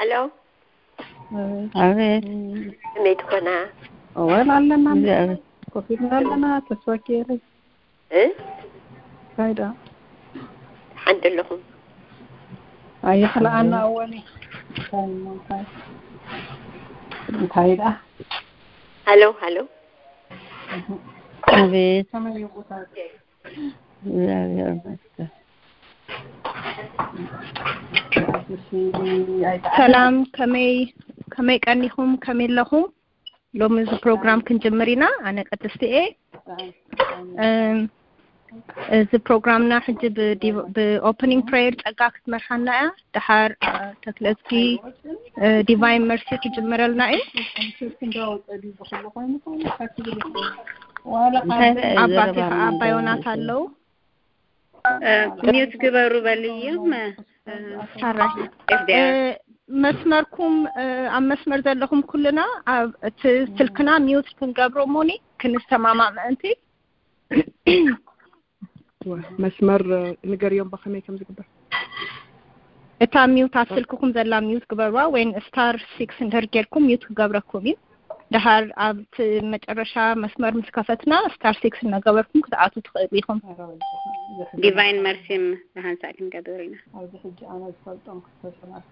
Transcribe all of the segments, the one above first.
ኣሎ ኣቤት ከመይ ትኾና? ወል ኣለና እግዚኣብሔር ኮፍ ኢልና ኣለና። ተስፋ ገይረ እ? እንታይ ደኣ ሓንቲ ኣለኹም? ኣይኽልኣና እወኒ እንታይ ደኣ ሃሎ ሃሎ ኣቤት ከመይ እዩ ቦታ እግዚኣብሔር ይመስገን። ሰላም ከመይ ከመይ ቀኒኹም ከመይ ኣለኹም? ሎሚ እዚ ፕሮግራም ክንጅምር ኢና። ኣነ ቅድስቲ እየ። እም፣ እዚ ፕሮግራምና ሕጂ ብዲ- ብኦፕኒንግ ፕሬየር ጸጋ ክትመርሓና እያ። ድሓር አ፣ ተክለዝጊ እ፣ ዲቫይን መርሲ ክጅምረልና እዩ። እንታይ እንታይ እዩ ኣባቴ ዘረባ ከዓ ኣባ ዮናስ ምንድን ኣለዉ። ሚዩት ግበሩ በልዮም። ሓራይ ኤፍዲኣር እ፣ መስመርኩም እ፣ ኣብ መስመር ዘለኹም ኩልና ኣብ እቲ ስልክና ሚዩት ክንገብሮ እሞኒ ክንሰማማዕ ምእንቲ። መስመር ንገርዮም ብኸመይ ከም ዝግበር። እታ ሚዩት ኣብ ስልክኹም ዘላ ሚዩት ግበርዋ ወይን ስታር ሲክስ እንድሕር ጌርኩም ሚዩት ክገብረኩም እዩ። ድሓር ኣብቲ መጨረሻ መስመር ምስ ከፈትና ስታር ሲክስ እናገበርኩም ክትኣትዉ ትኽእሉ ኢኹም። ዲቫይን መርሲም ብሃንሳእ ክንገብር ኢና። ኣብዚ ሕጂ ኣነ ዝፈልጦም ክልተ ሰባት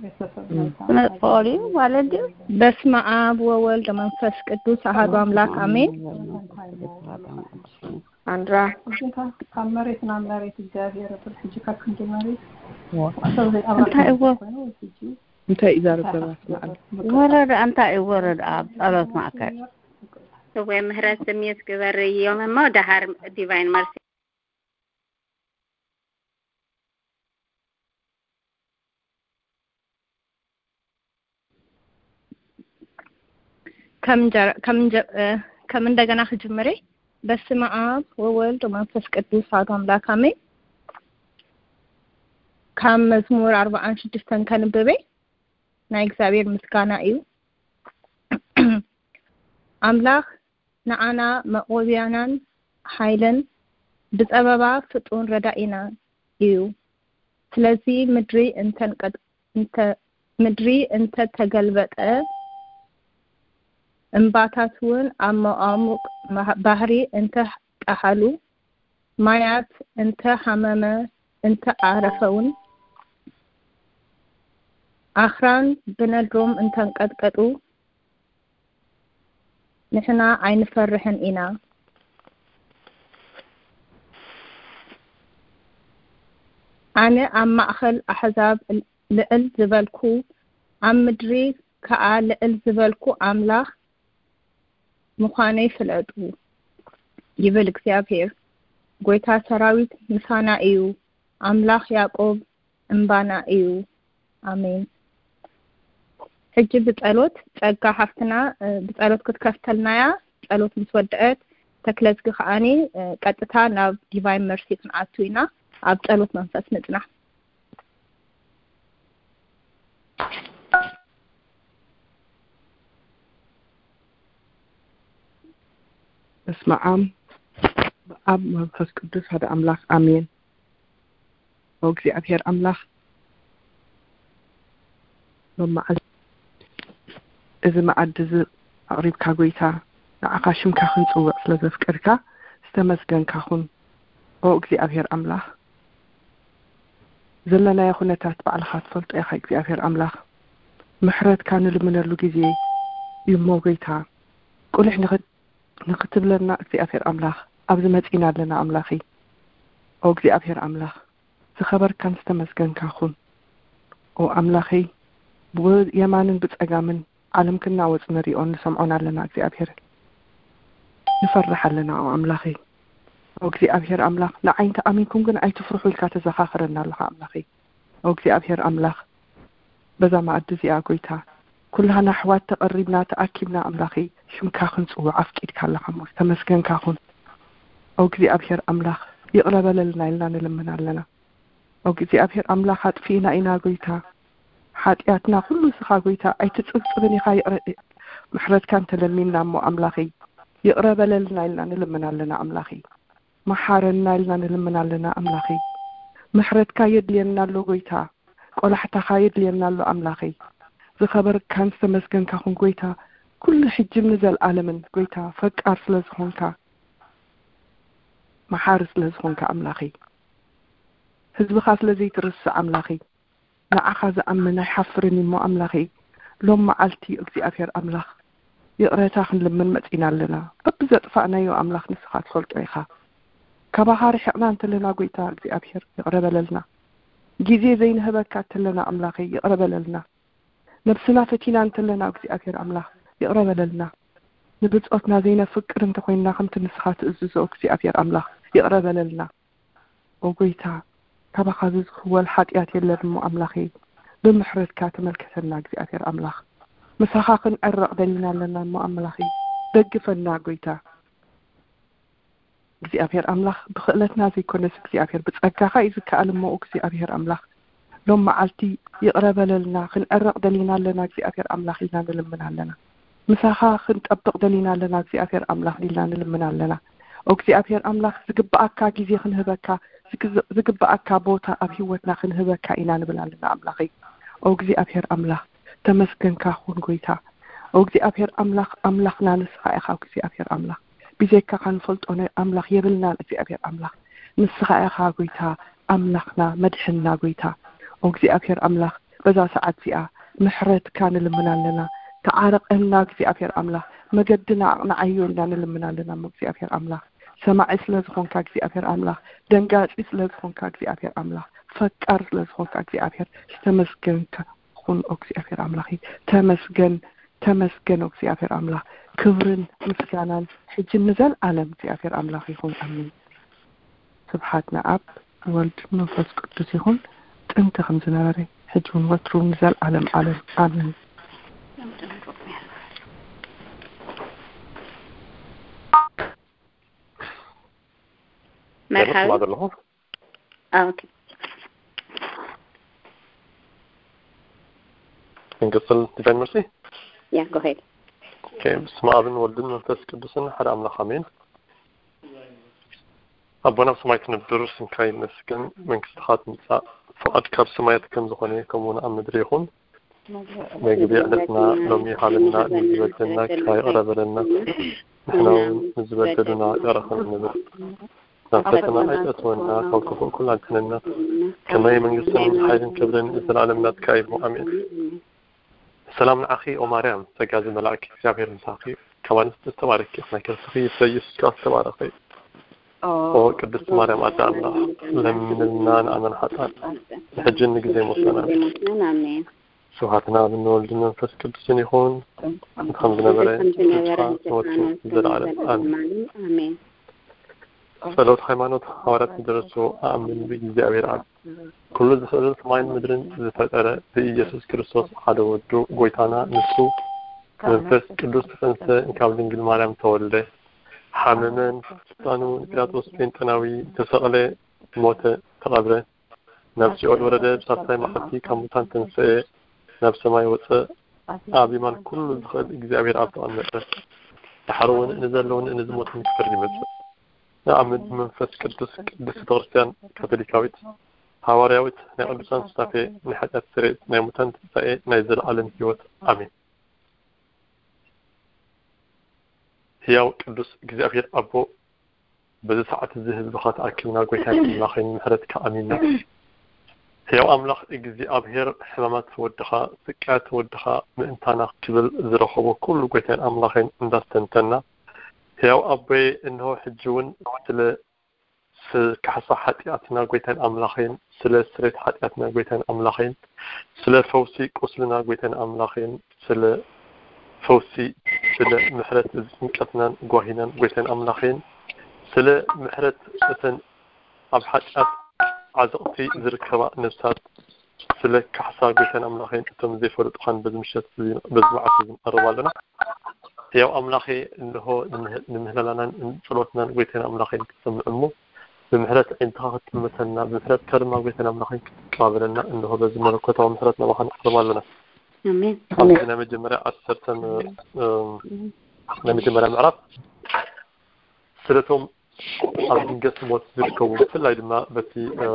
ቤተሰብ ክመፅእ ክኽእል እዩ ማለት ድዩ? በስመ ኣብ ወወልድ ወመንፈስ ቅዱስ ኣሃዱ ኣምላክ ኣሜን። ኣንድራ እዚታ ካብ መሬት ናብ መሬት እግዚኣብሔር እብል ሕጂ ካብ ክንዲ መሬት ሰብ ዘይኣባካ እንታይ እዎ? ኮይኑ ሕጂ እንታይ እዩ ዛረብ ሰባት መዓል ወረድ እንታይ እዩ ወረድ ኣብ ጸሎት ማእከል እወ ምህረት ስሜት ግበርዮም እሞ ደሃር ዲቫይን መርሲ ከም እንጀራ- ከም እንጀ- እ፣ ከም እንደገና ክጅምር እየ። በስመ ኣብ ወወልድ ወመንፈስ ቅዱስ ኣሐዱ ኣምላክ ኣሜን። ካብ መዝሙር ኣርባዓን ሽዱሽተን ከንብብ እየ። ናይ እግዚኣብሔር ምስጋና እዩ። ኣምላኽ ንዓና መቖብያናን ሓይልን ብጸበባ ፍጡን ረዳኢና እዩ። ስለዚ ምድሪ እንተንቀጥ- እንተ- ምድሪ እንተተገልበጠ እምባታት እውን ኣብ መቓሙቕ ባህ- ባህሪ እንተ ጠሓሉ ማያት እንተ ሃመመ እንተ ዓረፈውን ኣኽራን ብነድሮም እንተንቀጥቀጡ ንሕና ኣይንፈርሕን ኢና። ኣነ ኣብ ማእኸል ኣሕዛብ ልዕል ዝበልኩ ኣብ ምድሪ ከኣ ልዕል ዝበልኩ ኣምላኽ ምዃነይ ፍለጡ ይብል እግዚኣብሔር። ጐይታ ሰራዊት ምሳና እዩ፣ ኣምላኽ ያዕቆብ እምባና እዩ። ኣሜን። ሕጂ ብጸሎት ጸጋ ሓፍትና ብጸሎት ክትከፍተልና እያ። ጸሎት ምስ ወደአት ተክለዝጊ ከዓኒ ቀጥታ ናብ ዲቫይን መርሲ ክንኣቱ ኢና። ኣብ ጸሎት መንፈስ ንጽናሕ። በስመ ኣብ በኣብ መንፈስ ቅዱስ ሓደ ኣምላኽ ኣሜን። ኦ እግዚኣብሔር ኣምላኽ ሎመዓልቲ እዚ መዓዲ እዚ ኣቕሪብካ ጎይታ ንዓኻ ሽምካ ክንጽውዕ ስለ ዘፍቀድካ ዝተመስገንካ ኩን። ኦ እግዚኣብሔር ኣምላኽ ዘለናዮ ኩነታት ባዕልኻ ትፈልጦ ኢኻ እግዚኣብሔር ኣምላኽ ምሕረትካ ንልምነሉ ግዜ እዩ እሞ ጎይታ ቁልሕ ንኽትብለና እግዚኣብሔር ኣምላኽ ኣብዚ መጺና ኣለና ኣምላኺ። ኦ እግዚኣብሔር ኣምላኽ ዝኸበርካን ዝተመስገንካ ኩን። ኦ ኣምላኸይ ብየማንን ብጸጋምን ዓለም ክናወጽ ንሪኦን ንሰምዖን ኣለና እግዚኣብሔር ንፈርሕ ኣለና። ኦ ኣምላኸይ ኦ እግዚኣብሔር ኣምላኽ ንዓይ እንተ ኣሚንኩም ግን ኣይትፍርሑ ኢልካ ተዘኻኽረና ኣለኻ ኣምላኸይ። ኦ እግዚኣብሔር ኣምላኽ በዛ መኣዲ እዚኣ ጎይታ ኩላህና ኣሕዋት ተቐሪብና ተኣኪብና ኣምላኸይ ሽምካ ክንጽውዕ ኣፍቂድካ ኣለኻ እሞ ዝተመስገንካ ኩን። ኦ እግዚኣብሔር ኣምላኽ ይቕረ በለልና ኢልና ንልምን ኣለና። ኦ እግዚኣብሔር ኣምላኽ ኣጥፊእና ኢና ጎይታ ሓጢኣትና ኩሉ ንስኻ ጎይታ ኣይትጽብጽብን ኢኻ ይቕረ ምሕረትካ እንተለሚንና እሞ ኣምላኸይ ይቕረ በለልና ኢልና ንልምን ኣለና ኣምላኸይ። መሓረና ኢልና ንልምን ኣለና ኣምላኸይ። ምሕረትካ የድልየና ኣሎ ጎይታ። ቆላሕታኻ የድልየና ኣሎ ኣምላኸይ። ዝኸበርካን ዝተመስገንካ ኹን ጎይታ፣ ኩሉ ሕጅን ንዘልኣለምን ጎይታ፣ ፈቃር ስለ ዝኾንካ፣ መሓሪ ስለ ዝኾንካ ኣምላኸይ፣ ህዝብኻ ስለ ዘይትርስዕ ኣምላኸይ፣ ንዓኻ ዝኣምን ኣይሓፍርን እሞ ኣምላኸይ፣ ሎም መዓልቲ እግዚኣብሔር ኣምላኽ ይቕረታ ክንልምን መጺና ኣለና። በብዘጥፋእናዮ ኣምላኽ ንስኻ ትፈልጦ ኢኻ። ካባኻ ርሒቕና እንተለና ጎይታ እግዚኣብሔር ይቕረ በለልና። ግዜ ዘይንህበካ እንተለና ኣምላኸይ ይቕረ በለልና። ነብስና ፈቲና እንተለና እግዚኣብሔር ኣምላኽ ይቕረ በለልና። ንብጾትና ዘይነፍቅር እንተኾይንና ከምቲ ንስኻ ትእዝዞ እግዚኣብሔር ኣምላኽ ይቕረ በለልና። ኦ ጎይታ፣ ካባኻ ዝዝኽወል ሓጢኣት የለን እሞ ኣምላኸይ፣ ብምሕረትካ ተመልከተና እግዚኣብሔር ኣምላኽ። ምሳኻ ክንዕረቕ ደሊና ኣለና እሞ ኣምላኸይ፣ ደግፈና ጎይታ። እግዚኣብሔር ኣምላኽ፣ ብኽእለትና ዘይኮነስ እግዚኣብሔር ብጸጋኻ እዩ ዝከኣል እሞ እግዚኣብሔር ኣምላኽ፣ ሎም መዓልቲ ይቕረ በለልና፣ ክንዕረቕ ደሊና ኣለና እግዚኣብሔር ኣምላኽ ኢልና ንልምን ኣለና። ምሳኻ ክንጠብቕ ደሊና ኣለና እግዚኣብሔር ኣምላኽ ኢልና ንልምን ኣለና። ኦ እግዚኣብሔር ኣምላኽ፣ ዝግብኣካ ግዜ ክንህበካ፣ ዝግ-፣ ዝግብኣካ ቦታ ኣብ ህይወትና ክንህበካ ኢና ንብል ኣለና ኣምላኸይ። ኦ እግዚኣብሔር ኣምላኽ፣ ተመስገንካ ኩን ጎይታ። ኦ እግዚኣብሔር ኣምላኽ፣ ኣምላኽና ንስኻ ኢኻ እግዚኣብሔር ኣምላኽ። ብዘይካኻ ንፈልጦ ነ-፣ ኣምላኽ የብልናን እግዚኣብሔር ኣምላኽ። ንስኻ ኢኻ ጎይታ ኣምላኽና፣ መድሕንና ጎይታ። ኦ እግዚኣብሔር ኣምላኽ፣ በዛ ሰዓት እዚኣ ምሕረትካ ንልምን ኣለና። ተዓረቐና እግዚኣብሔር ኣምላኽ፣ መገድና ኣቕንዓዮ ኢልና ንልምን ኣለና እሞ እግዚኣብሔር ኣምላኽ። ሰማዒ ስለ ዝኾንካ እግዚኣብሔር ኣምላኽ፣ ደንጋጺ ስለ ዝኾንካ እግዚኣብሔር ኣምላኽ፣ ፈቃር ስለ ዝኾንካ እግዚኣብሔር ዝተመስገንካ ኩን ኦ እግዚኣብሔር ኣምላኽ። ተመስገን፣ ተመስገን ኦ እግዚኣብሔር ኣምላኽ። ክብርን ምስጋናን ሕጂ ንዘልኣለም እግዚኣብሔር ኣምላኽ ይኹን። ኣሜን። ስብሓት ንኣብ ወልድ መንፈስ ቅዱስ ይኹን፣ ጥንቲ ከም ዝነበረ፣ ሕጂ እውን ወትሩ ንዘልኣለም ዓለም። ኣሜን። መርሓባ። ኣለኹ። ኦኬ። ክንቅጽል ዲቫይን መርሲ? ያ፣ go ahead። ኦኬ። ብስመ ኣብን ወልድን መንፈስ ቅዱስን ሓደ ኣምላኽ ኣሜን። ኣቦና ኣብ ሰማይ ትነብር፣ ስምካ ይመስገን፣ መንግስትኻ ትምጻእ፣ ፍቓድካ ኣብ ሰማያት ከም ዝኾነ ከምኡ እውን ኣብ ምድሪ ይኹን። መግቢ ዕለትና ሎሚ ሃበና፣ ንዝበደልና ይቕረ በለና፣ ንሕና እውን ንዝበደሉና ይቕረ ከም እንብል። ናብ ፈተና ኣይተእትወና፣ ካብ ክፉእ ኩሉ ኣድሕነና። ከማይ መንግስትን ሓይልን ክብርን ንዘለኣለም ናትካ እዩ። ኣሜን። ሰላም ንዓኺ ኦ ማርያም፣ ጸጋ ዝመልኣኪ እግዚኣብሔር ምሳኺ፣ ካብ ኣንስቲ ዝተባረኪ ኢኺ፣ ናይ ከርስኺ ፍረ ኢየሱስ ከዓ ዝተባረኸ እዩ። ኦ ቅድስት ማርያም ኣደ ኣምላኽ፣ ለምንልና ንኣመን ሓጥኣን፣ ንሕጂ ንግዜ ሞትና። ኣሜን። ስብሐትና ንወልድን መንፈስ ቅዱስን ይኹን፣ ከም ዝነበረ፣ ከም ዝነበረ፣ ንወቱ ዘለዓለም። ኣሜን። ኣሜን። ጸሎት ሃይማኖት። ሃዋርያት ዝደረስዎ፣ ኣኣምን ብእግዚኣብሔር ኣብ፣ ኩሉ ዝኽእል ሰማይን ምድርን ዝፈጠረ ብኢየሱስ ክርስቶስ ሓደ ወዱ ጎይታና፣ ንሱ መንፈስ ቅዱስ ተጸንሰ፣ ካብ ድንግል ማርያም ተወልደ፣ ሓመመ፣ ንስልጣኑ ንጲላጦስ ጴንጠናዊ ተሰቕለ፣ ሞተ፣ ተቐብረ፣ ናብ ሲኦል ወረደ፣ ብሳልሳይ መዓልቲ ካብ ሙታን ተንስኤ፣ ናብ ሰማይ ወጸ፣ ኣብ የማን ኩሉ ዝኽእል እግዚኣብሔር ኣብ ተቐመጠ። ደሓር እውን ንዘለውን ንዝሞትን ክፈርድ ይመጽእ። ንኣምን ብመንፈስ ቅዱስ፣ ቅድስት ቤተክርስትያን ካቶሊካዊት፣ ሃዋርያዊት፣ ናይ ቅዱሳን ሱታፌ፣ ናይ ሓጢኣት ስርየት፣ ናይ ሙታን ትንሳኤ፣ ናይ ዘለዓለም ህይወት። ኣሜን። ህያው ቅዱስ እግዚኣብሔር ኣቦ፣ በዚ ሰዓት እዚ ህዝብኻ ተኣኪብና፣ ጎይታን ኣምላኸይን፣ ምሕረትካ ኣሚንና። ህያው ኣምላኽ እግዚኣብሔር፣ ሕማማት ወድኻ፣ ስቃያት ወድኻ ምእንታና ክብል ዝረኸቦ ኩሉ፣ ጎይታን ኣምላኸይን፣ እንዳስተንተና፣ ህያው ኣቦየ፣ እንሆ ሕጂ እውን ስለ ስ-፣ ካሕሳ ሓጢኣትና፣ ጎይታን ኣምላኸይን፣ ስለ ስሬት ሓጢኣትና፣ ጎይታን ኣምላኸይን፣ ስለ ፈውሲ ቁስልና፣ ጎይታን ኣምላኸይን፣ ስለ ፈውሲ፣ ስለ ምሕረት እዚ ጭንቀትናን ጓሂናን፣ ጎይታን ኣምላኸይን፣ ስለ ምሕረት እተን ኣብ ሓጢኣት ዓዘቕቲ ዝርከባ ነፍሳት፣ ስለ ካሕሳ፣ ጎይታን ኣምላኸይን፣ እቶም ዘይፈልጡኻን በዚ ምሸት እዚ፣ በዚ መዓልቲ እዚ ንቐርብ ኣለና። ህያው ኣምላኸ፣ እንሆ ንምህላላናን ንጸሎትናን፣ ጎይታን ኣምላኸይን፣ ክትሰምዕ እሞ፣ ብምሕረት ዓይንትኻ ክትጥምተና፣ ብምሕረትካ ድማ፣ ጎይታን ኣምላኸይን፣ ክትቀባበለና፣ እንሆ በዚ መለኮታዊ ምሕረት ናባኻ ንቐርብ ኣለና። ኣሜን። ኣብዚ ናይ መጀመርያ ዓሰርተ፣ እ፣ ናይ መጀመርያ ምዕራፍ፣ ስለቶም ኣብ ድንገት ሞት ዝርከቡ፣ ብፍላይ ድማ በቲ፣ እ፣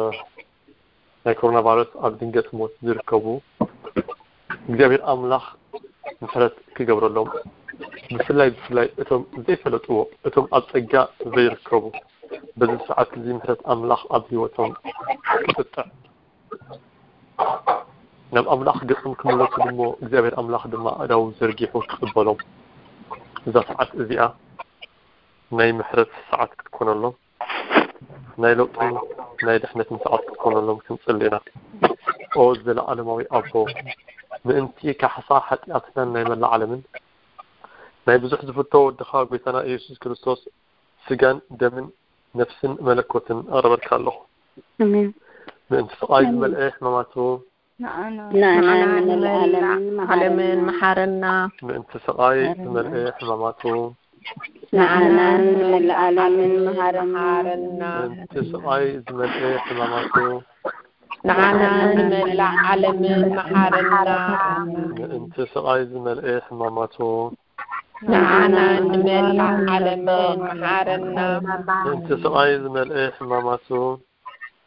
ናይ ኮሮና ቫይረስ ኣብ ድንገት ሞት ዝርከቡ እግዚኣብሔር ኣምላኽ ምሕረት ክገብረሎም፣ ብፍላይ ብፍላይ እቶም ዘይፈለጥዎ፣ እቶም ኣብ ጸጋ ዘይርከቡ፣ በዚ ሰዓት እዚ ምሕረት ኣምላኽ ኣብ ህይወቶም ክጥጥዕ፣ ናብ ኣምላኽ ገጾም ክምለሱ ድሞ እግዚኣብሔር ኣምላኽ ድማ ኣእዳዉ ዘርጊሑ ክቕበሎም፣ እዛ ሰዓት እዚኣ ናይ ምሕረት ሰዓት ክትኮነሎም፣ ናይ ለውጥን ናይ ድሕነትን ሰዓት ክትኮነሎም ክንጽሊ ኢና። ኦ ዘለዓለማዊ ኣቦ፣ ምእንቲ ካሕሳ ሓጢኣትናን ናይ መላእ ዓለምን፣ ናይ ብዙሕ ዝፍቶ ወድኻ ጐይታና ኢየሱስ ክርስቶስ ስጋን ደምን ነፍስን መለኮትን ኣቕርበልካ ኣለኹ። ኣሜን። ምእንቲ ስቓይ ዝመልአ ሕማማቱ፣ ንዓና ንመላእ ዓለምን መሓረና። ምእንቲ ስቓይ ዝመልአ ሕማማቱ፣ ንዓና ንመላእ ዓለምን መሓረና። ምእንቲ ስቓይ ዝመልአ ሕማማቱ፣ ንዓና ንመላእ ዓለምን መሓረና። ምእንቲ ስቓይ ዝመልአ ሕማማቱ፣ ንዓና ንመላእ ዓለምን መሓረና። ምእንቲ ስቓይ ዝመልአ ሕማማቱ፣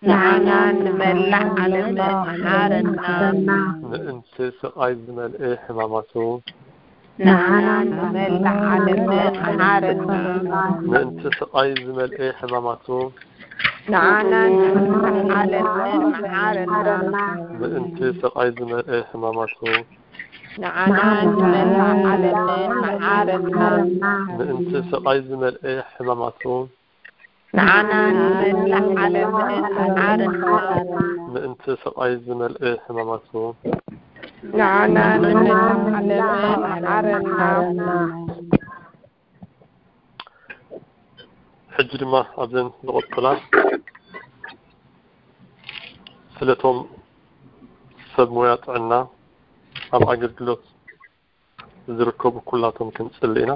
ንዓና ንመላእ ዓለምን መሓረና። ምእንቲ ስቓይ ዝመልአ ሕማማቱ፣ ንዓና ንመላእ ዓለምን መሓረና። ምእንቲ ስቓይ ዝመልአ ሕማማቱ፣ ንዓና ንመላእ ዓለምን መሓረና። ምእንቲ ስቓይ ዝመልአ ሕማማቱ፣ ንዓና ንመላእ ዓለምን መሓረና። ምእንቲ ስቓይ ዝመልአ ሕማማቱ፣ ንዓና ንመላእ ዓለምን መሓረና። ምእንቲ ስቓይ ዝመልአ ሕማማቱ፣ ንዓና ንመላእ ዓለምን መሓረና። ሕጂ ድማ ኣብዘን ዝቐጽላ ስለቶም ሰብ ሞያ ጥዕና ኣብ ኣገልግሎት ዝርከቡ ኩላቶም ክንጽሊ ኢና።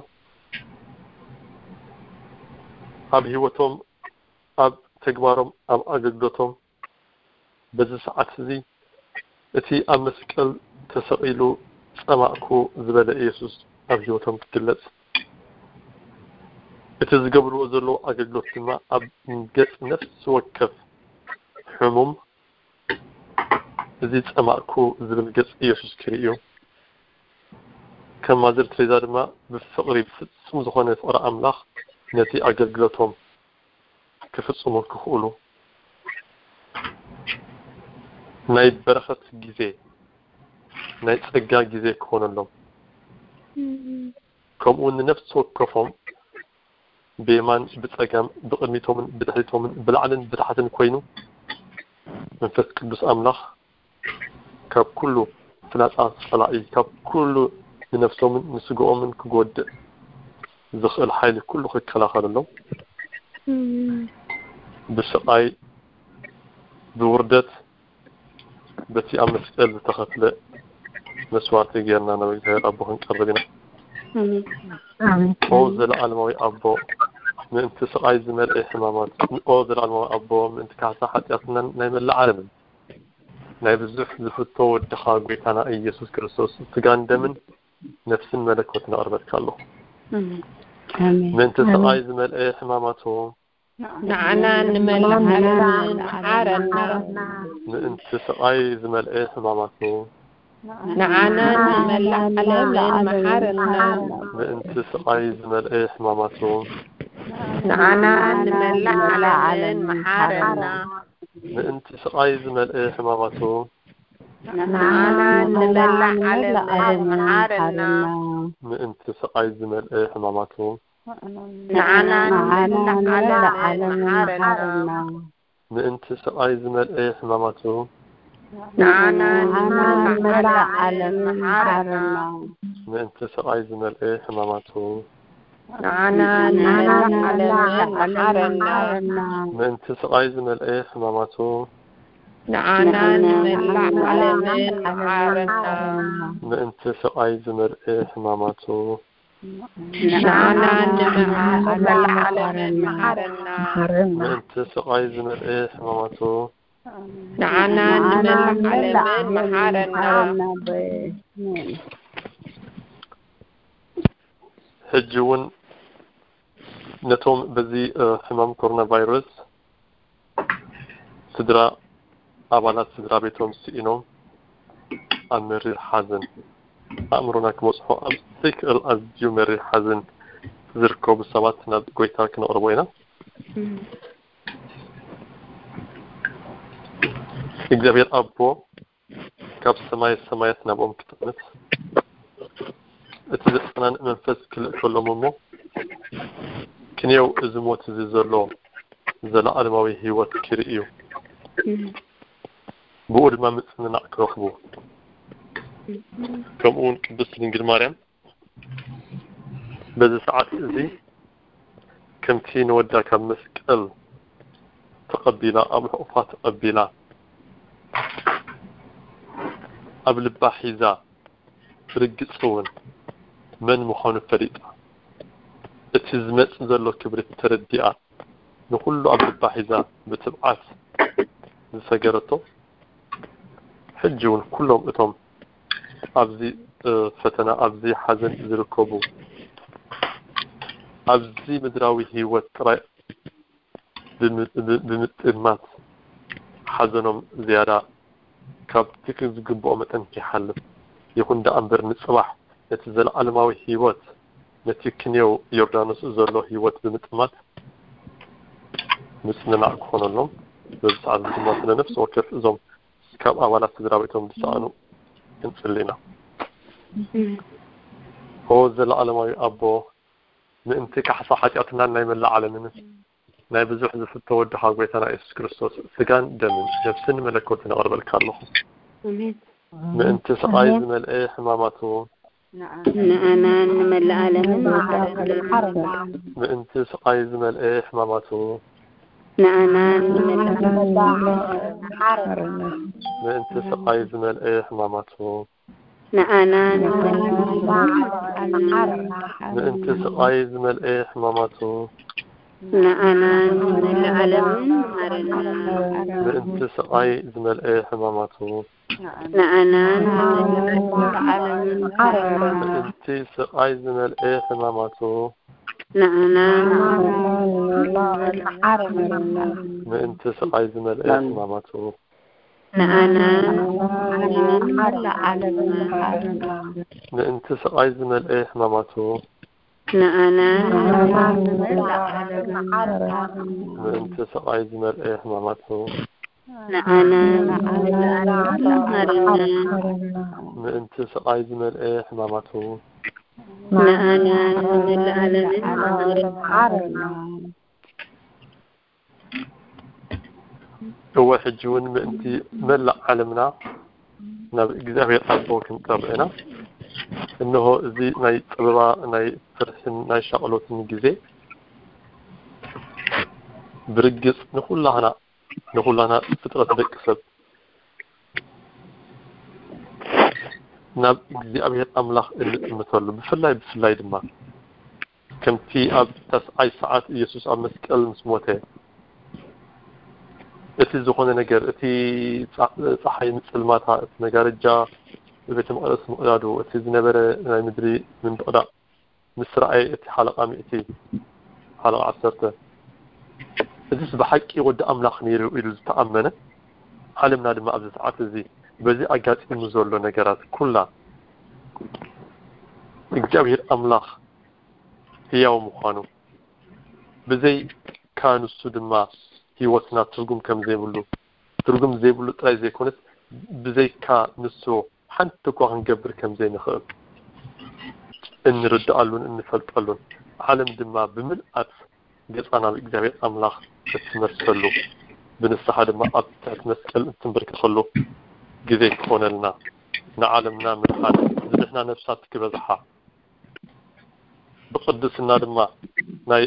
ኣብ ህይወቶም፣ ኣብ ተግባሮም፣ ኣብ ኣገልግሎቶም በዚ ሰዓት እዚ እቲ ኣብ መስቀል ተሰቒሉ ጸማእኩ ዝበለ ኢየሱስ ኣብ ህይወቶም ክግለጽ፣ እቲ ዝገብርዎ ዘለዉ ኣገልግሎት ድማ ኣብ ገጽ ነፍሲ ወከፍ ሕሙም እዚ ጸማእኩ ዝብል ገጽ ኢየሱስ ክርእዩ፣ ከም ማዘር ትሬዛ ድማ ብፍቕሪ፣ ብፍጹም ዝኾነ ፍቕሪ ኣምላኽ ነቲ ኣገልግሎቶም ክፍጽሙ ክኽእሉ ናይ በረኸት ግዜ፣ ናይ ጸጋ ግዜ ክኾነሎም፣ ከምኡ እውን ንነፍሲ ወከፎም ብየማን ብጸጋም ብቕድሚቶምን ብድሕሪቶምን ብላዕልን ብታሕትን ኮይኑ መንፈስ ቅዱስ ኣምላኽ ካብ ኩሉ ፍላጻ ጸላኢ፣ ካብ ኩሉ ንነፍሶምን ንስግኦምን ክጎድእ ዝኽእል ሓይሊ ኩሉ ክከላኸለሎም ብስቓይ ብውርደት በቲ ኣብ መስቀል ዝተኸፍለ መስዋዕቲ ጌርና ናብ እግዚኣብሔር ኣቦ ክንቀርብ ኢና። ኦ ዘለዓለማዊ ኣቦ፣ ምእንቲ ስቓይ ዝመልአ ሕማማት፣ ኦ ዘለዓለማዊ ኣቦ፣ ምእንቲ ካሕሳ ሓጢኣትናን ናይ መላእ ዓለምን ናይ ብዙሕ ዝፍቶ ወድኻ ጐይታና ኢየሱስ ክርስቶስ ስጋን ደምን ነፍስን መለኮትን ኣቕርበልካ ኣለኹ። ምእንቲ ስቓይ ዝመልአ ሕማማቱ፣ ንዓና ንመላእ ዓለምን መሓረና። ምእንቲ ስቓይ ዝመልአ ሕማማቱ፣ ንዓና ንመላእ ዓለምን መሓረና። ምእንቲ ስቓይ ዝመልአ ሕማማቱ፣ ንዓና ንመላእ ዓለምን መሓረና። ምእንቲ ስቓይ ዝመልአ ሕማማቱ፣ ንዓና ንመላእ ዓለምን መሓረና። ምእንቲ ስቓይ ዝመልአ ሕማማቱ፣ ንዓና ንመላእ ዓለምን መሓረና። ምእንቲ ስቓይ ዝመልአ ሕማማቱ፣ ንዓና ንመላእ ዓለምን መሓረና። ምእንቲ ስቓይ ዝመልአ ሕማማቱ፣ ንዓና ንመላእ ዓለምን መሓረና። ምእንቲ ስቓይ ዝመልአ ሕማማቱ፣ ንዓና ንመላእ ዓለምን መሓረና። ምእንቲ ስቓይ ዝመልአ ሕማማቱ፣ ንዓና ንመላእ ዓለምን መሓረና። ምእንቲ ስቓይ ዝመልአ ሕማማቱ፣ ንዓና ንመላእ ዓለምን መሓረና። ሕጂ እውን ነቶም በዚ ሕማም ኮሮና ቫይረስ ስድራ ኣባላት ስድራ ቤቶም ስኢኖም ኣብ መሪር ሓዘን ኣእምሮና ክበጽሖ ኣብ ዘይክእል ኣዝዩ መሪር ሓዘን ዝርከቡ ሰባት ናብ ጎይታ ክነቕርቦ ኢና። እግዚኣብሔር ኣቦ ካብ ሰማይ ሰማያት ናብኦም ክጥምት እቲ ዘጸናንእ መንፈስ ክልእከሎም እሞ ክንየው እዚ ሞት እዚ ዘሎ ዘለዓለማዊ ህይወት ክርእዩ ብኡ ድማ ምጽንናዕ ክረኽቡ ከምኡ እውን ቅድስት ድንግል ማርያም በዚ ሰዓት እዚ ከምቲ ንወዳ ካብ መስቀል ተቐቢላ ኣብ ሕቑፋ ተቐቢላ ኣብ ልባ ሒዛ ብርግጽ እውን መን ምዃኑ ፈሊጣ እቲ ዝመጽእ ዘሎ ክብሪ ተረዲኣ ንኹሉ ኣብ ልባ ሒዛ ብትብዓት ዝሰገረቶ ሕጂ እውን ኩሎም እቶም ኣብዚ ፈተና ኣብዚ ሓዘን ዝርከቡ ኣብዚ ምድራዊ ህይወት ጥራይ ብምጥማት ሓዘኖም ዝያዳ ካብቲ ዝግብኦ መጠን ከይሓልፍ ይኹን ደኣ እምበር ንፅባሕ ነቲ ዘለዓለማዊ ህይወት ነቲ ክንየው ዮርዳኖስ ዘሎ ህይወት ብምጥማት ምፅንናዕ ክኾነሎም በዚ ሰዓት ድማ ስለ ነፍሲ ወከፍ እዞም ካብ ኣባላት ስድራ ቤቶም ዝሰኣኑ ክንፅሊ ኢና። ኦ ዘለዓለማዊ ኣቦ ምእንቲ ካሕሳ ሓጢኣትናን ናይ መላእ ዓለምን ናይ ብዙሕ ዝፍቶ ወድኻ ጎይታና የሱስ ክርስቶስ ስጋን ደምን ነፍስን መለኮትን ኣቕርበልካ ኣለኹ። ኣሜን። ምእንቲ ስቓይ ኣሜን። ዝመልአ ሕማማቱ ንኣናን ንመላእ ዓለምን መሓረና። ምእንቲ ስቓይ ዝመልአ ሕማማቱ ንኣናን ንመላእ ምእንቲ ስቓይ ዝመልአ ሕማማቱ ንኣናን ንመላእ ዓለምን መሓረና። ምእንቲ ስቓይ ዝመልአ ሕማማቱ ንኣናን ንመላእ ዓለምን መሓረና። ምእንቲ ስቓይ ዝመልአ ሕማማቱ ንኣናን ንመላእ ዓለምን መሓረና። ምእንቲ ስቓይ ዝመልአ ሕማማቱ ንኣናን ንመላእ ዓለምን መሓረና። ምእንቲ ስቓይ ዝመልአ ሕማማቱ ንኣናን ንመላእ ዓለምን መሓረና። ምእንቲ ስቓይ ዝመልአ ሕማማቱ ንኣናን ንመላእ ዓለምን መሓረና። ምእንቲ ስቓይ ዝመልአ ሕማማቱ ንኣናን ንመላእ ዓለምን መሓረና። ምእንቲ ስቓይ ዝመልአ ሕማማቱ ንኣናን ንመላእ ዓለምን መሓረና። እወ ሕጂ እውን ምእንቲ መላእ ዓለምና ናብ እግዚኣብሔር ኣቦ ክንቀርብ ኢና። እንሆ እዚ ናይ ጸበባ ናይ ፍርሕን ናይ ሻቕሎትን ግዜ ብርግጽ ንኹላህና ንኹላና ፍጥረት ደቂ ሰብ ናብ እግዚኣብሔር ኣምላኽ እንጥምተሉ ብፍላይ ብፍላይ ድማ ከምቲ ኣብ ተስዓይ ሰዓት ኢየሱስ ኣብ መስቀል ምስ ሞተ እቲ ዝኾነ ነገር እቲ ጸሓይ ምጽልማታ እቲ መጋረጃ ቤተ መቅደስ ምቕዳዱ እቲ ዝነበረ ናይ ምድሪ ምንድቕዳቕ ምስ ረኣየ እቲ ሓለቓ ሚእቲ ሓለቓ ዓሰርተ እዚስ ብሓቂ ወዲ ኣምላኽ ነይሩ ኢሉ ዝተኣመነ ዓለምና ድማ ኣብዚ ሰዓት እዚ በዚ ኣጋጢሙ ዘሎ ነገራት ኩላ እግዚኣብሔር ኣምላኽ ህያው ምዃኑ ብዘይካ ንሱ ድማ ህይወትና ትርጉም ከም ዘይብሉ ትርጉም ዘይብሉ ጥራይ ዘይኮነስ ብዘይካ ንሱ ሓንቲ እኳ ክንገብር ከም ዘይንኽእል እንርድኣሉን እንፈልጠሉን ዓለም ድማ ብምልኣት ገጻ ናብ እግዚኣብሔር ኣምላኽ እትመልሰሉ ብንስሓ ድማ ኣብ ትሕቲ መስቀል እንትንበርከኸሉ ግዜ ክኾነልና ንዓለምና ምድሓን ዝድሕና ነፍሳት ክበዝሓ ብቅድስና ድማ ናይ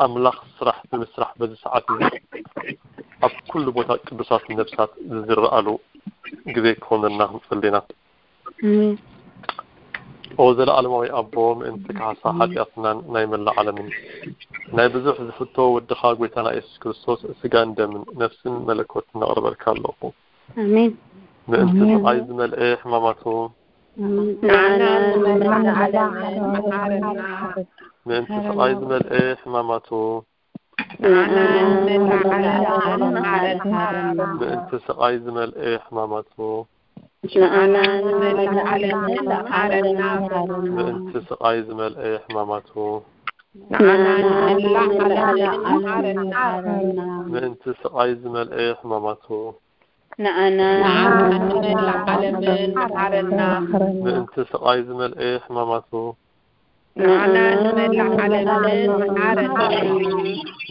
ኣምላኽ ስራሕ ብምስራሕ በዚ ሰዓት እዚ ኣብ ኩሉ ቦታ ቅዱሳት ነፍሳት ዝዝረኣሉ ግዜ ክኾነልና ክንጸሊ ኢና። ኦ ዘለኣለማዊ ኣቦ ምእንቲ ካሕሳ ሓጢኣትናን ናይ መላእ ዓለምን ናይ ብዙሕ ዝፍቶ ወድኻ ጎይታና የሱስ ክርስቶስ ስጋን ደምን ነፍስን መለኮትን ነቕርበልካ ኣለኹ። ኣሜን። ምእንቲ ኣሜን። ስቓይ ዝመልአ ሕማማቱ ንዓና ንመላእ ዓለም መሓረና። ምእንቲ ስቓይ ዝመልአ ሕማማቱ ንዓናን ንመላእ ዓለምን መሓረና። ምእንቲ ስቓይ ዝመልኤ ሕማማቱ ንዓናን ንመላእ ዓለምን መሓረና። ምእንቲ ስቓይ ዝመልኤ ሕማማቱ ንዓናን ንመላእ ዓለምን መሓረና። ምእንቲ ስቓይ ዝመልኤ ሕማማቱ ንዓናን ንመላእ ዓለምን መሓረና። ምእንቲ ስቓይ ዝመልኤ ሕማማቱ ንዓናን ንመላእ ዓለምን መሓረና።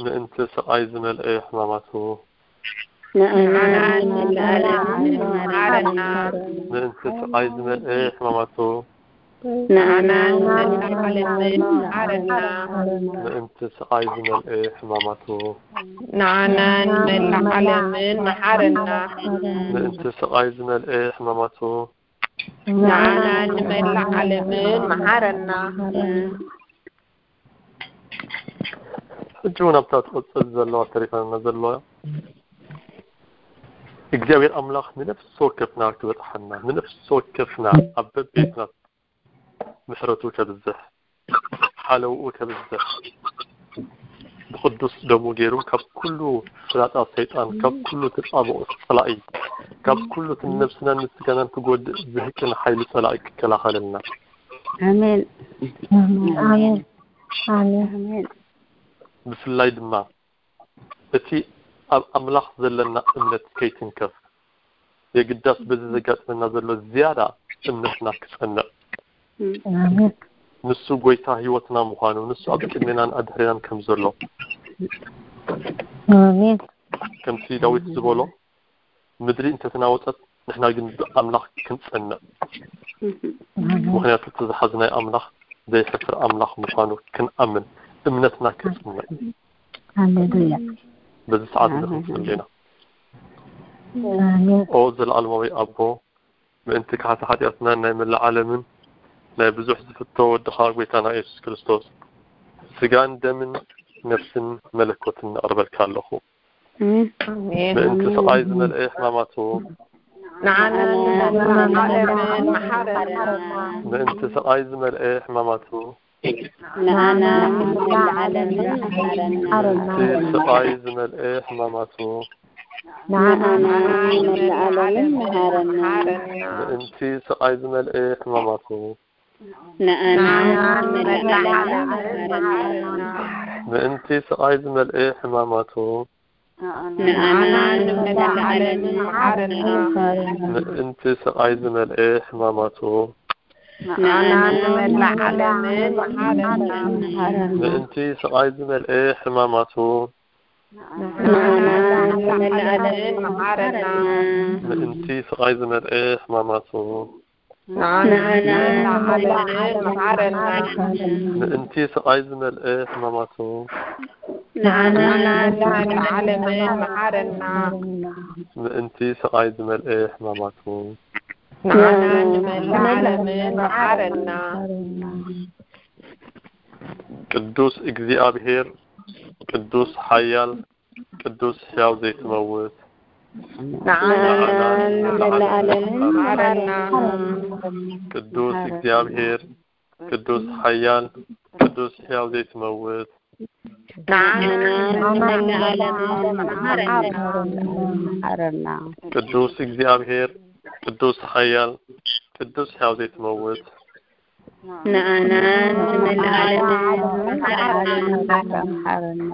ምእንቲ ስቓይ ዝመልኤ ሕማማቱ ንዓናን ንመላእ ዓለምን መሓረና። ምእንቲ ስቓይ ዝመልኤ ሕማማቱ ንዓናን ንመላእ ዓለምን መሓረና። ምእንቲ ስቓይ ዝመልኤ ሕማማቱ ንዓናን ንመላእ ዓለምን መሓረና። ምእንቲ ስቓይ ዝመልኤ ሕማማቱ ንዓናን ንመላእ ዓለምን መሓረና። ሕጂ እውን ኣብታ ትቕጽል ዘለዋ ተሪፋና ዘለዋ እግዚኣብሔር ኣምላኽ ንነፍሲ ወከፍና ክበጽሓና ንነፍሲ ወከፍና ኣብ በቤትና ምሕረቱ ከብዝሕ ሓለውኡ ከብዝሕ ብቕዱስ ደሙ ገይሩ ካብ ኩሉ ፍላጻ ሰይጣን ካብ ኩሉ ተጻብኦ ጸላኢ ካብ ኩሉ እቲ ነብስናን ንስጋናን ክጎድእ ዝህቅን ሓይሊ ጸላኢ ክከላኸለልና ኣሜን ኣሜን ኣሜን ኣሜን ብፍላይ ድማ እቲ ኣብ ኣምላኽ ዘለና እምነት ከይትንከፍ የግዳስ በዚ ዘጋጥመና ዘሎ ዝያዳ እምነትና ክጸንዕ ኣሜን ንሱ ጎይታ ህይወትና ምዃኑ ንሱ ኣብ ቅድሜናን ኣድሕሬናን ከም ዘሎ ኣሜን ከምቲ ዳዊት ዝበሎ ምድሪ እንተተናወጸት ንሕና ግን ብኣምላኽ ክንጸንዕ ምኽንያቱ እቲ ዝሓዝናይ ኣምላኽ ዘይሕፍር ኣምላኽ ምዃኑ ክንኣምን እምነትና ክጽንዕ ሃሌሉያ በዚ ሰዓት ንኽንጽሊ ኢና ኣሜን ኦ ዘለኣለማዊ ኣቦ ምእንቲ ካሕቲ ሓጢኣትና ናይ መላእ ዓለምን ናይ ብዙሕ ዝፍቶ ወድኻ ጎይታና የሱስ ክርስቶስ ስጋን ደምን ነፍስን መለኮትን ነቕርበልካ ኣለኹ ምእንቲ ስቓይ ዝመልአ ሕማማቱ ንዓናን ንመላእ ዓለምን መሓረና ምእንቲ ስቓይ ዝመልአ ሕማማቱ ንዓናን ንመላእ ዓለምን መሓረና ምእንቲ ስቓይ ዝመልአ ሕማማቱ ንዓናን ንመላእ ዓለምን መሓረና ምእንቲ ስቓይ ዝመልአ ሕማማቱ ንዓናን ንመላእ ዓለምን መሓረና ምእንቲ ስቓይ ዝመልአ ሕማማቱ ንዓናን ንመላእ ዓለምን መሓረና ምእንቲ ስቓይ ዝመልአ ሕማማቱ ንዓናን ንመላእ ዓለምን መሓረና ምእንቲ ስቓይ ዝመልአ ሕማማቱ ንዓናን ንመላእ ዓለምን መሓረና ምእንቲ ስቓይ ዝመልአ ሕማማቱ ንዓናን ንመላእ ዓለምን መሓረና ምእንቲ ስቓይ ዝመልአ ሕማማቱ ንዓናን ንመላእ ዓለምን መሓረና ምእንቲ ስቓይ ዝመልአ ሕማማቱ ንዓናን ንመላእ ዓለምን መሓረና ቅዱስ እግዚኣብሔር ቅዱስ ሓያል ቅዱስ ሕያው ዘይትመውት ንዓናን ንመላእ ዓለምን መሓረና ቅዱስ እግዚኣብሔር ቅዱስ ሓያል ቅዱስ ሕያው ዘይትመውት ንዓናን ንመላእ ዓለምን መሓረና መሓረና ቅዱስ እግዚኣብሔር ቅዱስ ሓያል ቅዱስ ሕያው ዘይትመውት ንዓናን ንመላእ ዓለምን መሓረና መሓረና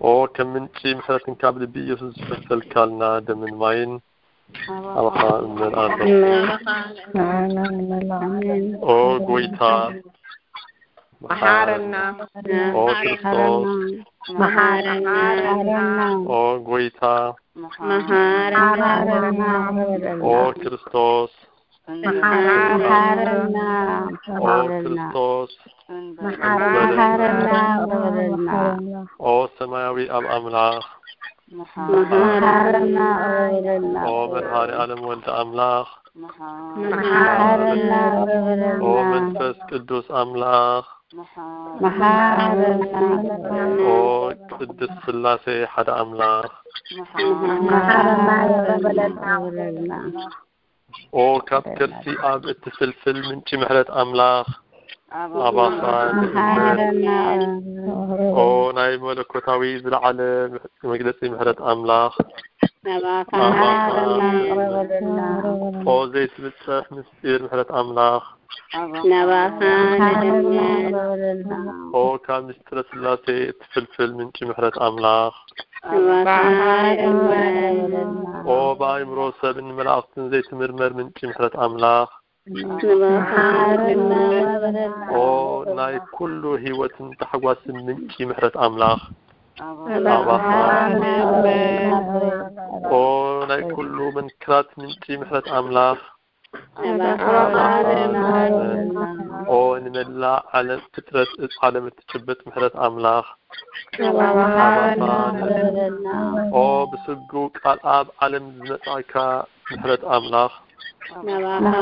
ኦ ከም ምንጪ ምሕረትን ካብ ልቢ ኢየሱስ ዝፈሰልካልና ደምን ማይን ኣባኻ እመልኣለኹ ንዓና ንመላእ ዓለም ኦ ጎይታ መሓረና ኦ ክርስቶስ መሓረና ኦ ጎይታ መሓረና ኦ ክርስቶስ መሓረና ኦ ክርስቶስ መሓረና እረበለልና ኦ ሰማያዊ ኣብ ኣምላኽ መሓረና እረበለልና ኦ መድኃኔ ዓለም ወልደ ኣምላኽ መሓረና እረበለልና ኦ መንፈስ ቅዱስ ኣምላኽ መሓረና ኦ ቅድስት ሥላሴ ሓደ ኣምላኽ መሓረና እረበለልና ኦ ካብ ከርሲ ኣብ እትፍልፍል ምንጪ ምሕረት ኣምላኽ ኣባኻ መሓረና ኦ ናይ መለኮታዊ ዝለዓለ መግለጺ ምሕረት ኣምላኽ። ናባኻ ናባኻ መሓረና ቅረበልና። ኦ ዘይትብጸሕ ምስጢር ምሕረት ኣምላኽ። ናባኻ ንእመን። ኦ ካብ ምስጢረ ስላሴ እትፍልፍል ምንጪ ምሕረት ኣምላኽ። ናባኻ ንእመን። ኦ ብኣእምሮ ሰብን መላእኽትን ዘይትምርመር ምንጪ ምሕረት ኣምላኽ። ናባኻ ንእመን። ኦ ናይ ኩሉ ህይወትን ታሕጓስን ምንጪ ምሕረት ኣምላኽ። ናባኻ ንእመን። ኦ ናይ ኩሉ መንክራት ምንጪ ምሕረት ኣምላኽ። ናባኻ ንእመን። ኦ ንመላእ ዓለም ፍጥረት ዓለም እትጭብጥ ምሕረት ኣምላኽ። ናባኻ ናባኻ ንእመን። ኦ ብስግው ቃል ኣብ ዓለም ዝመጻእካ ምሕረት ኣምላኽ። ናባኻ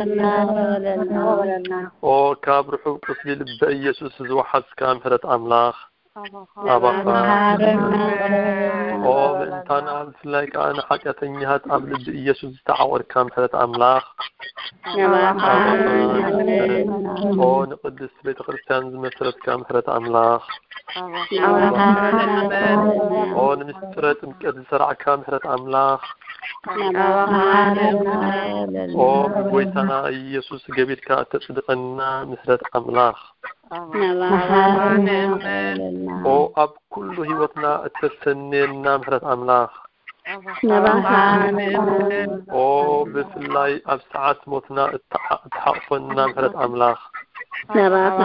ንእመን። ኦ ካብ ርሑቕ ቁስሊ ልበ ኢየሱስ ዝወሓዝካ ምሕረት ኣምላኽ። ናባኻ ናባኻ ንእመን። ኦ ምእንታና ብፍላይ ከኣ ንሓጢኣተኛታት ኣብ ልቢ ኢየሱስ ዝተዓቖርካ ምሕረት ኣምላኽ። ናባኻ ንእመን። ኦ ንቅድስት ቤተ ክርስቲያን ዝመስረትካ ምሕረት ኣምላኽ። ናባኻ ንእመን። ኦ ንምስጢረ ጥምቀት ዝሰራዕካ ምሕረት ኣምላኽ። ናባኻ ንእመን። ኦ ብጎይታና ኢየሱስ ገቢርካ እተጽድቐና ምሕረት ኣምላኽ። ናባኻ ንእመን። ኦ ኣብ ኩሉ ህይወትና እተሰንየና ምሕረት ኣምላኽ። ናባኻ ንእመን። ኦ ብፍላይ ኣብ ሰዓት ሞትና እትሓ- እትሓቕፈና ምሕረት ኣምላኽ። ናባኻ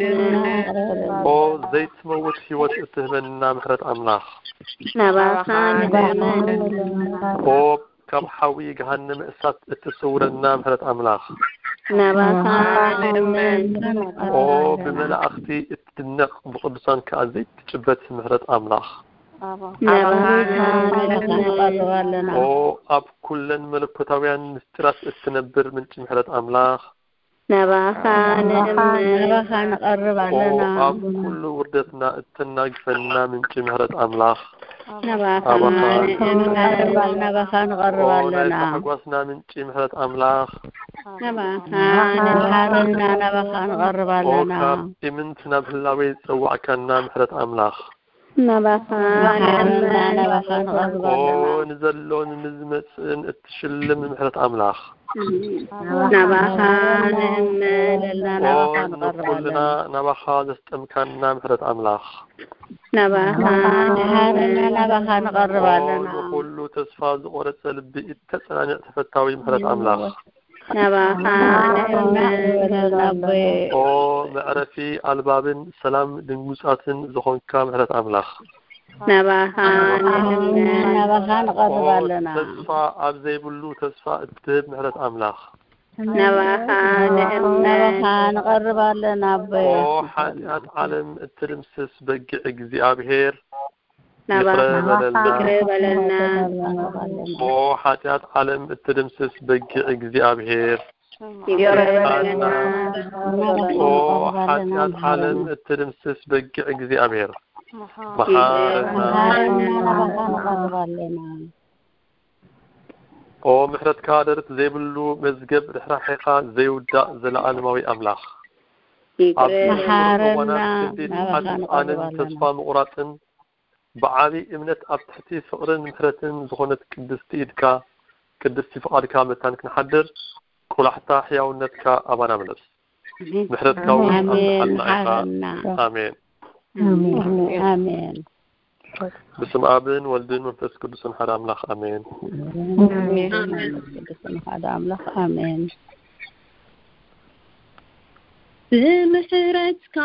ንእመን። ኦ ዘይትመውት ህይወት እትህበና ምሕረት ኣምላኽ። ናባኻ ንእመን። ኦ ካብ ሓዊ ገሃነመ እሳት እትስውረና ምሕረት ኣምላኽ። ናባኻ ንእመን። ኦ ብመላእኽቲ እትድነቕ ብቅዱሳን ከኣ ዘይትጭበት ምሕረት ኣምላኽ። ናባኻ ንእመን። ኦ ኣብ ኩለን መለኮታውያን ምስጢራት እትነብር ምንጪ ምሕረት ኣምላኽ። ናባኻ ንእመን። ናባኻ ንቐርብ ኦ ኣለና። ኣብ ኩሉ ውርደትና እተናግፈና ምንጪ ምሕረት ኣምላኽ። ናባኻ ናባኻ ንእመን። ናባኻ ንቐርብ ኦ ናይ ኣለና። ታሕጓስና ምንጪ ምሕረት ኣምላኽ። ናባኻ መሓረና ናባኻ ንቐርብ ኦ ኣለና። ካብ ኢምንት ናብ ህላዌ ዝጸዋዕካና ምሕረት ኣምላኽ። ናባኻ መሓረና ንእመን። ናባኻ ንቐርብ ኦ ኣለና። ንዘሎን ንዝመጽእን እትሽልም ምሕረት ኣምላኽ። ናባኻ ንእመን። ዘለና ኦ ናባኻ ንቐርብ ንኹልና ኣለና። ናባኻ ዘስጠምካና ምሕረት ኣምላኽ። ናባኻ መሓረና ንእመን። ናባኻ ንቐርብ ኦ ኣለና። ንኹሉ ተስፋ ዝቖረጸ ልቢ እተጸናንዕ ተፈታዊ ምሕረት ኣምላኽ። ናባኻ ንእመን። ኣቦይ ኦ መዕረፊ ኣልባብን ሰላም ድንጉጻትን ዝኾንካ ምሕረት ኣምላኽ። ናባኻ ንእመን። ናባኻ ንቐርብ ኦ ኣለና። ተስፋ ኣብ ዘይብሉ ተስፋ እትህብ ምሕረት ኣምላኽ። ናባኻ ንእመን። ናባኻ ንቐርብ ኣለና ኣቦይ። ኦ ሓጢኣት ዓለም እትድምስስ በጊዕ እግዚኣብሔር ናባኻ ይቕረ በለልና። ይቕረ በለልና። ኦ ሓጢኣት ዓለም እትድምስስ በጊዕ እግዚኣብሔር ይቕረ በለልና። ኦ ሓጢኣት ዓለም እትድምስስ በጊዕ እግዚኣብሔር መሓረና። መሓረና ናባኻ ንቐርብ ኣለና። ኦ ምሕረትካ ደረት ዘይብሉ መዝገብ ርሕራሕኻ ዘይውዳእ ዘለኣለማዊ ኣምላኽ። ኣብ ይቕረ ዝነበሩ መሓረና እዋናት ክንዲ ናባኻ ሓጥኣንን ንቐርብ ኣለና። ተስፋ ምቑራጽን ብዓቢ እምነት ኣብ ትሕቲ ፍቕርን ምሕረትን ዝኾነት ቅድስቲ ኢድካ ቅድስቲ ፍቓድካ መታን ክንሓድር ቆላሕታ ሕያውነትካ ኣባና ምለስ። ምሕረትካ እውን ኣሜን። ኣብዝሓልና ኢኻ። መሓረና። ኣሜን። ኣሜን። ኣሜን። ብስም ኣብን ወልድን መንፈስ ቅዱስን ሓደ ኣምላኽ ኣሜን። ኣሜን። ቅዱስን ሓደ ኣምላኽ ኣሜን። ብምሕረትካ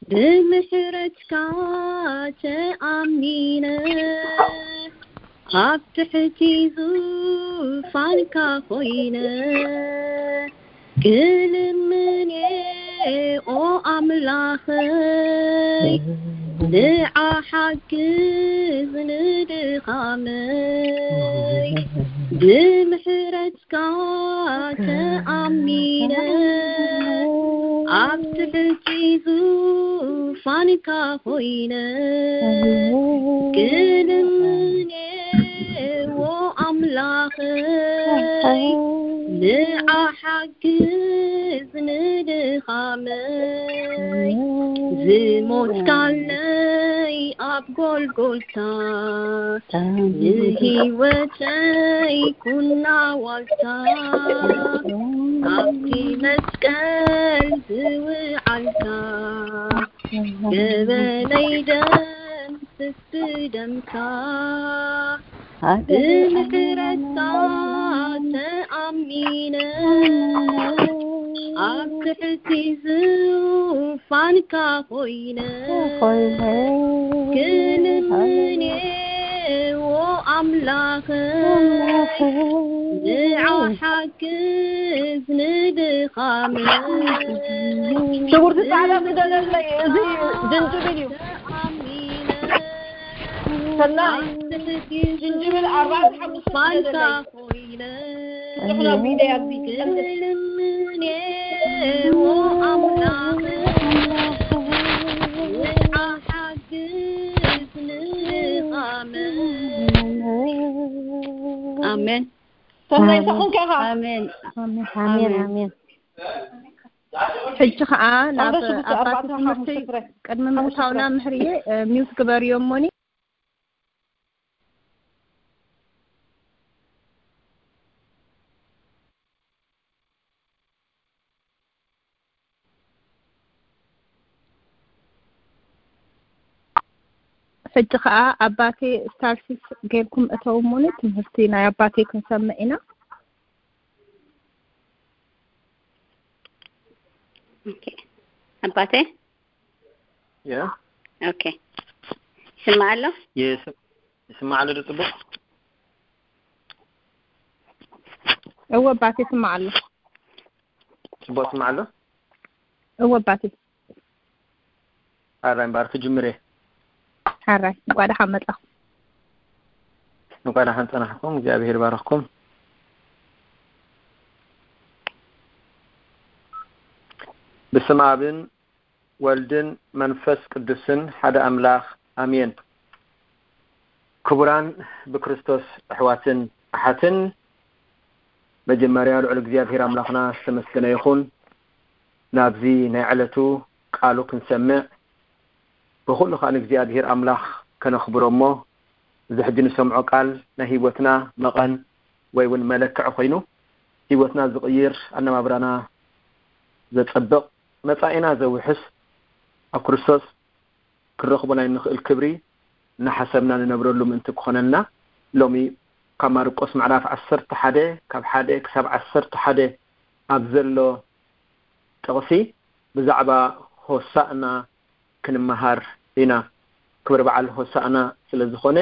ብምሕረትካ ተኣሚነ ኣብ ትሕቲ ዙፋንካ ኮይነ ክልምኔ ኦ ኣምላኸይ ንዓ ሓግዝ ንድኻመይ ብምሕረትካ ተኣሚነ ኣብ ትሕቲ ዙፋንካ ኮይነ ክልምኔ ኦ ኣምላኸይ ንዓ ሓግዝ ንድኻመይ፣ ዝሞትካለይ ኣብ ጎልጎልታ፣ ንህይወተይ ኩና ዋልታ፣ ኣብቲ መስቀል ዝውዓልካ፣ ገበነይ ደምስስ ብደምካ፣ ብምሕረትካ ተኣሚነ፣ ኣብ ትሕቲ ዙፋንካ ኮይነ፣ ክልምንዎ ኣምላኸይ፣ ንዓ ሓግዝ ንድኻመይ። ክቡርቲ ጻዕዳ ስደደለይ፣ እዚ ጅንጅብል እዩ። ሰናይ፣ ጅንጅብል ኣርባዕተ ሓሙሽተ ስደደለይ። ኣሜን። ሰናይ፣ ንስኹም ከ ኢኻ? ኣሜን። ኣሜን፣ ኣሜን፣ ኣሜን። ሕጂ ኸኣ ናብ ኣስራ ሽዱሽተ ኣባቲ ኣርባዕተ ትምህርቲ ሓሙሽተ ፍረ። ቅድሚ ሓሙሽተ ምእታውና ፍረ። ምሕርየ፣ እ፣ ሚውት ግበርዮ እሞኒ። ሕጂ ኸኣ ኣባቴ ስታርሲስ ጌርኩም እተው እሞኒ፣ ትምህርቲ ናይ ኣባቴ ክንሰምዕ ኢና። ኦኬ። ኣባቴ? ያ። ኦኬ። ይስማዕ ኣሎ? ይስ-፣ ይስማዕ ኣሎ ዶ ጽቡቕ? እወ ኣባቴ፣ ይስማዕ ኣሎ። ጽቡቕ ይስማዕ ኣሎ? እወ ኣባቴ። ሓራይ እምበኣር ክጅምር እየ። ሓራይ፣ እንቋዕ ደሓን መጻኹም። እንቋዕ ደሓን ጸናሕኩም፣ እግዚኣብሔር ይባርኽኩም። ብስም ኣብን ወልድን መንፈስ ቅዱስን ሓደ ኣምላኽ ኣሜን። ክቡራን ብክርስቶስ ኣሕዋትን ኣሓትን፣ መጀመርያ ልዑል እግዚኣብሔር ኣምላኽና ዝተመስገነ ይኹን። ናብዚ ናይ ዕለቱ ቃሉ ክንሰምዕ ብኹሉ ከኣ ንእግዚኣብሔር ኣምላኽ ከነኽብሮ እሞ፣ እዚ ሕጂ ንሰምዖ ቃል ናይ ህይወትና መቐን ወይ እውን መለክዒ ኮይኑ፣ ህይወትና ዝቕይር፣ ኣነባብራና ዘጸብቕ፣ መጻኢና ዘውሕስ፣ ኣብ ክርስቶስ ክንረኽቦ ናይ እንኽእል ክብሪ እናሓሰብና ንነብረሉ ምእንቲ ክኾነልና፣ ሎሚ ካብ ማርቆስ ምዕራፍ ዓሰርተ ሓደ ካብ ሓደ ክሳብ ዓሰርተ ሓደ ኣብ ዘሎ ጥቕሲ ብዛዕባ ሆሳእና ክንመሃር ኢና። ክብሪ በዓል ሆሳእና ስለ ዝኾነ፣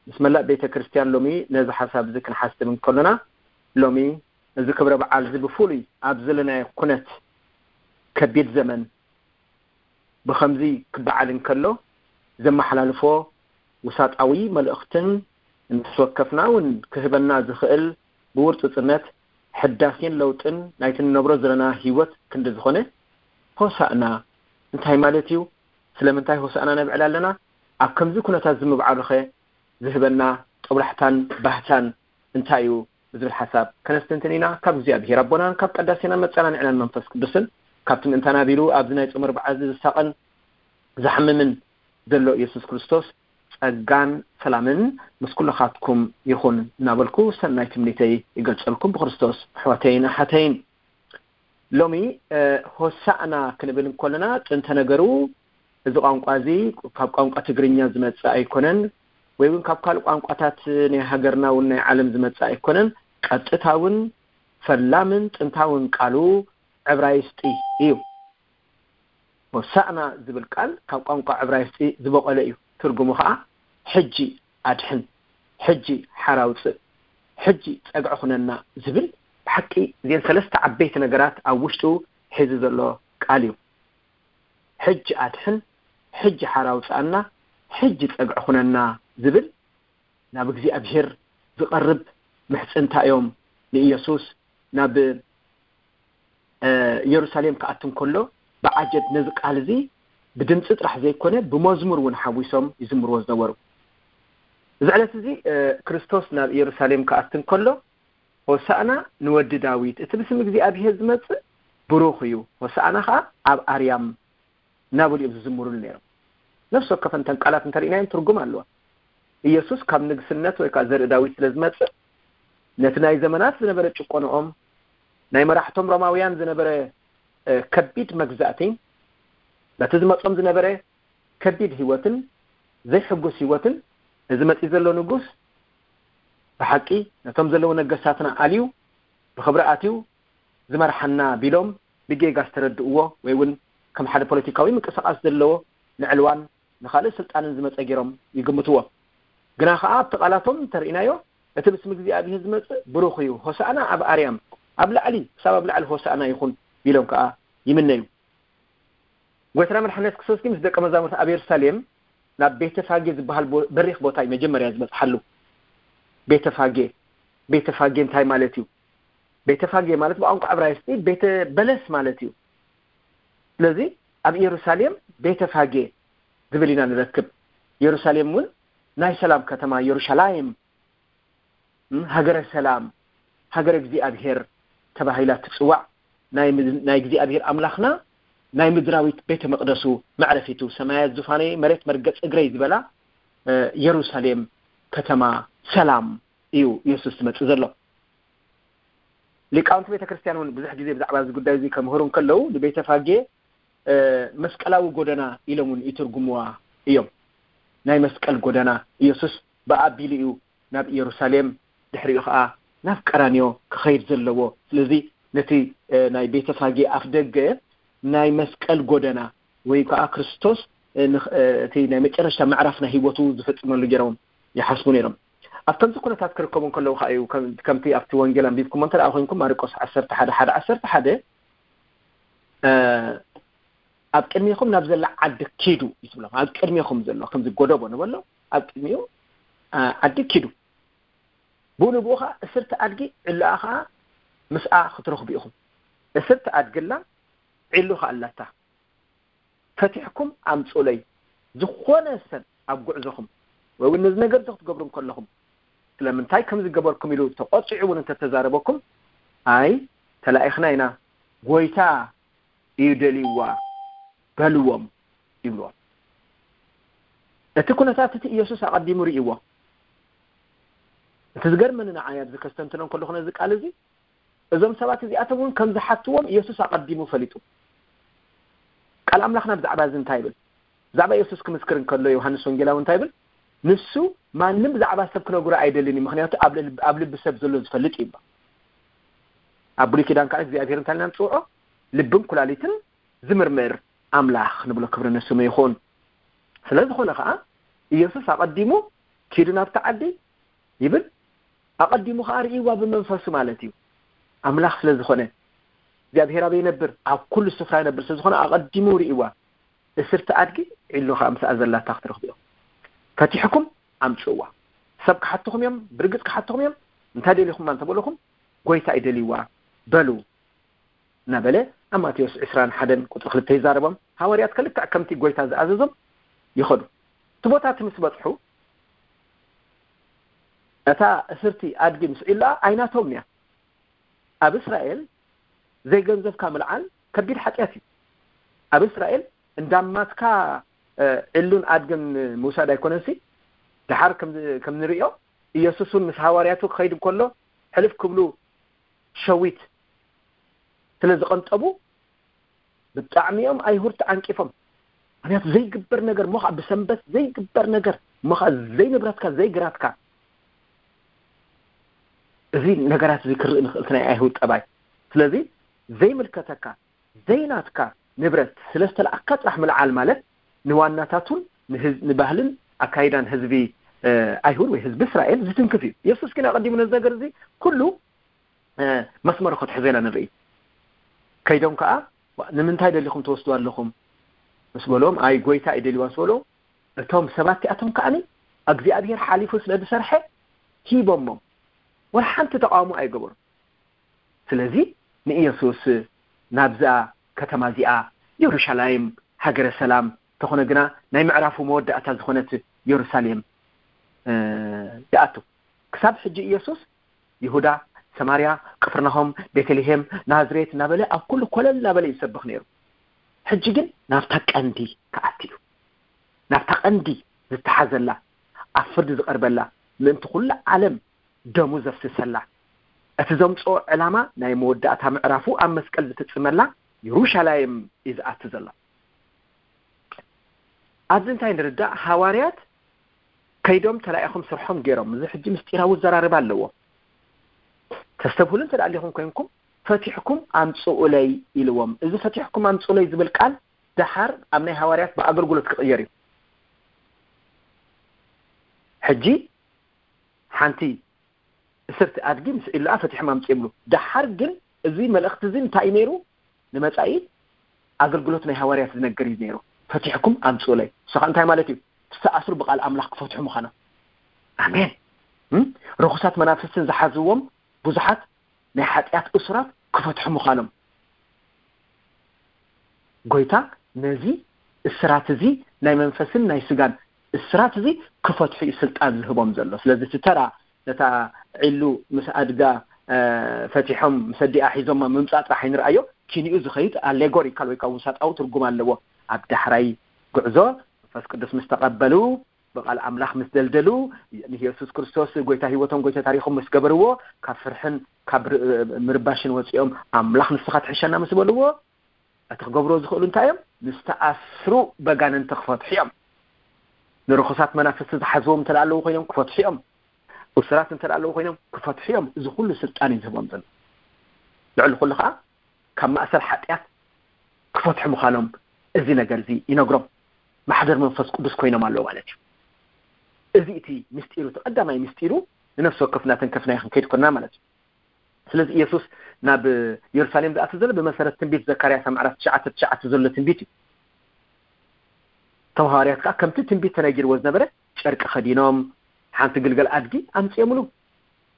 ምስ መላእ ቤተ ክርስቲያን ሎሚ ነዚ ሓሳብ እዚ ክንሓስብ እንከሎና፣ ሎሚ እዚ ክብረ በዓል እዚ ብፍሉይ ኣብ ዘለናዮ ኩነት ከቢድ ዘመን ብኸምዚ ክበዓል እንከሎ ዘመሓላልፎ ውሳጣዊ መልእኽትን ነፍሲ ወከፍና እውን ክህበና ዝኽእል ብውርጽጽነት ሕዳሴን ለውጥን ናይቲ ንነብሮ ዘለና ህይወት ክንዲ ዝኾነ፣ ሆሳእና እንታይ ማለት እዩ? ስለምንታይ ሆሳእና ነብዕል ኣለና? ኣብ ከምዚ ኩነታት እዚ ምብዓሉኸ ዝህበና ጦብላሕታን ባህታን እንታይ እዩ? ብዝብል ሓሳብ ከነስተንትን ኢና። ካብ እግዚኣብሔር ኣቦናን ካብ ቀዳሴናን መጸናንዕናን መንፈስ ቅዱስን፣ ካብቲ ምእንታና ቢሉ ኣብዚ ናይ ጾመ ኣርብዓ እዚ ዝሳቐን ዝሓምምን ዘሎ ኢየሱስ ክርስቶስ ጸጋን ሰላምን ምስ ኩልኻትኩም ይኹን እናበልኩ ሰናይ ትምኒተይ ይገልጸልኩም ብክርስቶስ ኣሕዋተይን ኣሓተይን። ሎሚ፣ እ፣ ሆሳእና ክንብል እንከለና፣ ጥንተ ነገሩ እዚ ቋንቋ እዚ ካብ ቋንቋ ትግርኛ ዝመጽእ ኣይኮነን፣ ወይ እውን ካብ ካልእ ቋንቋታት ናይ ሃገርና እውን ናይ ዓለም ዝመጽእ ኣይኮነን። ቀጥታውን ፈላምን ጥንታውን ቃሉ ዕብራይስጢ እዩ። ሆሳእና ዝብል ቃል ካብ ቋንቋ ዕብራይስጢ ዝበቖለ እዩ። ትርጉሙ ኸኣ ሕጂ ኣድሕን፣ ሕጂ ሓራ ኣውጽእ፣ ሕጂ ጸግዒ ኩነና ዝብል፣ ብሓቂ እዘን ሰለስተ ዓበይቲ ነገራት ኣብ ውሽጡ ሒዙ ዘሎ ቃል እዩ። ሕጂ ኣድሕን፣ ሕጂ ሓራ ኣውጽኣና፣ ሕጂ ጸግዒ ኩነና ዝብል ናብ እግዚኣብሔር ዝቐርብ ምሕጽንታ እዮም። ንኢየሱስ ናብ፣ እ፣ ኢየሩሳሌም ክኣቱ እንከሎ ብዓጀብ ነዚ ቃል እዚ ብድምጺ ጥራሕ ዘይኮነ ብመዝሙር እውን ሓዊሶም ይዝምርዎ ዝነበሩ። እዚ ዕለት እዚ፣ እ፣ ክርስቶስ ናብ ኢየሩሳሌም ክኣቱ እንከሎ ሆሳእና ንወዲ ዳዊት፣ እቲ ብስም እግዚኣብሔር ዝመጽእ ብሩኽ እዩ፣ ሆሳእና ኸዓ ኣብ ኣርያም እናበሉ እዮም ዝዝምሩሉ ነይሮም። ነፍሲ ወከፈን እተን ቃላት እንተርኢናየን ትርጉም ኣለዋ። ኢየሱስ ካብ ንግስነት ወይ ከዓ ዘርኢ ዳዊት ስለ ዝመጽእ፣ ነቲ ናይ ዘመናት ዝነበረ ጭቆንኦም፣ ናይ መራሕቶም ሮማውያን ዝነበረ ከቢድ መግዛእቲ፣ ነቲ ዝመጾም ዝነበረ ከቢድ ህይወትን ዘይሕጉስ ህይወትን፣ እዚ መጺ ዘሎ ንጉስ ብሓቂ ነቶም ዘለዉ ነገስታትና ኣልዩ ብኽብሪ ኣትዩ ዝመርሓና ቢሎም ብጌጋ ዝተረድእዎ፣ ወይ እውን ከም ሓደ ፖለቲካዊ ምንቅስቃስ ዘለዎ ንዕልዋን ንኻልእ ስልጣንን ዝመጸ ገይሮም ይግምትዎ። ግና ኸዓ ኣብቲ ቃላቶም እንተርኢናዮ፣ እቲ ብስም እግዚኣብሔር ዝመጽእ ብሩኽ እዩ፣ ሆሳእና ኣብ ኣርያም፣ ኣብ ላዕሊ ክሳብ ኣብ ላዕሊ ሆሳእና ይኹን ቢሎም ከኣ ይምነዩ። ጎይታና መድሓነት ክርስቶስ ግን ምስ ደቀ መዛሙርቲ ኣብ የሩሳሌም ናብ ቤተፋጌ ዝበሃል በሪኽ ቦታ እዩ መጀመርያ ዝበጽሓሉ። ቤተፋጌ፣ ቤተፋጌ እንታይ ማለት እዩ? ቤተፋጌ ማለት ብቋንቋ ዕብራይስጢ ቤተ በለስ ማለት እዩ። ስለዚ ኣብ ኢየሩሳሌም ቤተፋጌ ዝብል ኢና ንረክብ። ኢየሩሳሌም እውን ናይ ሰላም ከተማ፣ የሩሻላይም ሃገረ ሰላም፣ ሃገረ እግዚኣብሔር ተባሂላ ትጽዋዕ፣ ናይ እግዚኣብሔር ኣምላኽና ናይ ምድራዊት ቤተ መቕደሱ መዕረፊቱ፣ ሰማያት ዙፋነይ መሬት መርገጽ እግረይ ዝበላ የሩሳሌም ከተማ ሰላም እዩ ኢየሱስ ዝመጽእ ዘሎ። ሊቃውንቲ ቤተ ክርስቲያን እውን ብዙሕ ግዜ ብዛዕባ እዚ ጉዳይ እዚ ከምህሩ እንከለዉ ንቤተ ፋጌ መስቀላዊ ጎደና ኢሎም እውን ይትርጉምዋ እዮም። ናይ መስቀል ጎደና፣ ኢየሱስ ብኣቢሉ እዩ ናብ ኢየሩሳሌም፣ ድሕሪኡ ኸዓ ናብ ቀራንዮ ክኸይድ ዘለዎ። ስለዚ ነቲ ናይ ቤተ ፋጌ ኣፍ ደገ ናይ መስቀል ጎደና ወይ ከዓ ክርስቶስ እቲ ናይ መጨረሽታ ምዕራፍ ናይ ህይወቱ ዝፍጽመሉ ገይሮም ይሓስቡ ነይሮም። ኣብ ከምዚ ኩነታት ክርከቡ እንከለዉ ከዓ እዩ ከምቲ ኣብቲ ወንጌል ኣንቢብኩሞ እንተ ደኣ ኮይንኩም ማርቆስ ዓሰርተ ሓደ ሓደ ዓሰርተ ሓደ ኣብ ቅድሜኹም ናብ ዘላ ዓዲ ኪዱ እዩ ትብሎም። ኣብ ቅድሜኹም ዘሎ ከምዚ ጎደቦ ንበሎ ኣብ ቅድሚኡ ዓዲ ኪዱ። ብኡ ንብኡ ከዓ እስርቲ ኣድጊ ዕላኣ ከዓ ምስኣ ክትረኽቡ ኢኹም። እስርቲ ኣድግላ ዒሉ ከዓ ኣላታ። ፈቲሕኩም ኣምፁለይ። ዝኾነ ሰብ ኣብ ጉዕዞኹም ወይ እውን ነዚ ነገር እዚ ክትገብሩ እንከለኹም ስለምንታይ ከምዚ ገበርኩም ኢሉ ተቆፂዑ እውን እንተተዛረበኩም ኣይ ተላኢኽና ኢና፣ ጎይታ እዩ ደልይዋ በልዎም ይብልዎም። እቲ ኩነታት እቲ ኢየሱስ ኣቐዲሙ ርእይዎ። እቲ ዝገርመኒ ንዓይ ኣብዚ ከስተንትኖ እንከለኹ ነዚ ቃል እዚ እዞም ሰባት እዚኣቶም እውን ከም ዝሓትዎም ኢየሱስ ኣቐዲሙ ፈሊጡ። ቃል ኣምላኽና ብዛዕባ እዚ እንታይ ይብል? ብዛዕባ ኢየሱስ ክምስክር እንከሎ ዮሃንስ ወንጌላዊ እንታይ ይብል? ንሱ ማንም ብዛዕባ ሰብ ክነግሮ ኣይደልን እዩ፣ ምክንያቱ ኣብ ልብ- ኣብ ልቢ ሰብ ዘሎ ዝፈልጥ እዩ። ኣብ ብሉይ ኪዳን ከዓ እግዚኣብሔር እንታይ ኢልና ንፅውዖ? ልብን ኩላሊትን ዝምርምር ኣምላኽ ንብሎ፣ ክብሪ ንስሙ ይኹን። ስለ ዝኾነ ከዓ ኢየሱስ ኣቐዲሙ ኪዱ ናብቲ ዓዲ ይብል፣ ኣቐዲሙ ከዓ ርእይዋ ብመንፈሱ ማለት እዩ። ኣምላኽ ስለ ዝኾነ እግዚኣብሔር ኣበይ ይነብር? ኣብ ኩሉ ስፍራ ይነብር። ስለ ዝኾነ ኣቐዲሙ ርእይዋ። እስርቲ ኣድጊ ዒሉ ከዓ ምስኣ ዘላታ ክትረኽቡ እዮም። ፈቲሕኩም ኣምፅእዋ። ሰብ ክሓትኹም እዮም፣ ብርግፅ ክሓትኹም እዮም። እንታይ ደሊኹማ እንተበለኹም ጎይታ ይደልይዋ በሉ እናበለ ኣብ ማቴዎስ ዕስራን ሓደን ቁፅሪ ክልተ ይዛረቦም። ሃዋርያት ከልክዕ ከምቲ ጎይታ ዝኣዘዞም ይኸዱ። እቲ ቦታ እቲ ምስ በፅሑ እታ እስርቲ ኣድጊ ምስ ዒሉኣ ኣይናቶም እያ። ኣብ እስራኤል ዘይገንዘብካ ምልዓል ከቢድ ሓጢኣት እዩ። ኣብ እስራኤል እንዳማትካ ዕሉን ኣድግን ምውሳድ ኣይኮነንሲ። ድሓር ከም ንርእዮ ኢየሱስ እውን ምስ ሃዋርያቱ ክኸይድ እንከሎ ሕልፍ ክብሉ ሸዊት ስለ ዝቐንጠቡ ብጣዕሚ እዮም ኣይሁድ ተዓንቂፎም። ምክንያቱ ዘይግበር ነገር እሞ ከዓ ብሰንበት ዘይግበር ነገር እሞ ከዓ ዘይንብረትካ ዘይግራትካ እዚ ነገራት እዚ ክርኢ ንኽእል ናይ ኣይሁድ ጠባይ። ስለዚ ዘይምልከተካ ዘይናትካ ንብረት ስለ ዝተለኣካ ጥራሕ ምልዓል ማለት ንዋናታቱን ንባህልን ኣካይዳን ህዝቢ ኣይሁድ ወይ ህዝቢ እስራኤል ዝትንክፍ እዩ። የሱስ ግን ኣቐዲሙ ነዚ ነገር እዚ ኩሉ መስመሩ ክትሕዘ ኢና ንርኢ። ከይዶም ከዓ ንምንታይ ደሊኹም ትወስዱ ኣለኹም ምስ በሎም ኣይ ጎይታ እዩ ደልዋ ምስ በሎ እቶም ሰባት እቲኣቶም ከዓኒ እግዚኣብሔር ሓሊፉ ስለ ዝሰርሐ ሂቦሞም። ወላ ሓንቲ ተቃውሞ ኣይገበሩ። ስለዚ ንኢየሱስ ናብዛ ከተማ እዚኣ የሩሻላይም ሃገረ ሰላም ተኾነ ግና ናይ ምዕራፉ መወዳእታ ዝኾነት የሩሳሌም ይኣቱ። ክሳብ ሕጂ ኢየሱስ ይሁዳ፣ ሰማርያ፣ ቅፍርናሆም፣ ቤተልሔም፣ ናዝሬት እናበለ ኣብ ኩሉ ኮለል እናበለ ይሰብኽ ነይሩ። ሕጂ ግን ናብታ ቀንዲ ክኣቲ እዩ። ናብታ ቀንዲ ዝተሓዘላ፣ ኣብ ፍርዲ ዝቐርበላ፣ ምእንቲ ኩሉ ዓለም ደሙ ዘፍስሰላ፣ እቲ ዘምጽኦ ዕላማ ናይ መወዳእታ ምዕራፉ ኣብ መስቀል ዝፍጽመላ የሩሻላይም እዩ ዝኣቲ ዘሎ። ኣብዚ እንታይ ንርዳእ? ሃዋርያት ከይዶም ተላኢኹም ስርሖም ገይሮም። እዚ ሕጂ ምስጢራዊ ዘራርባ ኣለዎ። ተስተብህሉ እንተ ደኣ ኣሊኹም ኮይንኩም፣ "ፈቲሕኩም ኣምጽኡለይ" ኢልዎም። እዚ "ፈቲሕኩም ኣምጽኡለይ" ዝብል ቃል ደሓር ኣብ ናይ ሃዋርያት ብኣገልግሎት ክቕየር እዩ። ሕጂ ሓንቲ እስርቲ ኣድጊ ምስ ዒላኣ ፈቲሖም ኣምጽኦም ይብሉ። ደሓር ግን እዚ መልእኽቲ እዚ እንታይ እዩ ነይሩ? ንመጻኢ ኣገልግሎት ናይ ሃዋርያት ዝነግር እዩ ነይሩ። "ፈቲሕኩም ኣምጽኡለይ" ንሱ ኸኣ እንታይ ማለት እዩ? ዝተኣስሩ ብቓል ኣምላኽ ክፈትሑ ምዃኖም። ኣሜን። እም? ርኹሳት መናፍስትን ዝሓዝዎም ብዙሓት ናይ ሓጢኣት እሱራት ክፈትሑ ምዃኖም። ጎይታ ነዚ እስራት እዚ፣ ናይ መንፈስን ናይ ስጋን እስራት እዚ ክፈትሑ እዩ ስልጣን ዝህቦም ዘሎ። ስለዚ እቲ ተራ ነታ ዒሉ ምስ ኣድጋ፣ እ፣ ፈቲሖም ምስ ኣዲኣ ሒዞማ ምምጻእ ጥራሕ ኣይንርኣዮ። ኪንኡ ዝኸይድ ኣሌጎሪካል ወይ ከዓ ውሳጣዊ ትርጉም ኣለዎ። ኣብ ዳሕራይ ጉዕዞ መንፈስ ቅዱስ ምስ ተቐበሉ፣ ብቓል ኣምላኽ ምስ ደልደሉ፣ ንየሱስ ክርስቶስ ጎይታ ህይወቶም፣ ጎይታ ታሪኾም ምስ ገበርዎ፣ ካብ ፍርሕን ካብ ር-፣ ምርባሽን ወጺኦም፣ "ኣምላኽ ንስኻ ትሕሸና" ምስ በልዎ፣ እቲ ክገብርዎ ዝኽእሉ እንታይ እዮም? ንዝተኣስሩ በጋንንቲ ክፈትሑ እዮም። ንርኹሳት መናፍስቲ ዝሓዝዎም እንተ ኣለዉ ኮይኖም ክፈትሑ እዮም። እሱራት እንተ ኣለዉ ኮይኖም ክፈትሑ እዮም። እዚ ኩሉ ስልጣን እዩ ዝህቦም ዘሎ። ልዕሊ ኩሉ ኸዓ ካብ ማእሰር ሓጢኣት ክፈትሑ ምዃኖም እዚ ነገር እዚ ይነግሮም። ማሕደር መንፈስ ቅዱስ ኮይኖም ኣለዉ ማለት እዩ። እዚ እቲ ምስጢሩ፣ እቲ ቀዳማይ ምስጢሩ ንነፍሲ ወከፍና ተንከፍና ክንከይድ ኮንና ማለት እዩ። ስለዚ ኢየሱስ ናብ የሩሳሌም ዝኣቱ ዘሎ ብመሰረት ትንቢት ዘካርያስ ኣብ ምዕራፍ ትሽዓተ ትሽዓተ ዘሎ ትንቢት እዩ። እቶም ሃዋርያት ከኣ ከምቲ ትንቢት ተነጊርዎ ዝነበረ ጨርቂ ከዲኖም፣ ሓንቲ ግልገል ኣድጊ ኣምጺኦምሉ።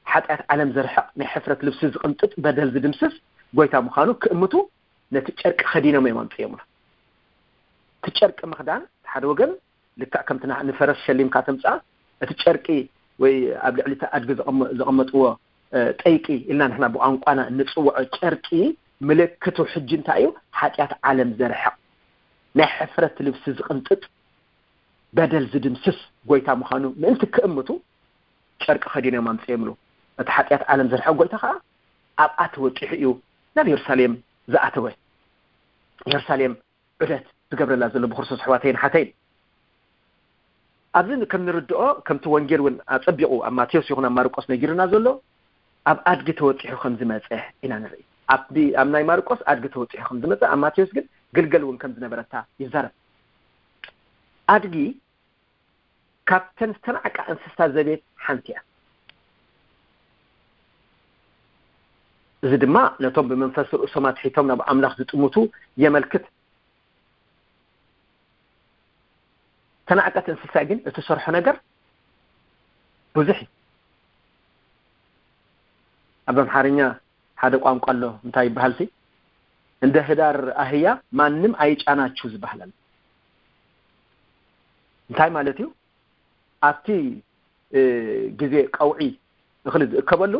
ሓጢኣት ዓለም ዘርሕቕ፣ ናይ ሕፍረት ልብሲ ዝቕንጥጥ፣ በደል ዝድምስስ ጎይታ ምዃኑ ክእምቱ ነቲ ጨርቂ ከዲኖም እዮም ኣምጺኦምሉ። እቲ ጨርቂ ምኽዳን ሓደ ወገን ልክዕ ከምቲ ንዓ-፣ ንፈረስ ሸሊምካ ተምጽኣ፣ እቲ ጨርቂ ወይ ኣብ ልዕሊ እቲ ኣድጊ ዘቐመ-፣ ዘቐመጥዎ፣ እ፣ ጠይቂ ኢልና ንሕና ብቋንቋና እንጽውዖ ጨርቂ ምልክቱ ሕጂ እንታይ እዩ? ሓጢኣት ዓለም ዘርሕቕ፣ ናይ ሕፍረት ልብሲ ዝቕንጥጥ፣ በደል ዝድምስስ ጎይታ ምዃኑ ምእንቲ ክእምቱ ጨርቂ ከዲኖም ኣምጺኦምሉ። እቲ ሓጢኣት ዓለም ዘርሕቕ ጎይታ ኸኣ ኣብኣ ተወጢሑ እዩ ናብ የሩሳሌም ዝኣተወ። የሩሳሌም ዑደት ዝገብረላ ዘሎ ብክርስቶስ ኣሕዋተይን ሓተይን። ኣብዚ ከም ንርድኦ፣ ከምቲ ወንጌል እውን ኣጸቢቑ ኣብ ማቴዎስ ይኹን ኣብ ማርቆስ ነጊሩና ዘሎ፣ ኣብ ኣድጊ ተወጢሑ ከም ዝመጸ ኢና ንርኢ። ኣብ፣ ኣብ ናይ ማርቆስ ኣድጊ ተወጢሑ ከም ዝመጸ፣ ኣብ ማቴዎስ ግን ግልገል እውን ከም ዝነበረታ ይዛረብ። ኣድጊ ካብተን ዝተናዕቃ እንስሳ ዘቤት ሓንቲ እያ። እዚ ድማ ነቶም ብመንፈስ ርእሶም ኣትሒቶም ናብ ኣምላኽ ዝጥምቱ የመልክት። ተናዕቀት እንስሳ ግን እትሰርሖ ነገር ብዙሕ እዩ። ኣብ ኣምሓርኛ ሓደ ቋንቋ ኣሎ፣ እንታይ ይበሃል ሲ? "እንደ ህዳር አህያ ማንም አይጫናችሁ" ዝበሃል ኣሎ። እንታይ ማለት እዩ? ኣብቲ፣ እ፣ ግዜ ቀውዒ እኽሊ ዝእከበሉ፣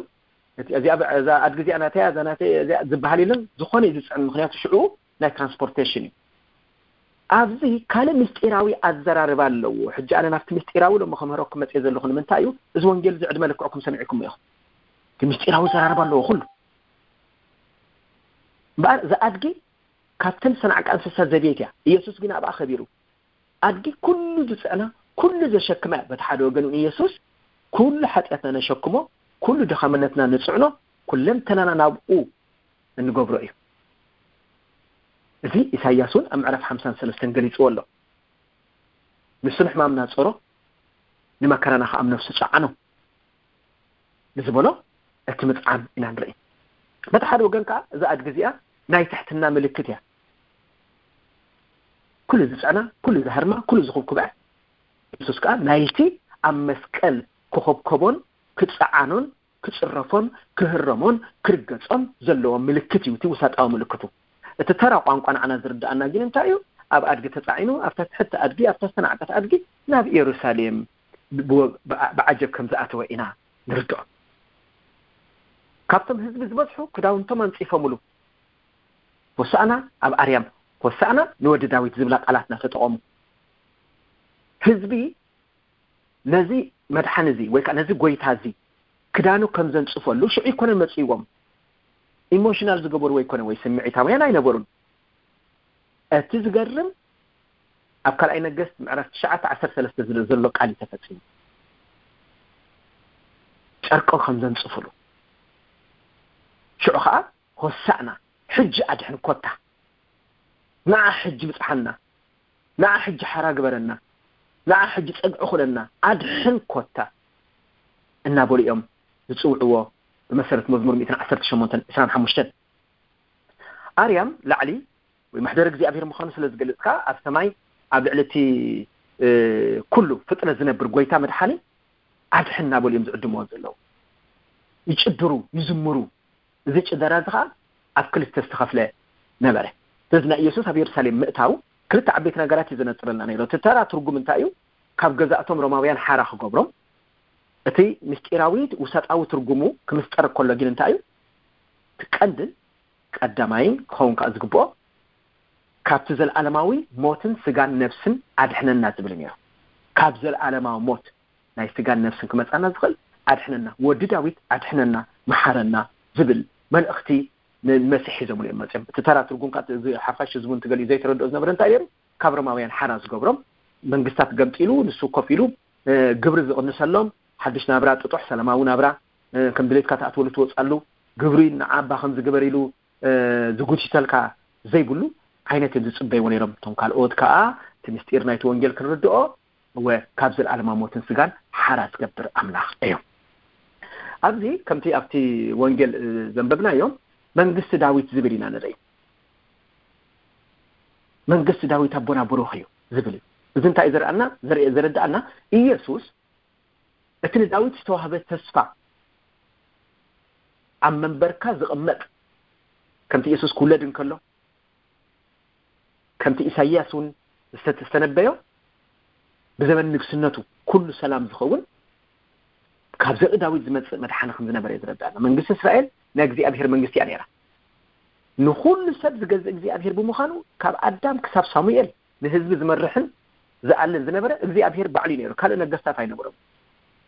እቲ፣ እዚኣ፣ እዛ ኣድጊ እዚኣ ናተይ እያ፣ እዛ ናተይ እያ፣ እዚኣ ዝበሃል የለን። ዝኾነ እዩ ዝጽዕን፣ ምኽንያቱ ሽዑ ናይ ትራንስፖርቴሽን እዩ። ኣብዚ ካልእ ምስጢራዊ ኣዘራርባ ኣለዎ። ሕጂ ኣነ ናብቲ ምስጢራዊ ሎሚ ከምህረኩም መጽየ ዘለኹ ንምንታይ እዩ? እዚ ወንጌል እዚ ዕድመ ልክዕኩም ሰሚዕኩሞ ኢኹም። እቲ ምስጢራዊ ኣዘራርባ ኣለዎ ኩሉ። እምበኣር እዛ ኣድጊ ካብተን ዝተናዕቃ እንስሳ ዘቤት እያ። ኢየሱስ ግን ኣብኣ ከቢሩ። ኣድጊ ኩሉ ዝጽዕና፣ ኩሉ ዘሸክማ እያ። በቲ ሓደ ወገን እውን ኢየሱስ ኩሉ ሓጢኣትና ነሸክሞ፣ ኩሉ ድኻምነትና ንጽዕኖ፣ ኩለንተናና ናብኡ እንገብሮ እዩ። እዚ ኢሳይያስ እውን ኣብ ምዕራፍ ሓምሳን ሰለስተን ገሊጽዎ ኣሎ። ንሱ ንሕማምና ጸሮ፣ ንመከራና ከኣ ኣብ ነፍሱ ጸዓኖ ንዝበሎ እቲ ምጽዓን ኢና ንርኢ። በቲ ሓደ ወገን ከኣ እዛ ኣድጊ እዚኣ ናይ ትሕትና ምልክት እያ። ኩሉ ዝጸዕና፣ ኩሉ ዝሃርማ፣ ኩሉ ዝኹብኩባ እያ። የሱስ ከኣ ናይቲ ኣብ መስቀል ክኹብከቦን ክጸዓኖን ክጽረፎን ክህረሞን ክርገጾን ዘለዎ ምልክት እዩ፣ እቲ ውሳጣዊ ምልክቱ። እቲ ተራ ቋንቋ ንዓና ዝርድኣና ግን እንታይ እዩ? ኣብ ኣድጊ ተጻዒኑ፣ ኣብታ ትሕቲ ኣድጊ፣ ኣብታ ዝተናዕቀት ኣድጊ ናብ ኢየሩሳሌም ብ-፣ ብ-፣ ብዓጀብ ከም ዝኣተወ ኢና ንርድኦ። ካብቶም ህዝቢ ዝበዝሑ ክዳውንቶም ኣንጺፎምሉ። ሆሳእና ኣብ ኣርያም፣ ሆሳእና ንወዲ ዳዊት ዝብላ ቃላት እናተጠቐሙ፣ ህዝቢ ነዚ መድሓኒ እዚ ወይ ከዓ ነዚ ጎይታ እዚ ክዳኑ ከም ዘንጽፈሉ ሽዑ ይኮነ መጽእዎም። ኢሞሽናል ዝገበርዎ ይኮነ ወይ ስምዒታውያን ኣይነበሩን። እቲ ዝገርም፣ ኣብ ካልኣይ ነገስት ምዕራፍ ትሽዓተ ዓሰርተ ሰለስተ ዝብል ዘሎ ቃል እዩ ተፈጺሙ። ጨርቆ ከም ዘንጽፉሉ፣ ሽዑ ከዓ ሆሳዕና፣ ሕጂ ኣድሕን ኮታ፣ ንዓ ሕጂ ብጽሓና፣ ንዓ ሕጂ ሓራ ግበረና፣ ንዓ ሕጂ ጸግዒ ኩለና፣ ኣድሕን ኮታ እናበሉ እዮም ዝጽውዕዎ። ብመሰረት መዝሙር ሚእትን ዓሰርተ ሸሞንተን ዕስራን ሓሙሽተን ኣርያም ላዕሊ ወይ ማሕደር እግዚኣብሔር ምዃኑ ስለ ዝገልጽ ከኣ ኣብ ሰማይ ኣብ ልዕሊ እቲ ኩሉ ፍጥረት ዝነብር ጎይታ መድሓኒ ኣድሕን እናበሉ እዮም ዝዕድምዎ ዘለዉ። ይጭድሩ፣ ይዝምሩ። እዚ ጭደራ እዚ ከኣ ኣብ ክልተ ዝተኸፍለ ነበረ። ስለዚ ናይ ኢየሱስ ኣብ የሩሳሌም ምእታው ክልተ ዓበይቲ ነገራት እዩ ዘነጽረልና ነይሩ። እቲ ተራ ትርጉም እንታይ እዩ? ካብ ገዛእቶም ሮማውያን ሓራ ክገብሮም፣ እቲ ምስጢራዊ ውሳጣዊ ትርጉሙ ክምስጠር ከሎ ግን እንታይ እዩ? እቲ ቀንድን ቀዳማይን ክኸውን ከኣ ዝግብኦ ካብቲ ዘለኣለማዊ ሞትን ስጋን ነፍስን ኣድሕነና ዝብል ነይሩ። ካብ ዘለኣለማዊ ሞት ናይ ስጋን ነፍስን ክመጻና ዝኽእል ኣድሕነና፣ ወዲ ዳዊት ኣድሕነና፣ መሓረና ዝብል መልእኽቲ ንመሲሕ ሒዞምሉ እዮም መጺኦም። እቲ ተራ ትርጉም ከኣ እዚ ሓፋሽ ህዝቡ እንትገሊኡ ዘይተረድኦ ዝነበረ እንታይ ነይሩ? ካብ ሮማውያን ሓራ ዝገብሮም መንግስታት ገምጢሉ ንሱ ኮፍ ኢሉ ግብሪ ዝቕንሰሎም፣ ሓድሽ ናብራ ጥጡሕ ሰላማዊ ናብራ ከም ድሌትካ ትኣትወሉ ትወጻሉ፣ ግብሪ ንዓባ ከም ዝግበር ኢሉ ዝጉቲተልካ ዘይብሉ ዓይነት እዮም ዝጽበይዎ ነይሮም። እቶም ካልኦት ከኣ እቲ ምስጢር ናይቲ ወንጌል ክንርድኦ እወ ካብ ዘለኣለማ ሞትን ስጋን ሓራ ዝገብር ኣምላኽ እዩ። ኣብዚ ከምቲ ኣብቲ ወንጌል ዘንበብናዮ መንግስቲ ዳዊት ዝብል ኢና ንርኢ። መንግስቲ ዳዊት ኣቦና ብሩኽ እዩ ዝብል እዩ። እዚ እንታይ እዩ ዘርኣና ዘርእ ዘረዳኣና? ኢየሱስ እቲ ንዳዊት ዝተዋህበ ተስፋ ኣብ መንበርካ ዝቕመጥ ከምቲ ኢየሱስ ክውለድ እንከሎ ከምቲ ኢሳይያስ እውን ዝተተስተነበዮ ብዘበን ንግስነቱ ኩሉ ሰላም ዝኸውን ካብ ዘርኢ ዳዊት ዝመጽእ መድሓኒ ከም ዝነበረ እዩ ዝረዳና። መንግስቲ እስራኤል ናይ እግዚኣብሔር መንግስቲ እያ ነይራ። ንኹሉ ሰብ ዝገዝእ እግዚኣብሔር ብምዃኑ ካብ ኣዳም ክሳብ ሳሙኤል ንህዝቢ ዝመርሕን ዝኣልን ዝነበረ እግዚኣብሔር ባዕሉ እዩ ነይሩ። ካልእ ነገስታት ኣይነበሮም።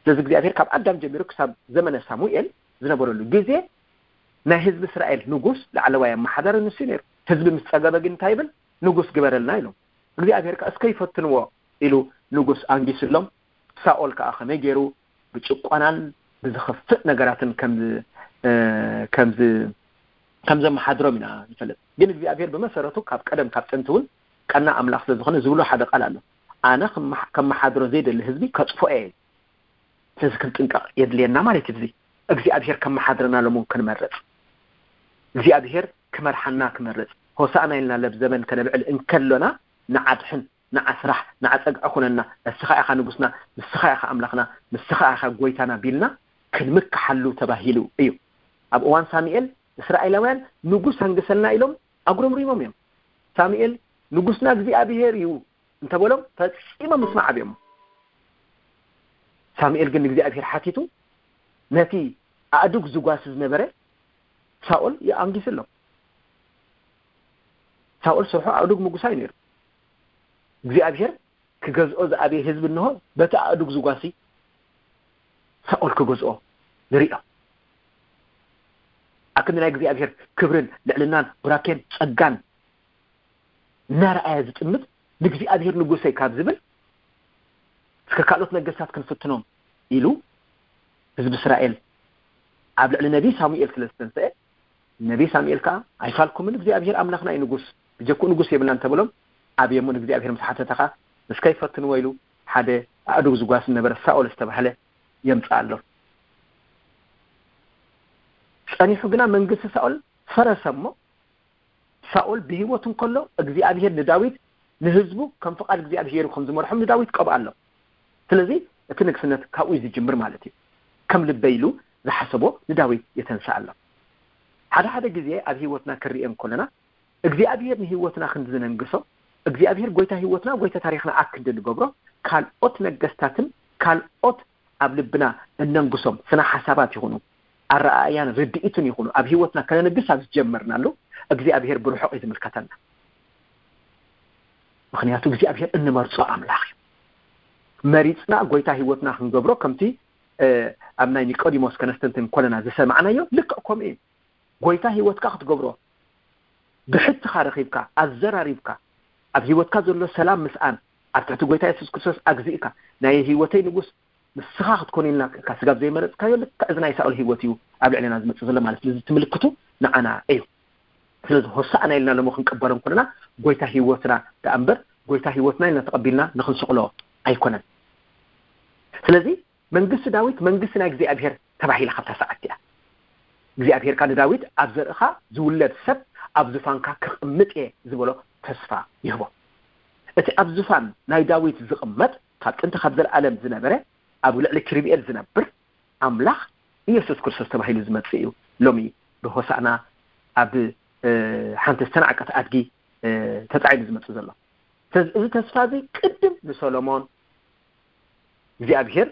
ስለዚ እግዚኣብሔር ካብ ኣዳም ጀሚሩ ክሳብ ዘመነ ሳሙኤል ዝነበረሉ ግዜ ናይ ህዝቢ እስራኤል ንጉስ ላዕለዋይ ኣመሓዳሪ ንሱ እዩ ነይሩ። ህዝቢ ምስ ጸገበ ግን እንታይ ይብል? ንጉስ ግበረልና ኢሎም። እግዚኣብሔር ከኣ እስከ ይፈትንዎ ኢሉ ንጉስ ኣንጊስሎም። ሳኦል ከኣ ከመይ ገይሩ ብጭቆናን ብዝኸፍእ ነገራትን ከም ከም ከም ዘመሓድሮም ኢና ንፈልጥ። ግን እግዚኣብሔር ብመሰረቱ ካብ ቀደም ካብ ጥንቲ እውን ቀና ኣምላኽ ስለ ዝኾነ ዝብሎ ሓደ ቃል ኣሎ። ኣነ ከመሓድሮ ዘይደሊ ህዝቢ ከጥፍኦ እየ። ስለዚ ክንጥንቀቕ የድልየና ማለት እዩ። እዚ እግዚኣብሔር ከመሓድረና ሎምውን ክንመርጽ እግዚኣብሔር ክመርሓና ክመርጽ ሆሳእና ኢልና ለብ ዘበን ከነብዕል እንከሎና ንዓድሕን ንዓስራሕ ንዓጸግዒ ኩነና፣ እስኻ ኢኻ ንጉስና፣ ንስኻ ኢኻ ኣምላኽና፣ ንስኻ ኢኻ ጎይታና ቢልና ክንምክሓሉ ተባሂሉ እዩ። ኣብ እዋን ሳሙኤል እስራኤላውያን ንጉስ ኣንግሰልና ኢሎም ኣጉረምሪሞም እዮም። ሳሙኤል ንጉስና እግዚኣብሔር እዩ እንተበሎም ፈጺሞም ምስማዕ ኣብዮም። ሳሙኤል ግን ንእግዚኣብሔር ሓቲቱ ነቲ ኣእዱግ ዝጓሲ ዝነበረ ሳኦል ይኣንጊሱ ኣሎ። ሳኦል ስርሑ ኣእዱግ ምጉሳይ ነይሩ። እግዚኣብሔር ክገዝኦ ዝኣበየ ህዝቢ እንሆ በቲ ኣእዱግ ዝጓሲ ሳኦል ክገዝኦ ንሪኦ። ኣክንዲ ናይ እግዚኣብሔር ክብርን ልዕልናን ቡራኬን ጸጋን እናረኣየ ዝጥምት ንእግዚኣብሔር ንጉሰይ ካብ ዝብል እስከ ካልኦት ነገስታት ክንፍትኖም ኢሉ ህዝቢ እስራኤል ኣብ ልዕሊ ነቢይ ሳሙኤል ስለ ዝተንስአ ነቢይ ሳሙኤል ከዓ ኣይፋልኩምን እግዚኣብሔር ኣምላኽና እዩ ንጉስ ብጀክኡ ንጉስ የብልናን ተብሎም ኣብየሙን እግዚኣብሔር ምስ ሓተተ ከዓ እስከ ይፈትንዎ ኢሉ ሓደ ኣእዱግ ዝጓስ ዝነበረ ሳኦል ዝተባህለ የምፅኣሎም። ጸኒሑ ግና መንግስቲ ሳኦል ፈረሰ እሞ ሳኦል ብህይወቱ እንከሎ እግዚኣብሔር ንዳዊት ንህዝቡ ከም ፍቓድ እግዚኣብሔር ከም ዝመርሖም ንዳዊት ቀብኣሎም። ስለዚ እቲ ንግስነት ካብኡ እዩ ዝጅምር ማለት እዩ። ከም ልበይ ኢሉ ዝሓሰቦ ንዳዊት የተንስኣሎም። ሓደ ሓደ ግዜ ኣብ ህይወትና ክንሪኦ እንከለና እግዚኣብሔር ንህይወትና ክንዲ ዝነንግሶ እግዚኣብሔር ጎይታ ህይወትና ጎይታ ታሪኽና ኣክንዲ ንገብሮ ካልኦት ነገስታትን ካልኦት ኣብ ልብና እነንግሶም ስነ ሓሳባት ይኹኑ ኣረኣእያን ርድኢትን ይኹኑ ኣብ ህይወትና ከነንግስ ኣብ ዝጀመርናሉ እግዚኣብሔር ብርሑቕ እዩ ዝምልከተና። ምኽንያቱ እግዚኣብሔር እንመርጾ ኣምላኽ እዩ። መሪጽና ጎይታ ህይወትና ክንገብሮ ከምቲ ኣብ ናይ ኒቆዲሞስ ከነስተንትን ኮለና ዝሰማዕናዮ ልክዕ ከምኡ እዩ። ጎይታ ህይወትካ ክትገብሮ ብሕትኻ ረኺብካ ኣዘራሪብካ ኣብ ህይወትካ ዘሎ ሰላም ምስኣን ኣብ ትሕቲ ጎይታ የሱስ ክርስቶስ ኣግዚእካ ናይ ህይወተይ ንጉስ ንስኻ ክትኮን ኢልና ክካ ስጋብ ዘይመረጽካዮ ልክዕ እዚ ናይ ሳኦል ህይወት እዩ ኣብ ልዕሌና ዝመጽእ ዘሎ ማለት ስለዚ ትምልክቱ ንዓና እዩ። ስለዚ ሆሳእና ኢልና ሎሞ ክንቀበሎም ኮለና ጎይታ ህይወትና ደኣ እምበር ጎይታ ህይወትና ኢልና ተቐቢልና ንክንስቕሎ ኣይኮነን። ስለዚ መንግስቲ ዳዊት መንግስቲ ናይ እግዚኣብሔር ተባሂላ ካብታ ሰዓት እያ። እግዚኣብሔር ካ ንዳዊት ኣብ ዘርእኻ ዝውለድ ሰብ ኣብ ዙፋንካ ክቕምጥ እየ ዝበሎ ተስፋ ይህቦ። እቲ ኣብ ዙፋን ናይ ዳዊት ዝቕመጥ ካብ ጥንቲ ካብ ዘለኣለም ዝነበረ ኣብ ልዕሊ ክሪብኤል ዝነብር ኣምላኽ ኢየሱስ ክርስቶስ ተባሂሉ ዝመጽእ እዩ። ሎሚ ብሆሳዕና ኣብ ሓንቲ ዝተናዕቀት ኣድጊ ተጻዒኑ ዝመጽእ ዘሎ። ስለዚ እዚ ተስፋ እዚ ቅድም ንሰሎሞን እግዚኣብሔር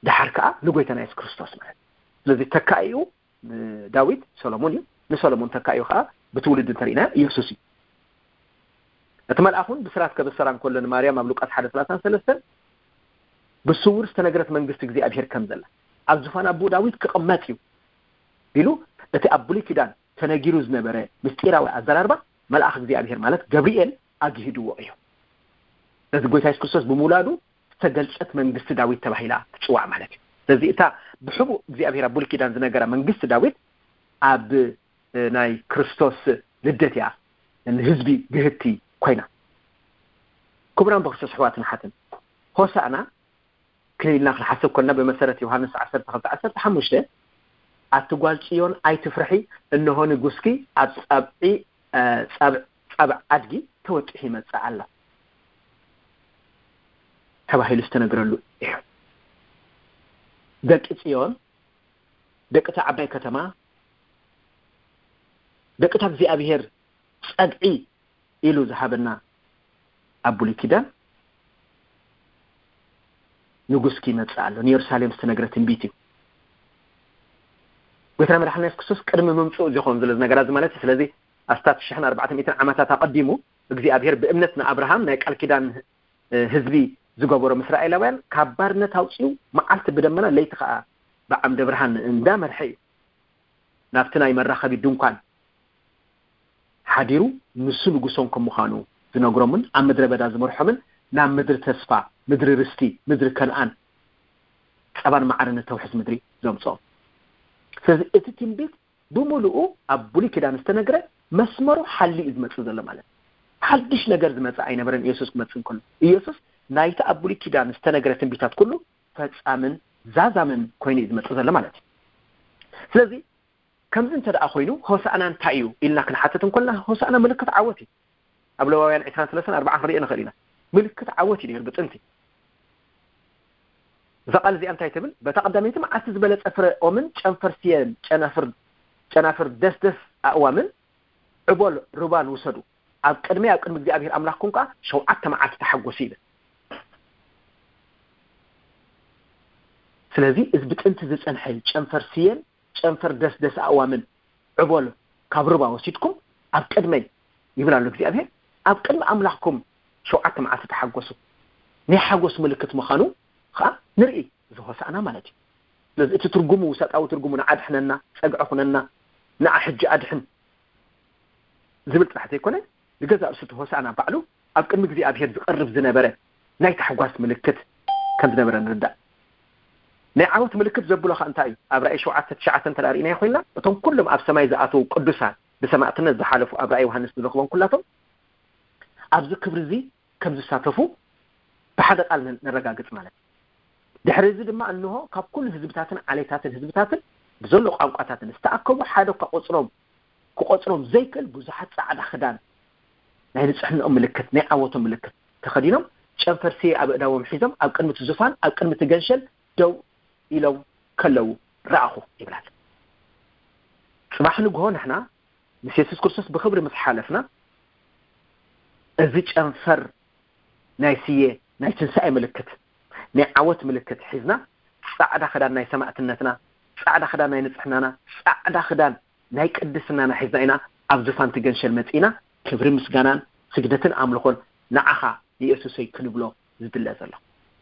ደሓር ከዓ ንጎይታና የሱስ ክርስቶስ ማለት ስለዚ ተካኢኡ ዳዊት ሰሎሞን እዩ። ንሰሎሞን ተካኢኡ ከዓ ብትውልዲ እንተርኢና ኢየሱስ እዩ። እቲ መልኣኹን ብስራት ከበሰራ እንከሎ ንማርያም ኣብ ሉቃስ ሓደ ሰላሳን ሰለስተን ብስውር ዝተነግረት መንግስቲ እግዚኣብሔር ከም ዘላ ኣብ ዝፋን ኣቦኡ ዳዊት ክቕመጥ እዩ ቢሉ እቲ ኣብ ብሉይ ኪዳን ተነጊሩ ዝነበረ ምስጢራዊ ኣዘራርባ መልኣኽ እግዚኣብሔር ማለት ገብርኤል ኣግሂድዎ እዩ። ነዚ ጎይታ የሱስ ክርስቶስ ብምውላዱ ዝተገልጸት መንግስቲ ዳዊት ተባሂላ ትጽዋዕ ማለት እዩ። ስለዚ እታ ብሕቡእ እግዚኣብሔር ኣብ ብሉይ ኪዳን ዝነገራ መንግስቲ ዳዊት ኣብ ናይ ክርስቶስ ልደት እያ ንህዝቢ ግህቲ ኮይና። ክቡራን ብክርስቶስ ኣሕዋትን ኣሓትን ሆሳእና ክልልና ክንሓስብ ኮልና ብመሰረት ዮሃንስ ዓሰርተ ክልተ ዓሰርተ ሓሙሽተ ኣቲ ጓል ጽዮን ኣይትፍርሒ፣ እንሆ ንጉስኪ ኣብ ጻብዒ ጻብዕ ኣድጊ ተወጢሑ ይመጽእ ኣሎ ተባሂሉ ዝተነግረሉ እዩ። ደቂ ጽዮን ደቂ እታ ዓባይ ከተማ ደቂ እታ እግዚኣብሔር ጸግዒ ኢሉ ዝሃበና ኣብ ብሉይ ኪዳን ንጉስ ክመጽእ ኣሎ ንየሩሳሌም ዝተነግረ ትንቢት እዩ። ጎይታና መድሓና የሱስ ክርስቶስ ቅድሚ ምምፅኡ ዝኾን ዘሎ ነገራት እዚ ማለት እዩ። ስለዚ ኣስታት ሽሕን ኣርባዕተ ሚእትን ዓመታት ኣቐዲሙ እግዚኣብሔር ብእምነት ንኣብርሃም ናይ ቃል ኪዳን ህዝቢ ዝገበሮ ምስ ራእላውያን ካብ ባርነት ኣውፅኡ መዓልቲ ብደመና ለይቲ ከዓ ብዓምደ ብርሃን እንዳመርሐ እዩ ናብቲ ናይ መራኸቢ ድንኳን ሓዲሩ ንሱ ንጉሶም ከም ምዃኑ ዝነግሮምን ኣብ ምድረ በዳ ዝመርሖምን ናብ ምድሪ ተስፋ ምድሪ ርስቲ ምድሪ ከነኣን ፀባን መዓርን እተውሕዝ ምድሪ ዘምፅኦም። ስለዚ እቲ ትንቢት ብምሉኡ ኣብ ብሉይ ኪዳን ዝተነግረ መስመሩ ሓሊ እዩ ዝመፅእ ዘሎ ማለት ሓድሽ ነገር ዝመፅእ ኣይነበረን። ኢየሱስ ክመፅእ እንከሎ ኢየሱስ ናይቲ ኣብ ብሉይ ኪዳን ዝተነግረ ትንቢታት ኩሉ ፈፃምን ዛዛምን ኮይኑ እዩ ዝመፅእ ዘሎ ማለት እዩ። ስለዚ ከምዚ እንተ ደኣ ኮይኑ ሆሳእና እንታይ እዩ ኢልና ክንሓትት እንኮልና ሆሳእና ምልክት ዓወት እዩ። ኣብ ለዋውያን ዕስራን ሰለስተን ኣርባዓን ክንሪኦ ንኽእል ኢና። ምልክት ዓወት እዩ ነይሩ ብጥንቲ። እዛ ቃል እዚኣ እንታይ ትብል? በታ ቀዳመይቲ መዓልቲ ዝበለጸ ፍረ ኦምን ጨንፈር ስየን ጨናፍር ጨናፍር ደስደስ ኣእዋምን ዕቦል ሩባን ውሰዱ፣ ኣብ ቅድመይ ኣብ ቅድሚ እግዚኣብሔር ኣምላኽኩም ከኣ ሸውዓተ መዓልቲ ተሓጎሱ ይብል። ስለዚ እዚ ብጥንቲ ዝጸንሐ ጨንፈር ስየን ጨንፈር ደስደስ ኣእዋምን ዕቦል ካብ ሩባ ወሲድኩም ኣብ ቅድመይ ይብል ኣሎ እግዚኣብሔር። ኣብ ቅድሚ ኣምላኽኩም ሸውዓተ መዓልቲ ተሓጎሱ። ናይ ሓጎስ ምልክት ምዃኑ ከዓ ንርኢ። እዚ ሆሳእና ማለት እዩ። ስለዚ እቲ ትርጉሙ ውሰጣዊ ትርጉሙ ንዓድሕነና ጸግዒ ኩነና ንዓ ሕጂ ኣድሕን ዝብል ጥራሕ ዘይኮነ ንገዛእ ርእሱ እቲ ሆሳእና ባዕሉ ኣብ ቅድሚ እግዚኣብሔር ዝቐርብ ዝነበረ ናይ ታሕጓስ ምልክት ከም ዝነበረ ንርዳእ። ናይ ዓወት ምልክት ዘብሎ ከ እንታይ እዩ? ኣብ ራእይ ሸውዓተ ትሽዓተ እንተ ርኢናዮ ኮይንና እቶም ኩሎም ኣብ ሰማይ ዝኣተዉ ቅዱሳን ብሰማእትነት ዝሓለፉ ኣብ ራእይ ዮሃንስ ንረኽቦም ኩላቶም ኣብዚ ክብሪ እዚ ከም ዝሳተፉ ብሓደ ቃል ነረጋግጽ ማለት እዩ። ድሕሪ እዚ ድማ እንሆ ካብ ኩሉ ህዝብታትን ዓሌታትን ህዝብታትን ብዘሎ ቋንቋታትን ዝተኣከቡ ሓደ እኳ ቆጽሮም ክቆጽሮም ዘይክእል ብዙሓት ጻዕዳ ክዳን ናይ ንጽሕንኦም ምልክት ናይ ዓወቶም ምልክት ተኸዲኖም ጨንፈር ስየ ኣብ እዳዎም ሒዞም ኣብ ቅድሚ እቲ ዙፋን ኣብ ቅድሚ እቲ ገንሸል ደው ኢሎም ከለዉ ረኣኹ ይብላል። ጽባሕ ንግሆ ንሕና ምስ የሱስ ክርስቶስ ብኽብሪ ምስ ሓለፍና እዚ ጨንፈር ናይ ስየ ናይ ትንሳኤ ምልክት ናይ ዓወት ምልክት ሒዝና ጻዕዳ ክዳን ናይ ሰማእትነትና ጻዕዳ ክዳን ናይ ንጽሕናና፣ ጻዕዳ ክዳን ናይ ቅድስናና ሒዝና ኢና ኣብ ዙፋን ትገንሸል መጺእና ክብሪ ምስጋናን ስግደትን ኣምልኾን ንዓኻ ንየሱሰይ ክንብሎ ዝድለ ዘሎ።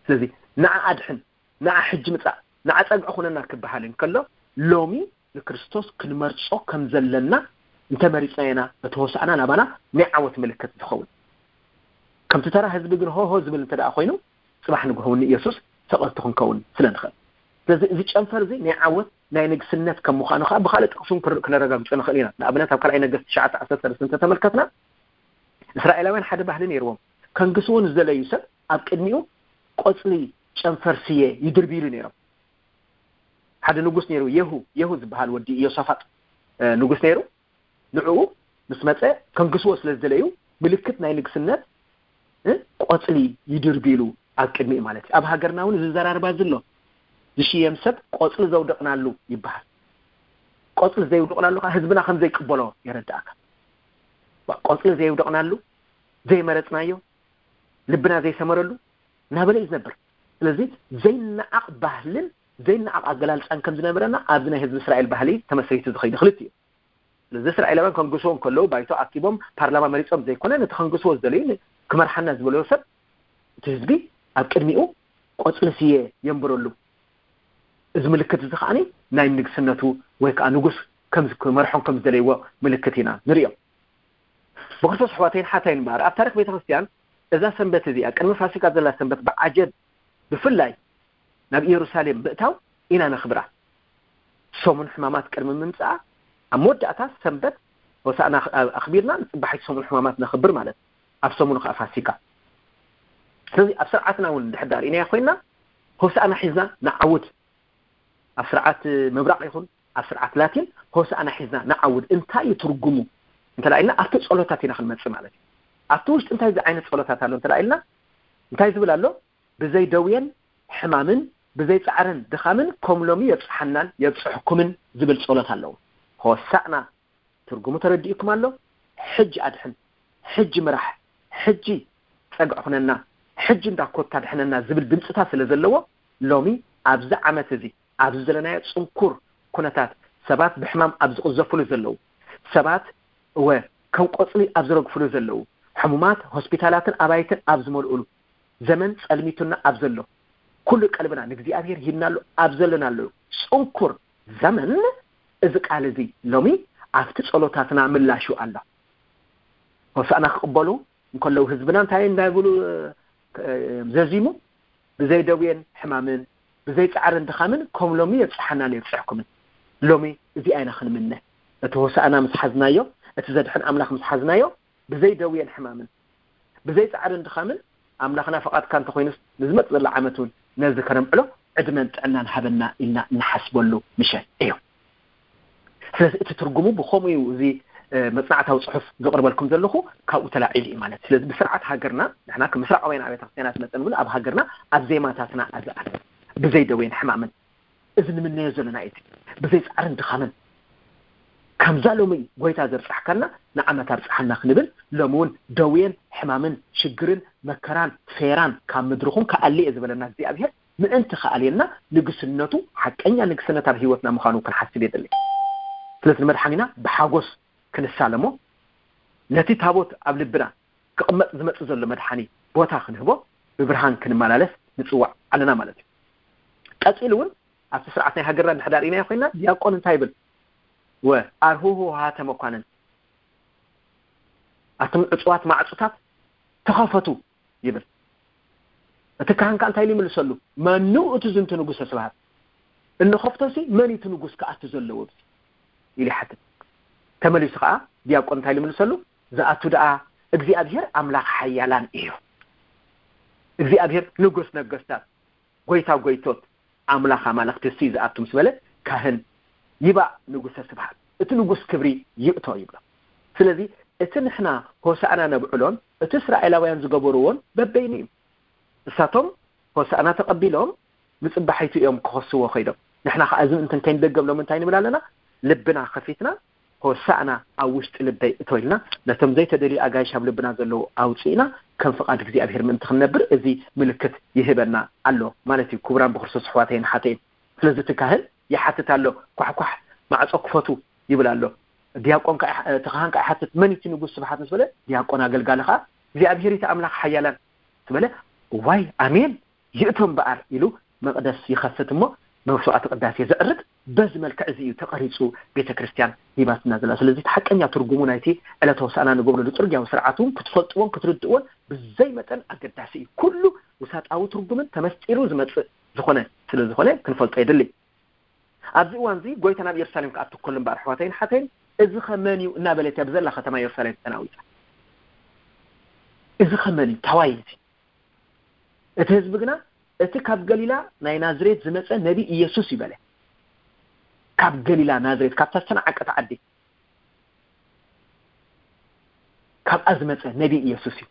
ስለዚ ንዓ ኣድሕን፣ ንዓ ሕጂ ምጻእ፣ ንዓ ጸግዒ ኩነና ክበሃል እንከሎ፣ ሎሚ ንክርስቶስ ክንመርጾ ከም ዘለና እንተመሪጽና ኢና እቲ ሆሳዕና ናባና ናይ ዓወት ምልክት ዝኸውን። ከምቲ ተራ ህዝቢ ግን ሆሆ ዝብል እንተ ደኣ ኮይኑ፣ ጽባሕ ንግሆ እውን ንኢየሱስ ሰቐልቲ ክንከውን ስለ ንኽእል። ስለዚ እዚ ጨንፈር እዚ ናይ ዓወት ናይ ንግስነት ከም ምዃኑ ከዓ ብኻልእ ጥቕሲ እውን ክር- ክነረጋግጾ ንኽእል ኢና። ንኣብነት ኣብ ካልኣይ ነገስት ትሽዓተ ዓሰርተ ሰለስተ እንተተመልከትና፣ እስራኤላውያን ሓደ ባህሊ ነይርዎም። ከንግስዎ ንዝደለዩ ሰብ ኣብ ቅድሚኡ ቆጽሊ ጨንፈር ስየ ይድርብይሉ ነይሮም። ሓደ ንጉስ ነይሩ፣ የሁ የሁ ዝበሃል ወዲ ኢዮሳፋጥ እ፣ ንጉስ ነይሩ። ንዕኡ ምስ መጸ ከንግስዎ ስለ ዝደለዩ ምልክት ናይ ንግስነት እ፣ ቆጽሊ ይድርብይሉ ኣብ ቅድሚኡ ማለት እዩ። ኣብ ሃገርና እውን እዚ ዘራርባ እዚ ኣሎ። ዝሽየም ሰብ ቆጽሊ ዘውደቕናሉ ይበሃል። ቆጽሊ ዘውደቕናሉ ከዓ ህዝብና ከም ዘይቅበሎ የረድኣካ። ዋ፣ ቆጽሊ ዘውደቕናሉ፣ ዘይመረጽናዮ፣ ልብና ዘይሰመረሉ እናበለ እዩ ዝነብር። ስለዚ ዘይነዓቕ ባህልን ዘይነዓቕ ኣገላልጻን ከም ዝነበረና ኣብዚ ናይ ህዝቢ እስራኤል ባህሊ ተመስሪቱ ዝኸይድ ክልቲኡ እዩ። ስለዚ እስራኤላውያን ከንግስዎ እንከለዉ ባይቶ ኣኪቦም ፓርላማ መሪጾም ዘይኮነ፣ ነቲ ከንግስዎ ዝደለዩ ን- ክመርሓና ዝበለዮ ሰብ እቲ ህዝቢ ኣብ ቅድሚኡ ቆጽሊ ስየ የንብረሉ። እዚ ምልክት እዚ ከዓኒ ናይ ንግስነቱ ወይ ከዓ ንጉስ ከም ዝ- ክመርሖም ከም ዝደለይዎ ምልክት ኢና ንርእዮ። ብክርስቶስ ኣሕዋተይን ሓታይን እምበኣር ኣብ ታሪክ ቤተ ክርስትያን እዛ ሰንበት እዚኣ ቅድሚ ፋሲካ ዘላ ሰንበት ብዓጀብ ብፍላይ ናብ ኢየሩሳሌም ምእታው ኢና ነኽብራ። ሰሙን ሕማማት ቅድሚ ምምጻኣ ኣብ መወዳእታ ሰንበት ሆሳዕና ኣኽቢርና ንጽባሒት ሰሙን ሕማማት ነኽብር ማለት እዩ። ኣብ ሰሙኑ ከዓ ፋሲካ። ስለዚ ኣብ ስርዓትና እውን እንድሕር ዳር ኢና ኮይና ሆሳዕና ሒዝና ንዓውድ። ኣብ ስርዓት ምብራቕ ይኹን ኣብ ስርዓት ላቲን ሆሳዕና ሒዝና ንዓውድ። እንታይ እዩ ትርጉሙ እንተ ኢልና ኣብቲ ጸሎታት ኢና ክንመጽእ ማለት እዩ። ኣብቲ ውሽጢ እንታይ ዓይነት ጸሎታት ኣሎ እንተ ኢልና እንታይ ዝብል ኣሎ? ብዘይ ደውየን ሕማምን ብዘይ ጻዕርን ድኻምን ከም ሎሚ የብጽሓናን የብጽሕኩምን ዝብል ጸሎት ኣለዎ። ሆሳዕና ትርጉሙ ተረዲእኩም ኣሎ? ሕጂ ኣድሕን፣ ሕጂ ምራሕ፣ ሕጂ ጸግዕ ኩነና፣ ሕጂ እንዳ ኮታ ድሕነና ዝብል ድምፅታት ስለ ዘለዎ ሎሚ ኣብዚ ዓመት እዚ ኣብዚ ዘለናዮ ጽንኩር ኩነታት ሰባት ብሕማም ኣብ ዝቕዘፍሉ ዘለዉ ሰባት እወ ከም ቆጽሊ ኣብ ዝረግፍሉ ዘለዉ ሕሙማት ሆስፒታላትን ኣባይትን ኣብ ዝመልኡሉ ዘመን ጸልሚቱና ኣብ ዘሎ ኩሉ ቀልብና ንእግዚኣብሔር ሂብናሉ ኣብ ዘለናሉ ጽንኩር ዘመን እዚ ቃል እዚ ሎሚ ኣብቲ ጸሎታትና ምላሹ ኣሎ። ሆሳእና ክቕበሉ እንከለዉ ህዝብና እንታይ እንዳይብሉ ዘዚሙ ብዘይ ደዌን ሕማምን ብዘይ ጻዕርን ድኻምን ከም ሎሚ የብጽሓናን የብጽሕኩምን። ሎሚ እዚኣ ኢና ክንምነ። እቲ ሆሳእና ምስ ሓዝናዮ፣ እቲ ዘድሕን ኣምላኽ ምስ ሓዝናዮ ብዘይ ደዌን ሕማምን ብዘይ ጻዕርን ድኻምን ኣምላኽና ፈቓድካ እንተኾይኑስ ንዝመጽእ ዘሎ ዓመት እውን ነዚ ከነምዕሎ ዕድመን ጥዕናን ሃበና ኢልና እንሓስበሉ ምሸት እዩ። ስለዚ እቲ ትርጉሙ ብኸምኡ እዩ። እዚ መጽናዕታዊ ጽሑፍ ዘቕርበልኩም ዘለኹ ካብኡ ተላዒሉ እዩ ማለት። ስለዚ ብስርዓት ሃገርና ንሕና ከም ምስራቃውያን ኣብያተ ክርስትያናት መጠን እውን ኣብ ሃገርና ኣብ ዜማታትና ኣዝኣል ብዘይ ደዌን ሕማምን እዚ ንምነዮ ዘለና እዩ። ብዘይ ጻዕርን ድኻምን ከምዛ ሎሚ ጎይታ ዘብጻሕካና ንዓመት ኣብጽሓና ክንብል ሎሚ እውን ደዌን ሕማምን ሽግርን መከራን ፌራን ካብ ምድርኹም ክኣሊ እየ ዝበለና እግዚኣብሔር ምእንቲ ክኣልየና ንግስነቱ ሓቀኛ ንግስነት ኣብ ህይወትና ምዃኑ ክንሓስብ የድሊ። ስለዚ ንመድሓኒና ብሓጎስ ክንሳለሞ ነቲ ታቦት ኣብ ልብና ክቕመጥ ዝመጽእ ዘሎ መድሓኒ ቦታ ክንህቦ ብብርሃን ክንመላለስ ንጽዋዕ ኣለና ማለት እዩ። ቀጺሉ እውን ኣብቲ ስርዓት ናይ ሃገርና እንድሕር ዳር ኢናዮ ኮይና ዲያቆን እንታይ ይብል? ወ ኣርሁሁ ሃተ መኳንን ኣቶም ዕጹዋት ማዕጹታት ተኸፈቱ ይብል። እቲ ካህን ከኣ እንታይ ኢሉ ይምልሰሉ? መኑ እቲ ዝንቱ ንጉሰ ስብሃት? እንኸፍቶሲ መን እቲ ንጉስ ክኣቱ ዘለዎ ኢሉ ይሓትት። ተመሊሱ ከኣ ዲያቆን እንታይ ኢሉ ይምልሰሉ? ዝኣቱ ደኣ እግዚኣብሔር ኣምላኽ ሓያላን እዩ። እግዚኣብሔር ንጉስ ነገስታት፣ ጎይታ ጎይቶት፣ ኣምላኽ ኣማልኽቲ እሱ እዩ ዝኣቱ ምስ በለ ካህን ይባእ ንጉሰ ስብሃት፣ እቲ ንጉስ ክብሪ ይእቶ ይብሎ። ስለዚ እቲ ንሕና ሆሳእና ነብዕሎን እቲ እስራኤላውያን ዝገበርዎን በበይኑ እዩ። እሳቶም ሆሳእና ተቐቢሎም ንጽባሒቱ እዮም ክኸስዎ ከይዶም። ንሕና ከኣ እዚ ምእንተን ከይንደገም ሎም እንታይ ንብል ኣለና? ልብና ከፊትና ሆሳእና ኣብ ውሽጢ ልበይ እቶ ኢልና ነቶም ዘይተደልዩ ኣጋይሽ ኣብ ልብና ዘለዉ ኣውፅእና ከም ፍቓድ እግዚኣብሔር ምእንቲ ክንነብር እዚ ምልክት ይህበና ኣሎ ማለት እዩ። ክቡራን ብክርስቶስ ኣሕዋተይን ሓተይን ስለዚ እቲ ካህን ይሓትት ኣሎ። ኳሕኳሕ ማዕጾ ክፈቱ ይብል ኣሎ። ዲያቆን ከዓ እቲ ካህን ከዓ ይሓትት፣ መን እቲ ንጉስ ስብሓት ምስ በለ፣ ዲያቆን ኣገልጋሊ ከዓ እግዚኣብሔር እቲ ኣምላኽ ሓያላን ዝበለ፣ ዋይ ኣሜን ይእቶ እምበኣር ኢሉ መቕደስ ይኸፍት እሞ መስዋዕቲ ቅዳሴ ዘዕርግ በዚ መልክዕ እዚ እዩ ተቐሪጹ ቤተ ክርስቲያን ሂባትና ዘላ። ስለዚ እቲ ሓቀኛ ትርጉሙ ናይቲ ዕለተ ሆሳዕና ንገብረሉ ጽርግያዊ ስርዓት እውን ክትፈልጥዎን ክትርድእዎን ብዘይ መጠን ኣገዳሲ እዩ። ኩሉ ውሳጣዊ ትርጉምን ተመስጢሩ ዝመጽእ ዝኾነ ስለ ዝኾነ ክንፈልጦ የድሊ። ኣብዚ እዋን እዚ ጎይታ ናብ ኢየሩሳሌም ክኣቱ ከሎ እምበኣር ኣሕዋተይን ሓተይን እዚ ኸ መን እዩ እናበለት እያ ብዘላ ከተማ ኢየሩሳሌም ተናዊጻ። እዚ ኸ መን እዩ ታዋይ እዚ? እቲ ህዝቢ ግና እቲ ካብ ገሊላ ናይ ናዝሬት ዝመጸ ነቢ ኢየሱስ እዩ በለ። ካብ ገሊላ ናዝሬት ካብታ ዝተናዓቀት ዓዲ ካብኣ ዝመጸ ነቢ ኢየሱስ እዩ።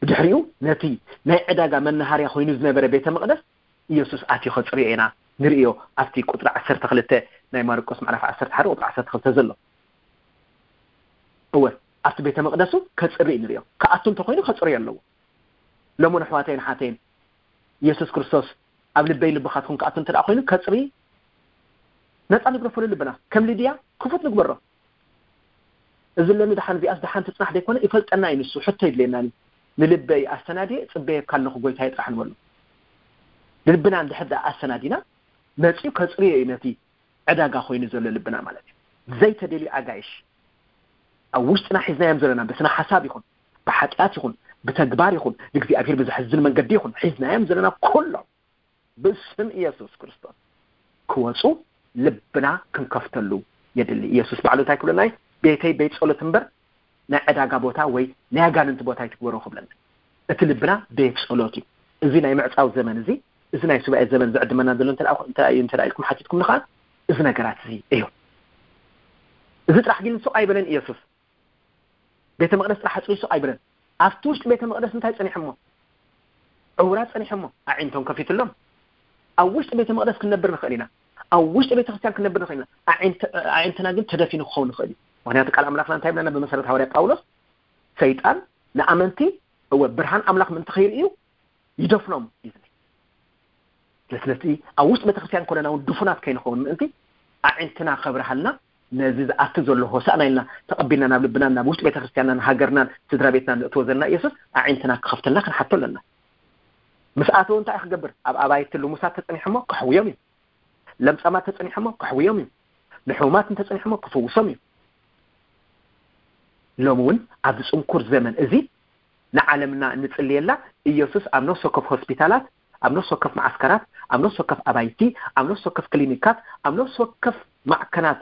ብድሕሪኡ ነቲ ናይ ዕዳጋ መናሃርያ ኮይኑ ዝነበረ ቤተ መቕደስ ኢየሱስ ኣትዩ ከጽርዮ ኢና ንርእዮ። ኣብቲ ቁጥሪ ዓሰርተ ክልተ ናይ ማርቆስ ምዕራፍ ዓሰርተ ሓደ ቁጥሪ ዓሰርተ ክልተ ዘሎ እወ ኣብቲ ቤተ መቕደሱ ከጽሪ ንርእዮ። ክኣቱ እንተኮይኑ ከጽርዮ ኣለዎ። ለሞን ኣሕዋተይን ሓተይን ኢየሱስ ክርስቶስ ኣብ ልበይ ልብኻትኩም ክኣቱ እንተ ደኣ ኮይኑ ከጽሪ ነጻ ንግረፈሉ ልብና ከም ልድያ ክፉት ንግበሮ። እዚ ለኒ ደሓን እዚኣስ ደሓን ትጽናሕ ደይኮነ ይፈልጠና እዩ ንሱ ሕቶ ይድልየናኒ። ንልበይ ኣሰናድየ ጽበየካ ኣለኹ ጎይታየ ጥራሕ ንበሉ። ልብና እንድሕር ደኣ ኣሰናዲና መጺኡ ከጽርዮ እዩ ነቲ ዕዳጋ ኮይኑ ዘሎ ልብና ማለት እዩ። ዘይተደልዩ ኣጋይሽ ኣብ ውሽጥና ሒዝናዮም ዘለና ብስነ ሓሳብ ይኹን ብሓጢኣት ይኹን ብተግባር ይኹን ንእግዚኣብሔር ብዘሕዝን መንገዲ ይኹን ሒዝናዮም ዘለና ኩሎም ብስም ኢየሱስ ክርስቶስ ክወፁ ልብና ክንከፍተሉ የድሊ። ኢየሱስ ባዕሉ እንታይ ክብለና እዩ? ቤተይ ቤት ጸሎት እምበር ናይ ዕዳጋ ቦታ ወይ ናይ ኣጋንንቲ ቦታ ኣይትግበሮ ክብለና። እቲ ልብና ቤት ጸሎት እዩ። እዚ ናይ ምዕጻው ዘመን እዚ እዚ ናይ ሱባኤ ዘመን ዝዕድመና ዘሎ እንተ ደኣ እንተ ደኣ እዩ እንተ ደኣ ኢልኩም ሓቲትኩም ንኸዓ እዚ ነገራት እዚ እዩ። እዚ ጥራሕ ግን ሱቕ ኣይበለን ኢየሱስ። ቤተ መቕደስ ጥራሕ ኣጽርዩ ሱቕ ኣይበለን። ኣብቲ ውሽጢ ቤተ መቕደስ እንታይ ጸኒሖሞ? ዕውራት ጸኒሖሞ ኣዒንቶም ከፊትሎም። ኣብ ውሽጢ ቤተ መቕደስ ክንነብር ንኽእል ኢና። ኣብ ውሽጢ ቤተ ክርስቲያን ክንነብር ንኽእል ኢና። ኣዒንትና ግን ተደፊኑ ክኸውን ንኽእል እዩ። ምክንያቱ ቃል ኣምላኽና እንታይ ብለና? ብመሰረት ሃዋርያ ጳውሎስ ሰይጣን ንኣመንቲ እወ ብርሃን ኣምላኽ ምእንቲ ከይርእዩ ይደፍኖም እዩ ዝብል። ስለዚ ኣብ ውሽጢ ቤተክርስትያን ኮነና እውን ድፉናት ከይንኸውን ምእንቲ ኣዒንትና ከብርሃልና ነዚ ዝኣቱ ዘሎ ሆሳእና ኢልና ተቐቢልና ናብ ልብናን ናብ ውሽጢ ቤተክርስትያንናን ሃገርናን ስድራ ቤትናን ዘእትዎ ዘለና ኢየሱስ ኣዒንትና ክኸፍተልና ክንሓቶ ኣለና። ምስ ኣተወ እንታይ ክገብር? ኣብ ኣባይቲ ልሙሳት ተጸኒሖሞ ከሕውዮም እዩ። ለምጻማት ተጸኒሖሞ ከሕውዮም እዩ። ንሕሙማት እንተጸኒሖሞ ክፍውሶም እዩ። ሎሚ እውን ኣብዚ ጽንኩር ዘመን እዚ ንዓለምና እንጽልየላ ኢየሱስ ኣብ ነፍሲ ወከፍ ሆስፒታላት፣ ኣብ ነፍሲ ወከፍ መዓስከራት፣ ኣብ ነፍሲ ወከፍ ኣባይቲ፣ ኣብ ነፍሲ ወከፍ ክሊኒካት፣ ኣብ ነፍሲ ወከፍ ማዕከናት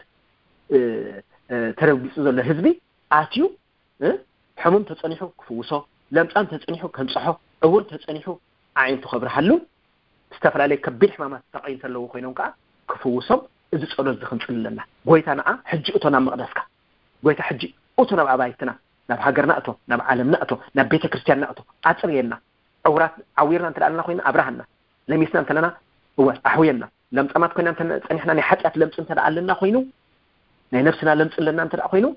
ተረጊጹ ዘሎ ህዝቢ ኣትዩ ሕሙም ተጸኒሑ ክፍውሶ፣ ለምጻም ተጸኒሑ ከንጽሖ፣ ዕውር ተጸኒሑ ኣዒንቱ ከብርሃሉ፣ ዝተፈላለዩ ከቢድ ሕማማት ተጠቒ እንተለዉ ኮይኖም ከዓ ክፍውሶም እዚ ጸሎት እዚ ክንጽሊ ኣለና። ጎይታ ንዓ ሕጂ እቶ ናብ መቕደስካ፣ ጎይታ ሕጂ እቶ ናብ ኣባይትና፣ ናብ ሃገርና እቶ፣ ናብ ዓለምና እቶ፣ ናብ ቤተ ክርስቲያንና እቶ፣ ኣጽርየልና። ዕውራት ዓዊርና እንተ ኣለና ኮይና ኣብርሃና፣ ለሚስና እንተለና እወ ኣሕውየና፣ ለምጻማት ኮይና እንተ ጸኒሕና ናይ ሓጢኣት ለምጺ እንተ ኣለና ኮይኑ ናይ ነብስና ለምጺ ኣለና እንተ ኮይኑ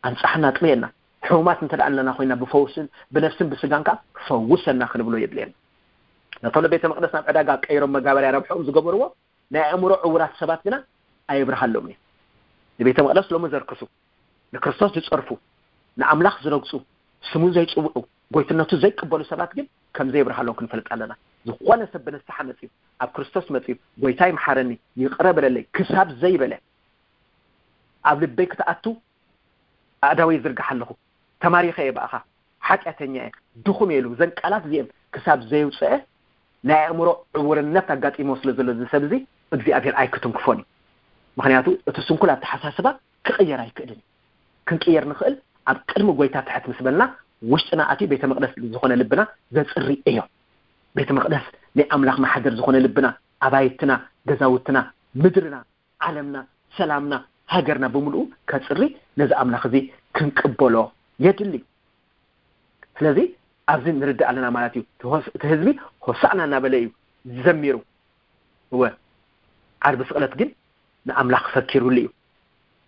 ኣንጻሕና ኣጽርየና። ሕሙማት እንተ ኣለና ኮይና ብፈውስን ብነፍስን ብስጋን ከዓ ፈውሰና ክንብሎ የድልየና። ነቶም ንቤተ መቕደስ ናብ ዕዳጋ ቀይሮም መጋበርያ ረብሕኦም ዝገበርዎ ናይ ኣእምሮ ዕውራት ሰባት ግና ኣይብርሃሎም እዩ። ንቤተ መቕደስ ሎሚ ዘርክሱ፣ ንክርስቶስ ዝጸርፉ፣ ንኣምላኽ ዝረግጹ፣ ስሙ ዘይጽውዑ፣ ጎይትነቱ ዘይቅበሉ ሰባት ግን ከም ዘይብርሃሎም ክንፈልጥ ኣለና። ዝኾነ ሰብ ብንስሓ መጽዩ ኣብ ክርስቶስ መጽዩ ጎይታይ መሓረኒ ይቕረ በለለይ ክሳብ ዘይበለ ኣብ ልበይ ክትኣቱ ኣእዳወይ ይዝርግሕ ኣለኹ። ተማሪኸ እየ ብኣኻ፣ ሓጢኣተኛ እየ፣ ድኹም እየ ኢሉ እዘን ቃላት እዚአን ክሳብ ዘየውፅአ ናይ ኣእምሮ ዕውርነት ኣጋጢሞ ስለ ዘሎ እዚ ሰብ እዚ እግዚኣብሔር ኣይክትንክፎን እዩ። ምክንያቱ እቲ ስንኩል ኣተሓሳስባ ክቕየር ኣይክእልን እዩ። ክንቅየር ንኽእል ኣብ ቅድሚ ጎይታ ትሕት ምስ በልና ውሽጥና ኣትዩ ቤተ መቕደስ ዝኾነ ልብና ዘፅሪ እዮ። ቤተ መቕደስ ናይ ኣምላኽ ማሕደር ዝኾነ ልብና፣ ኣባይትና፣ ገዛውትና፣ ምድርና፣ ዓለምና፣ ሰላምና፣ ሃገርና ብምልኡ ከፅሪ ነዚ ኣምላኽ እዚ ክንቅበሎ የድሊ። ስለዚ ኣብዚ ንርዳእ ኣለና ማለት እዩ። እቲ ህዝቢ ሆሳዕና እናበለ እዩ ዘሚሩ። እወ ዓርቢ ስቕለት ግን ንኣምላኽ ፈኪሩሉ እዩ።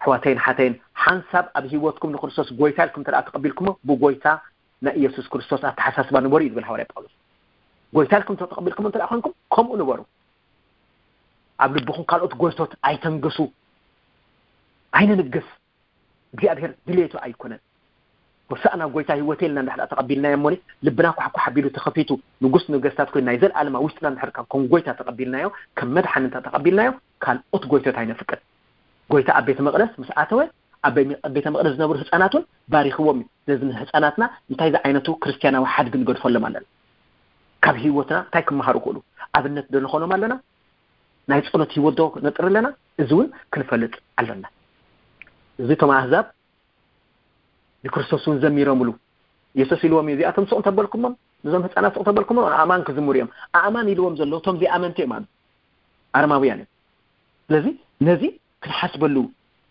ኣሕዋተይን ሓተይን ሓንሳብ ኣብ ህይወትኩም ንክርስቶስ ጎይታ ኢልኩም እንተ ተቐቢልኩሞ ብጎይታ ናይ ኢየሱስ ክርስቶስ ኣተሓሳስባ ንበሩ እዩ ዝብል ሃዋርያ ጳውሎስ። ጎይታ ኢልኩም ተቐቢልኩም እንተ ኮይንኩም ከምኡ ንበሩ። ኣብ ልብኹም ካልኦት ጎይቶት ኣይተንግሱ። ኣይንንግስ። እግዚኣብሔር ድሌቱ ኣይኮነን። ሆሳእና ጎይታ ህይወት ኢልና እንድሕር ተቐቢልናዮ እሞኒ፣ ልብና ኳሕኳሕ ኣቢሉ ተኸፊቱ፣ ንጉስ ነገስታት ኮይኑ ናይ ዘለኣለማ ውሽጥና እንድሕር ከም ጎይታ ተቐቢልናዮ፣ ከም መድሓኒ እንተ ተቐቢልናዮ፣ ካልኦት ጎይቶት ኣይነፍቅድ። ጎይታ ኣብ ቤተ መቕደስ ምስ ኣተወ፣ ኣብ ቤ- ቤተ መቕደስ ዝነበሩ ህፃናት እውን ባሪኽዎም እዩ። ስለዚ ንህፃናትና እንታይ ዝዓይነቱ ክርስቲያናዊ ሓድጊ ንገድፈሎም ኣለና? ካብ ህይወትና እንታይ ክመሃሩ ይኽእሉ? ኣብነት ዶ ንኾኖም ኣለና? ናይ ጸሎት ህይወት ዶ ነጥሪ ኣለና? እዚ እውን ክንፈልጥ ኣለና። እዚ እቶም ኣህዛብ ንክርስቶስ እውን ዘሚሮምሉ። የሱስ ኢልዎም እዩ፣ እዚኣቶም ስቕ እንተበልኩሞም፣ ነዞም ህፃናት ስቕ እንተበልኩሞም ኣእማን ክዝምሩ እዮም። ኣእማን ኢልዎም ዘሎ እቶም ዘይኣመንቲ እዮም ኣሉ። ኣረማውያን እዮም። ስለዚ ነዚ ክንሓስበሉ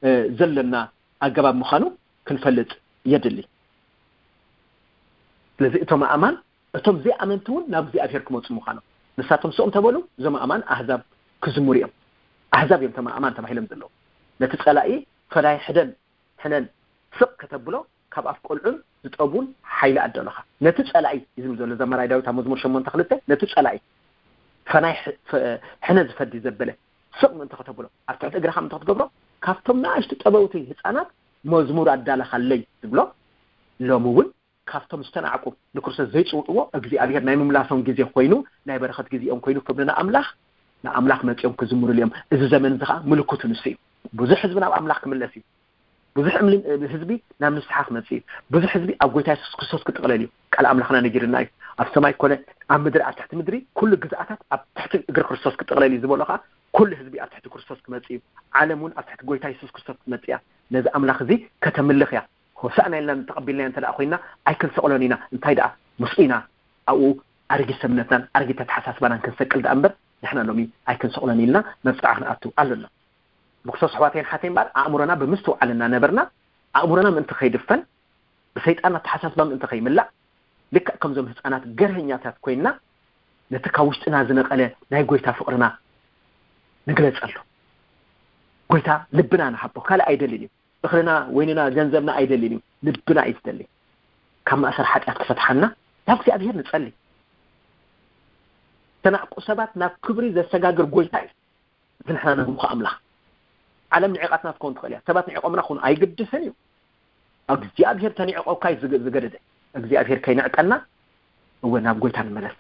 እ፣ ዘለና ኣገባብ ምዃኑ ክንፈልጥ የድሊ። ስለዚ እቶም ኣእማን፣ እቶም ዘይኣመንቲ እውን ናብ እግዚኣብሔር ክመፁ ምዃኖም፣ ንሳቶም ስቕ እንተበሉ እዞም ኣእማን ኣህዛብ ክዝምሩ እዮም። ኣህዛብ እዮም እቶም ኣእማን ተባሂሎም ዘለዉ። ነቲ ጸላኢ ፈላይ ሕደን ሕነን ስቕ ከተብሎ ካብ ኣፍ ቆልዑን ዝጠቡን ሓይሊ ኣደለኻ። ነቲ ጸላኢ እዩ ዝብል ዘሎ ዘማራይ ዳዊት ኣብ መዝሙር ሸሞንተ ክልተ፣ ነቲ ጸላኢ ፈናይ ሕ- ፈ- ሕነ ዝፈዲ ዘበለ ስቕ ምእንቲ ከተብሎ፣ ኣብ ትሕቲ እግርኻ ምእንቲ ክትገብሮ፣ ካብቶም ንኣሽቱ ጠበውቲ ህፃናት መዝሙር ኣዳለኻለይ ዝብሎ፣ ሎሚ እውን ካብቶም ዝተናዕቁ ንክርስቶስ ዘይፅውዕዎ እግዚኣብሔር ናይ ምምላሶም ግዜ ኮይኑ፣ ናይ በረኸት ግዜኦም ኮይኑ ክብሪ ንኣምላኽ፣ ንኣምላኽ መፂኦም ክዝምሩሉ እዮም። እዚ ዘመን እዚ ከዓ ምልክቱ ንሱ እዩ። ብዙሕ ህዝቢ ናብ ኣምላኽ ክምለስ እዩ። ብዙሕ እምሊ- ህዝቢ ናብ ንስሓ ክመፅእ እዩ። ብዙሕ ህዝቢ ኣብ ጎይታ የሱስ ክርስቶስ ክጥቕለል እዩ። ቃል ኣምላኽና ነጊርና እዩ። ኣብ ሰማይ ኮነ ኣብ ምድሪ፣ ኣብ ትሕቲ ምድሪ ኩሉ ግዝኣታት ኣብ ትሕቲ እግሪ ክርስቶስ ክጥቕለል እዩ ዝበሎ ከዓ ኩሉ ህዝቢ ኣብ ትሕቲ ክርስቶስ ክመፅእ እዩ። ዓለም እውን ኣብ ትሕቲ ጎይታ የሱስ ክርስቶስ ክትመፅእ እያ። ነዚ ኣምላኽ እዚ ከተምልኽ እያ። ሆሳእና ኢልና እንተቐቢልናዮ እንተ ደኣ ኮይና ኣይክንሰቕሎን ኢና። እንታይ ደኣ ምስኡ ኢና ኣብኡ ኣረጊት ሰብነትናን ኣረጊት ኣተሓሳስባናን ክንሰቅል ደኣ እምበር ንሕና ሎሚ ኣይክንሰቕሎን ኢልና መብፅዓ ክንኣቱ ኣለና። ብክርስቶስ ኣሕዋተይን ሓተይ እምበኣር ኣእምሮና ብምስትውዓል እናነበርና ኣእምሮና ምእንቲ ከይድፈን ብሰይጣን ኣተሓሳስባ ምእንቲ ከይምላእ ልክዕ ከምዞም ህፃናት ገርሀኛታት ኮይንና ነቲ ካብ ውሽጥና ዝነቐለ ናይ ጎይታ ፍቕርና ንግለፀሉ። ጎይታ ልብና ንሃቦ ካልእ ኣይደልን እዩ። እኽልና ወይንና ገንዘብና ኣይደልን እዩ። ልብና እዩ ዝደሊ። ካብ ማእሰር ሓጢኣት ክፈትሓና ናብ እግዚኣብሔር ንጸሊ። ተናዕቁ ሰባት ናብ ክብሪ ዘሰጋግር ጎይታ እዩ። እዚ ንሕና ነምልኾ ኣምላኽ። ዓለም ንዒቓትና ትኸውን ትኽእል እያ። ሰባት ንዒቖምና ክኾኑ ኣይግድስን እዩ። እግዚኣብሔር ተንዒቖካ እዩ ዝገ- ዝገደደ። እግዚኣብሔር ከይንዕቀና እወ ናብ ጎይታ ንመለስ።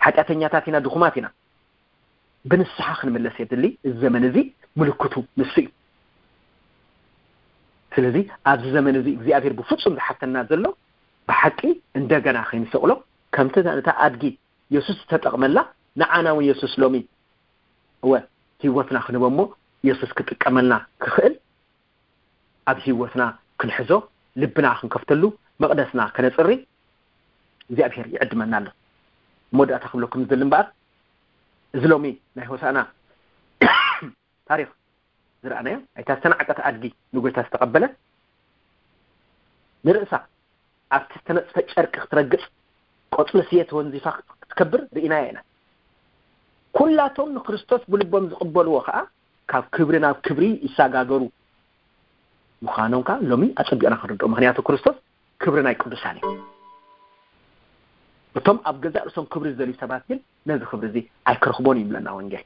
ሓጢኣተኛታት ኢና፣ ድኹማት ኢና። ብንስሓ ክንምለስ የድሊ። እዚ ዘመን እዚ ምልክቱ ንሱ እዩ። ስለዚ ኣብዚ ዘመን እዚ እግዚኣብሔር ብፍጹም ዝሓተና ዘሎ ብሓቂ እንደገና ከይንሰቕሎ ከምቲ ነታ ኣድጊ የሱስ ዝተጠቕመላ ንዓና እውን የሱስ ሎሚ እወ ህይወትና ክንህቦ እሞ የሱስ ክጥቀመልና ክኽእል ኣብ ህይወትና ክንሕዞ ልብና ክንከፍተሉ መቕደስና ከነፅሪ እግዚኣብሔር ይዕድመና ኣሎ። መወዳእታ ክብለኩም ዝደሊ እምበኣር እዚ ሎሚ ናይ ሆሳና ታሪኽ ዝረኣናዮ ኣይታ ዝተናዕቀት ኣድጊ ንጎይታ ዝተቐበለ ንርእሳ ኣብቲ ዝተነፅፈ ጨርቂ ክትረግፅ ቆፅሊ ስየ ተወንዚፋ ክትከብር ርኢናያ ኢና። ኩላቶም ንክርስቶስ ብልቦም ዝቕበልዎ ከዓ ካብ ክብሪ ናብ ክብሪ ይሰጋገሩ ምዃኖም ከዓ ሎሚ ኣፀቢቕና ክንርድኦ። ምክንያቱ ክርስቶስ ክብሪ ናይ ቅዱሳን እዩ። እቶም ኣብ ገዛእ ርእሶም ክብሪ ዝደልዩ ሰባት ግን ነዚ ክብሪ እዚ ኣይክረኽቦን እዩ ይብለና ወንጌል።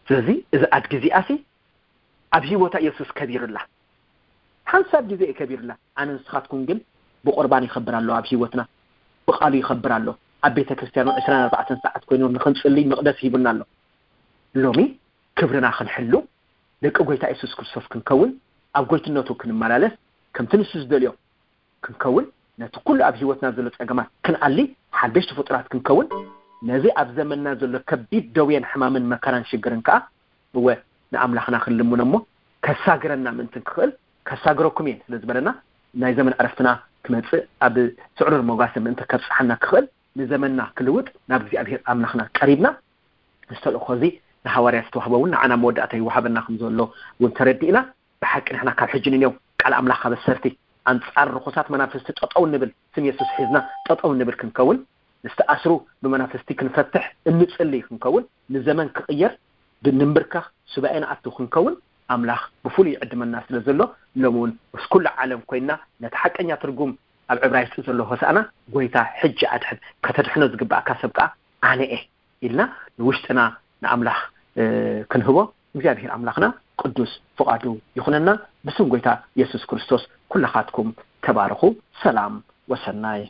ስለዚ እዚ ኣድጊ እዚኣሲ ኣብ ህይወታ ኢየሱስ ከቢሩላ። ሓንሳብ ግዜ እዩ ከቢሩላ። ኣነ ንስኻትኩም ግን ብቁርባን ይኸብር ኣሎ ኣብ ህይወትና። ብቃሉ ይኸብር ኣሎ። ኣብ ቤተ ክርስቲያኑ ዕስራን ኣርባዕተን ሰዓት ኮይኑ ንኽንጽልይ መቕደስ ሂቡና ኣሎ። ሎሚ ክብርና ክንሕሉ ደቂ ጎይታ ኢየሱስ ክርስቶስ ክንከውን ኣብ ጎይትነቱ ክንመላለስ ከምቲ ንሱ ዝደልዮ ክንከውን ነቲ ኩሉ ኣብ ህይወትና ዘሎ ጸገማት ክንኣሊ ሓደሽቲ ፍጡራት ክንከውን ነዚ ኣብ ዘመንና ዘሎ ከቢድ ደውየን ሕማምን መከራን ሽግርን ከኣ እወ ንኣምላኽና ክንልምኖ እሞ ከሳግረና ምእንቲ ክኽእል ከሳግረኩም እየ ስለ ዝበለና ናይ ዘመን ዕረፍትና ክመጽእ ኣብ ስዕሩር መጓሰ ምእንቲ ከብጽሓና ክኽእል ንዘመንና ክልውጥ ናብ እግዚኣብሔር ኣምላኽና ቀሪብና ምስ ተልእኾ እዚ ንሃዋርያት ዝተዋህበ እውን ንዓና መወዳእታ ይወሃበና ከም ዘሎ እውን ተረዲእና ብሓቂ ንሕና ካብ ሕጂ ንኔው ቃል ኣምላኽ ኣበሰርቲ ኣንጻር ርኹሳት መናፍስቲ ጠጠው ንብል ስም የሱስ ሒዝና ጠጠው ንብል ክንከውን ንዝተኣስሩ ብመናፍስቲ ክንፈትሕ እንጽሊ ክንከውን ንዘመን ክቕየር ብንንብርከኽ ሱባኤ ንኣቱ ክንከውን ኣምላኽ ብፍሉይ ይዕድመና ስለ ዘሎ ሎም እውን ምስ ኩሉ ዓለም ኮይንና ነቲ ሓቀኛ ትርጉም ኣብ ዕብራይስጢ ዘሎ ሆሳእና ጎይታ ሕጂ ኣድሕን ከተድሕኖ ዝግባእካ ሰብ ከኣ ኣነ እየ ኢልና ንውሽጥና ንኣምላኽ ክንህቦ እግዚኣብሔር ኣምላኽና ቅዱስ ፍቓዱ ይኹነና። ብስም ጎይታ የሱስ ክርስቶስ ኩላኻትኩም ተባረኹ። ሰላም ወሰናይ።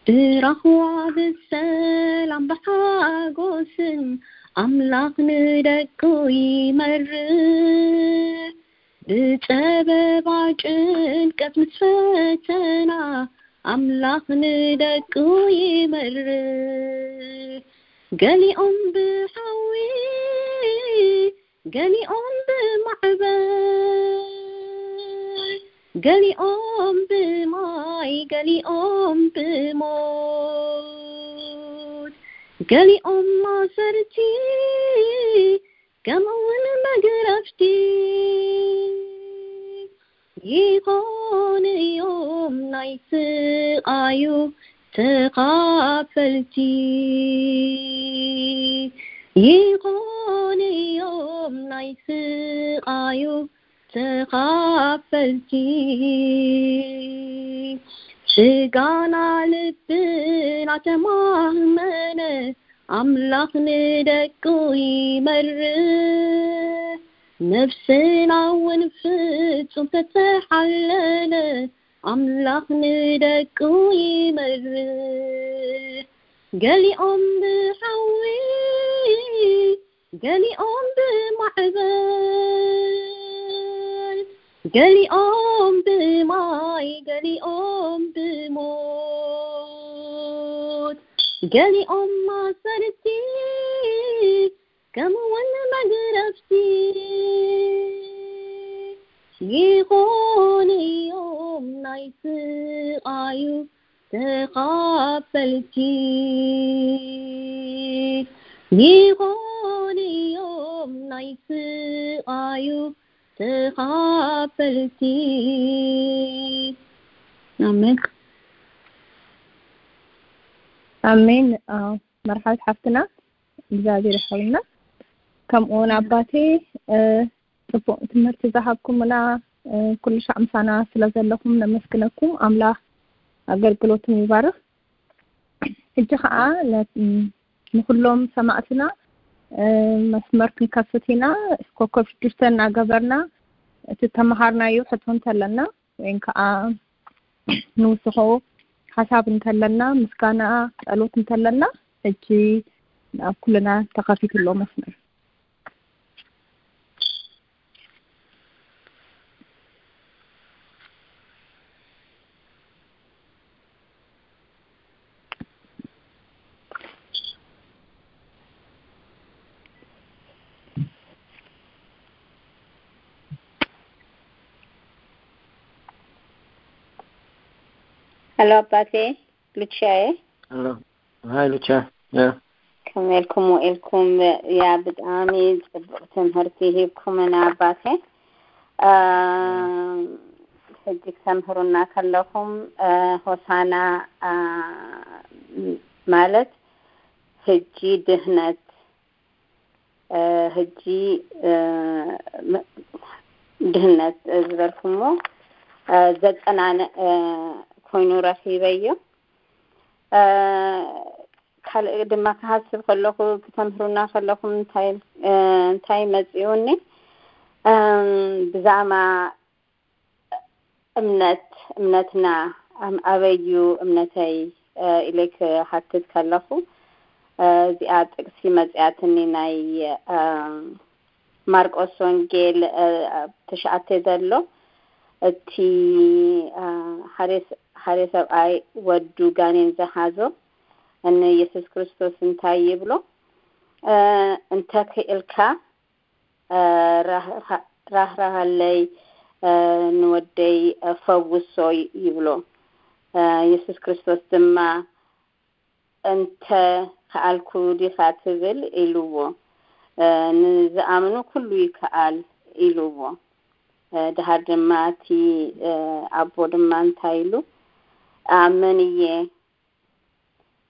ብራህዋ ብሰላም ብሓጎስን ኣምላኽ ንደቁ ይመርሕ። ብጸበባ ጭንቀት ምስ ፈተና ኣምላኽ ንደቁ ይመርሕ። ገሊኦም ብሓዊ ገሊኦም ብማዕበል ገሊኦም ብማይ ገሊኦም ብሞት ገሊኦም ማሰርቲ ከምኡውን መግረፍቲ ይኾኑ እዮም ናይ ስቓዩ ተኻፈልቲ ይኾኑ እዮም ናይ ስቓዩ ተኻፈልቲ። ስጋና ልብና ተማህመነ ኣምላኽ ንደቁ ይመርሕ። ነፍስና እውን ፍጹም ተተሓለለ ኣምላኽ ንደቁ ይመርሕ። ገሊኦም ብሓዊ ገሊኦም ብማዕበል ገሊኦም ብማይ ገሊኦም ብሞት ገሊኦም ማሰርቲ ከምኡውን መግረፍቲ ይኾኑ እዮም ናይ ስቓዩ ተኻፈልቲ ይኾኑ እዮም ናይ ስቓዩ ተኻፈልቲ። ኣሜን። ኣሜን። መርሓት ሓፍትና እግዚኣብሔር ይሓውና። ከምኡውን ኣባቴ ጽቡቕ ትምህርቲ ዝሃብኩምና ኩሉ ሻዕ ምሳና ስለ ዘለኹም ነመስግነኩም። ኣምላኽ ኣገልግሎትኩም ይባርኽ። ሕጂ ከዓ ንኩሎም ሰማዕትና መስመር ክንከፍት ኢና። ኮከብ ሽዱሽተ እናገበርና እቲ ተመሃርናዮ ሕቶ እንተለና ወይም ከዓ ንውስኾ ሓሳብ እንተለና ምስጋና ጸሎት እንተለና ሕጂ ኣብ ኩልና ተኸፊቱ ኣሎ መስመር። ሄሎ ኣባቴ ሉቻዬ። ሄሎ ሃይ ሉቻ። ያ ከመይ ኢልኩም ውዒልኩም? ያ ብጣዕሚ ጽቡቕ ትምህርቲ ሂብኩምና ኣባቴ። ሕጂ ክተምህሩና ከለኹም ሆሳና ማለት ሕጂ ድህነት ሕጂ ድህነት ዝበልኩሞ ዘጸናንዕ ኮይኑ ረኺበዮ። ካልእ ድማ ክሃስብ ከለኹ ክተምህሩና ከለኹም እንታይ መጺኡኒ ብዛዕባ እምነት እምነትና ኣበዩ እምነተይ ኢለ ክሓትት ከለኹ እዚኣ ጥቅሲ መጽያትኒ ናይ ማርቆስ ወንጌል ትሽዓተ ዘሎ እቲ ሓደ ሰብኣይ ወዱ ጋኔን ዝሓዞ ንየሱስ ክርስቶስ እንታይ ይብሎ? እንተ ክኢልካ ራህራሃለይ ንወደይ ፈውሶ ይብሎ። የሱስ ክርስቶስ ድማ እንተ ከኣልኩ ዲኻ ትብል ኢልዎ። ንዝኣምኑ ኩሉ ይከኣል ኢልዎ። ድሃር ድማ እቲ ኣቦ ድማ እንታይ ኢሉ? ኣመን እየ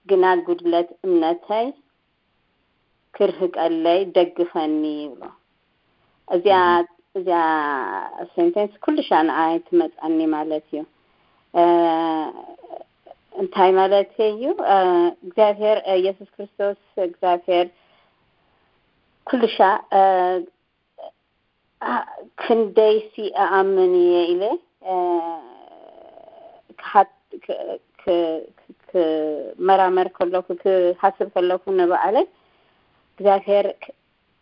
ግና ጉድለት እምነተይ ክርህቀለይ ደግፈኒ ይብሎ። እዚኣ እዚኣ ሴንቴንስ ኩሉ ሻ ንዓይ ትመጻኒ ማለት እዩ። እንታይ ማለት እዩ? እግዚኣብሔር፣ የሱስ ክርስቶስ እግዚኣብሔር ኩልሻ ክንደይሲ እኣምን እየ ኢለ ክመራመር ከለኩ፣ ክሓስብ ከለኩ ንባዕለይ፣ እግዚኣብሔር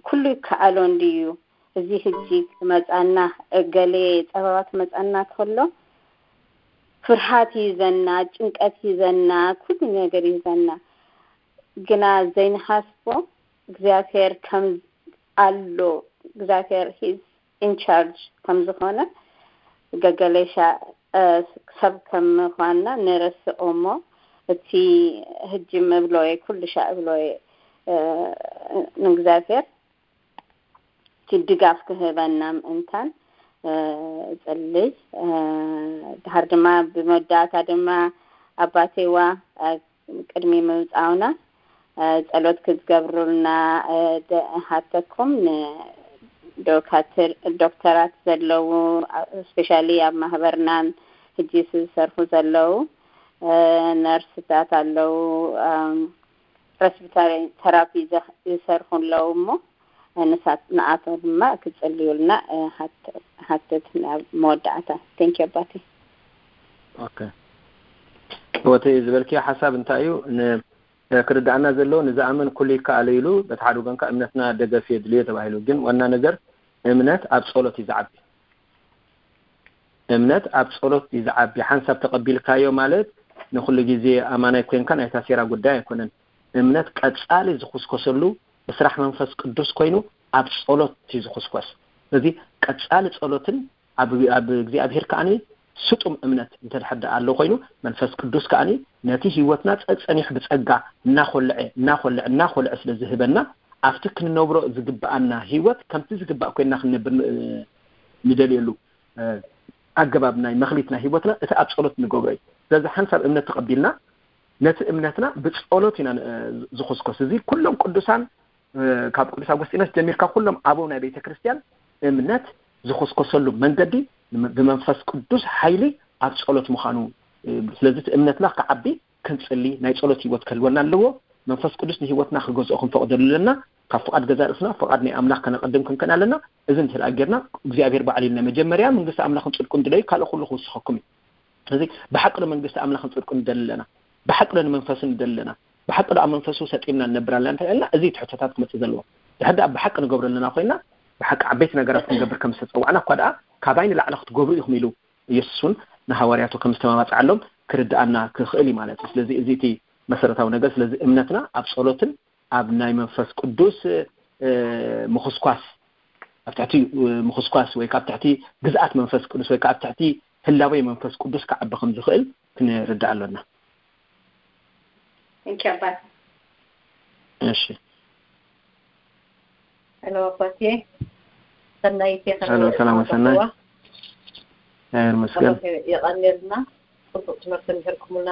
ኩሉ ይከኣሎ እንድዩ። እዚ ሕጂ ክመጻና፣ ገሌ ጸበባ ክመጻና ከሎ ፍርሃት ይዘና፣ ጭንቀት ይዘና፣ ኩሉ ነገር ይዘና። ግና ዘይንሓስቦ እግዚኣብሔር ከም ኣሎ፣ እግዚኣብሔር ሂዝ ኢንቻርጅ ከም ዝኾነ፣ ገገሌሻ ሰብ ከም ምዃንና ንረስኦ እሞ፣ እቲ ሕጂ ምብሎየ ኩሉ ሻዕ እብሎየ ንእግዚኣብሔር ድጋፍ ክህበና ምእንታን እጽልይ። ድሓር ድማ ብመወዳእታ ድማ ኣባቴዋ ቅድሚ ምምጻውና ጸሎት ክትገብሩልና ሃተኩም። ንዶክተራት ዘለዉ፣ ስፔሻሊ ኣብ ማህበርናን ሕጂ ዝሰርሑ ዘለዉ ነርስታት ኣለዉ፣ ፕሬስቢተሪ ተራፒ ዝሰርሑ ኣለዉ እሞ ንሳት ንኣቶ ድማ ክጽልዩልና ሃትት ናብ መወዳእታ። ቴንኪ ኣባቴ። ኦኬ፣ ወተይ ዝበልክዮ ሓሳብ እንታይ እዩ? ክርዳእና ዘለዎ ንዝኣምን ኩሉ ይከኣሎ ኢሉ፣ በቲ ሓደ ወገንካ እምነትና ደገፍ የድልዮ ተባሂሉ። ግን ዋና ነገር እምነት ኣብ ጸሎት እዩ ዝዓቢ። እምነት ኣብ ጸሎት እዩ ዝዓቢ። ሓንሳብ ተቐቢልካዮ ማለት ንኹሉ ግዜ ኣማናይ ኮንካ ናይ ታሴራ ጉዳይ ኣይኮነን። እምነት ቀጻሊ ዝኹስኮሰሉ ብስራሕ መንፈስ ቅዱስ ኮይኑ ኣብ ጸሎት እዩ ዝኹስኮስ። ስለዚ ቀጻሊ ጸሎትን ኣብ እግዚኣብሔር ከኣኒ ስጡም እምነት እንተድሕር ደኣ ኣሎ ኮይኑ መንፈስ ቅዱስ ከኣኒ ነቲ ህይወትና ጸጸኒሑ ብጸጋ እናኾልዐ እናኾልዐ እናኾልዐ ስለ ዝህበና ኣብቲ ክንነብሮ ዝግብኣና ህይወት ከምቲ ዝግባእ ኮይንና ክንነብር ንደልየሉ ኣገባብ ናይ መኽሊት ናይ ህይወትና እቲ ኣብ ጸሎት ንገብሮ እዩ። ስለዚ ሓንሳብ እምነት ተቐቢልና ነቲ እምነትና ብጸሎት ኢና ዝኹስኮስ። እዚ ኩሎም ቅዱሳን ካብ ቅዱስ ኣጎስጢኖስ ጀሚርካ ኩሎም ኣበው ናይ ቤተ ክርስቲያን እምነት ዝኹስኮሰሉ መንገዲ ብመንፈስ ቅዱስ ሓይሊ ኣብ ጸሎት ምዃኑ። ስለዚ እቲ እምነትና ክዓቢ ክንጽሊ ናይ ጸሎት ህይወት ክህልወና ኣለዎ። መንፈስ ቅዱስ ንህይወትና ክገዝኦ ክንፈቕደሉ ኣለና። ካብ ፍቓድ ገዛ ርእስና ፍቓድ ናይ ኣምላኽ ከነቐድም ክንክን ኣለና። እዚ እንተ ደኣ ጌርና እግዚኣብሔር ባዕሉ ኢሉ ናይ መጀመርያ መንግስቲ ኣምላኽን ጽድቁን ድለዩ ካልእ ኩሉ ክውስኸኩም እዩ። ስለዚ ብሓቂ ዶ መንግስቲ ኣምላኽን ጽድቁን ንደሊ ኣለና? ብሓቂ ዶ ንመንፈሱ ንደሊ ኣለና? ብሓቂ ዶ ኣብ መንፈሱ ሰጢምና ንነብር ኣለና እንተ ኢልና እዚ ትሕቶታት ክመጽእ ዘለዎ። ድሕር ደኣ ብሓቂ ንገብሮ ኣለና ኮይና ብሓቂ ዓበይቲ ነገራት ክንገብር ከም ዝተጸዋዕና እኳ ደኣ ካባይ ንላዕሊ ክትገብሩ ኢኹም ኢሉ ኢየሱስ እውን ንሃዋርያቱ ከም ዝተማባጽዓሎም ክርድኣና ክኽእል እዩ ማለት እዩ። ስለዚ እዚ እቲ መሰረታዊ ነገር። ስለዚ እምነትና ኣብ ጸሎትን ኣብ ናይ መንፈስ ቅዱስ ምኹስኳስ ኣብ ትሕቲ ምኹስኳስ ወይ ካብ ትሕቲ ግዝኣት መንፈስ ቅዱስ ወይ ካብ ትሕቲ ህላዌ መንፈስ ቅዱስ ክዓቢ ከም ዝኽእል ክንርዳእ ኣሎና። Thank you ኣባት። እሺ ሄሎ ኣባቴ ሰናይቴ ሄሎ ሰላም ሰናይ። ይመስገን። የቐንየልና ጽቡቕ ትምህርቲ ምሕርኩምና።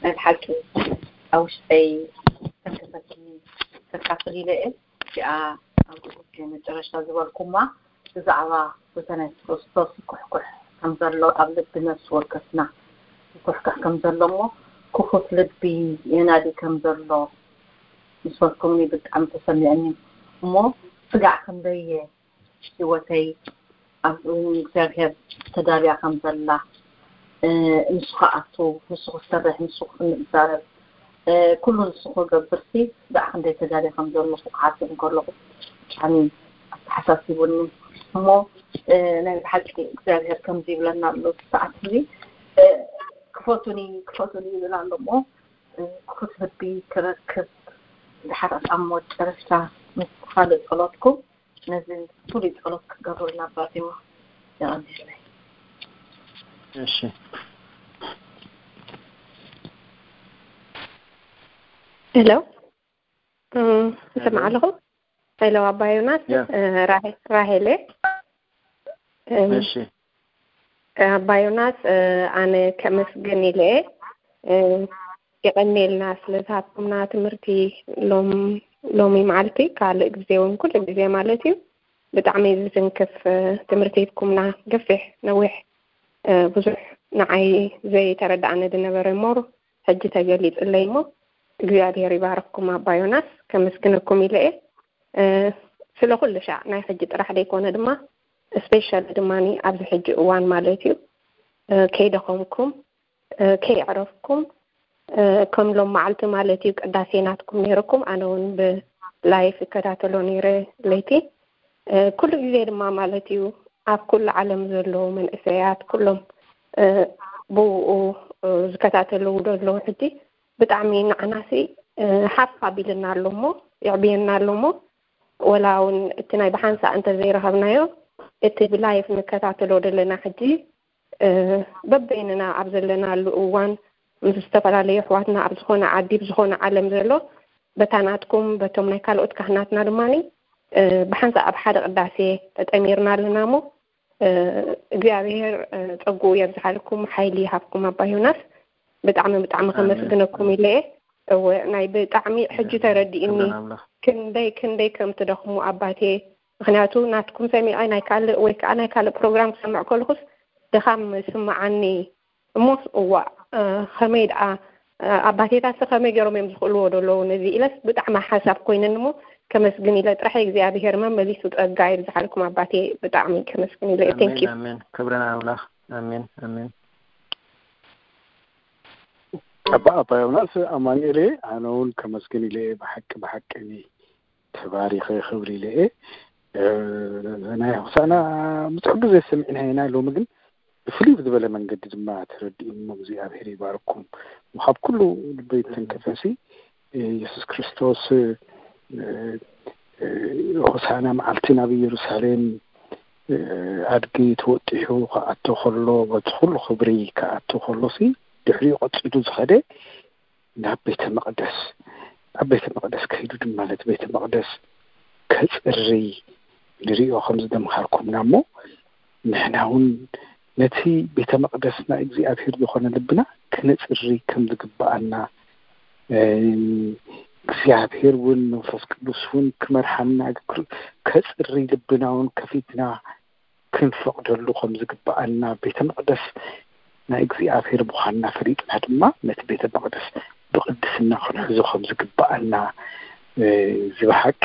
ናይ ብሓቂ ኣብ ውሽጠይ ተንከፈትኒ ተካፍል ኢለ እየ። እዚኣ ኣብ መጨረሽታ ዝበልኩማ ብዛዕባ ብተነስ ክርስቶስ ይኩሕኩሕ ከም ዘሎ ኣብ ልቢ ነፍሲ ወከፍና ይኩሕኩሕ ከም ዘሎ እሞ ክፉት ልቢ የናዲ ከም ዘሎ ምስ በልኩምኒ ብጣዕሚ ተሰሚዕኒ እሞ ስጋዕ ክንደየ ህይወተይ ኣብ እግዚኣብሔር ተዳልያ ከም ዘላ ንሱ ክኣቱ ንሱ ክሰርሕ ንሱ ክንዛረብ ኩሉ ንሱ ክገብርሲ ስጋዕ ክንደይ ተዳልየ ከም ዘለኹ ክሓስብ እንከለኹ ብጣዕሚ ኣተሓሳሲቡኒ እሞ ናይ ብሓቂ እግዚኣብሔር ከምዚ ይብለና ኣሎ ሰዓት እዚ ክፈቱኒ ክፈቱኒ ይብል ኣሎ እሞ ክፉት ልቢ ክረክብ ድሓር ኣብ መጨረሽታ ምስ ካልእ ጸሎትኩም ነዚ ፍሉይ ጸሎት ክትገብሩልና ኣባቴዋ የቐንየለይ። እሺ ሄሎ ይሰማዕ ኣለኹ። ሄሎ ኣባ ዮናስ። ራሄል እየ። እሺ ኣባ ዮናስ ኣነ ከመስግን ኢለ እየ። የቐንየልና ስለ ዝሃብኩምና ትምህርቲ ሎሚ መዓልቲ ካልእ ግዜ እውን ኩሉ ግዜ ማለት እዩ። ብጣዕሚ ዝትንክፍ ትምህርቲ ሂብኩምና። ገፊሕ ነዊሕ ብዙሕ ንዓይ ዘይተረዳእኒ ዝነበረ እሞ ሕጂ ተገሊጽለይ እሞ እግዚኣብሔር ይባርኽኩም ኣባ ዮናስ፣ ከመስግነኩም ኢለ እየ። እ፣ ስለ ኩሉ ሻዕ ናይ ሕጂ ጥራሕ ዘይኮነ ድማ ስፔሻሊ ድማ ኣብዚ ሕጂ እዋን ማለት እዩ፣ እ፣ ከይደኸምኩም፣ እ፣ ከይዕረፍኩም፣ እ፣ ከም ሎም መዓልቲ ማለት እዩ ቅዳሴ ናትኩም ነይርኩም፣ ኣነ እውን ብላይፍ ይከታተሎ ነይረ ለይቲ። እ፣ ኩሉ ግዜ ድማ ማለት እዩ ኣብ ኩሉ ዓለም ዘለዉ መንእሰያት ኩሎም፣ እ፣ ብኡ፣ እ፣ ዝከታተልዉ ዘለዉ ሕጂ ብጣዕሚ ንዓናሲ፣ እ፣ ሓፍ ኣቢልና ኣሎ እሞ፣ የዕብየና ኣሎ እሞ፣ ወላ እውን እቲ ናይ ብሓንሳእ እንተዘይረኸብናዮ፣ እቲ ብላይፍ ንከታተሎ ዘለና ሕጂ፣ እ፣ በበይንና ኣብ ዘለናሉ እዋን ምስ ዝተፈላለዩ ኣሕዋትና ኣብ ዝኾነ ዓዲ፣ ብዝኾነ ዓለም ዘሎ፣ በታ ናትኩም፣ በቶም ናይ ካልኦት ካህናትና ድማኒ፣ እ፣ ብሓንሳእ ኣብ ሓደ ቅዳሴ ተጠሚርና ኣለና እሞ፣ እ፣ እግዚኣብሔር፣ እ፣ ጸግኡ የብዝሓልኩም፣ ሓይሊ ይሃብኩም ኣባ ዮናስ። ብጣዕሚ፣ ብጣዕሚ ኣሜን። ከመስግነኩም ኢለ እየ። እወ፣ ናይ ብጣዕሚ ሕጂ ተረዲእኒ። ክብርን ኣምላኽ። ክንደይ፣ ክንደይ ከም ትደኽሙ ኣባቴ። ምኽንያቱ ናትኩም ሰሚዐ ናይ ካልእ ወይ ከዓ ናይ ካልእ ፕሮግራም ክሰምዕ ከለኹስ ድኻም ይስምዓኒ። እሞስ እዋእ፣ እ፣ ከመይ ደኣ፣ እ፣ ኣባቴታትሲ ከመይ ገይሮም እዮም ዝኽእልዎ ዘለዉ ነዚ ኢለስ ብጣዕሚ ሓሳብ ኮይነኒ እሞ ከመስግን ኢለ ጥራሕ እግዚኣብሔር መመሊሱ ጸጋ ይብዝሓልኩም ኣባቴ። ብጣዕሚ ከመስግን ኢለ። Thank you። ኣሜን፣ ኣሜን። ክብርን ኣምላኽ። ኣሜን፣ ኣሜን። ኣባ፣ ኣባ ዮናስ ኣማኑኤል እየ። ኣነ እውን ከመስግን ኢለ እየ። ብሓቂ፣ ብሓቂ እኔ ተባሪኸ ክብል ኢለ እየ። እ፣ ናይ ሆሳዕና ብዙሕ ግዜ ሰሚዕና ኢና፣ ሎሚ ግን ብፍልይ ብዝበለ መንገዲ ድማ ተረዲእሞ እግዚኣብሔር ይባርኩም። ካብ ኩሉ ልበይ ተንከፈሲ የሱስ ክርስቶስ፣ እ፣ እ፣ ሆሳዕና መዓልቲ ናብ ኢየሩሳሌም፣ እ፣ ኣድጊ ተወጢሑ ክኣቱ ከሎ፣ በቲ ኩሉ ክብሪ ክኣቱ ከሎሲ፣ ድሕሪኡ ቀጺሉ ዝኸደ ናብ ቤተ መቕደስ፣ ኣብ ቤተ መቕደስ ከይዱ ድማ ነቲ ቤተ መቕደስ ከጽሪ ንሪኦ ከም ዝደምሃርኩምና እሞ፣ ንሕና እውን ነቲ ቤተ መቕደስ ናይ እግዚኣብሔር ዝኾነ ልብና ክነጽሪ ከም ዝግብኣና፣ እ፣ እግዚኣብሔር እውን መንፈስ ቅዱስ እውን ክመርሓና፣ ክር-፣ ከጽሪ ልብና እውን ከፊትና ክንፈቕደሉ ከም ዝግብኣና፣ ቤተ መቕደስ ናይ እግዚኣብሔር ምዃንና ፈሊጥና ድማ ነቲ ቤተ መቕደስ ብቕድስና ክንሕዞ ከም ዝግብኣና፣ እ፣ እዚ ብሓቂ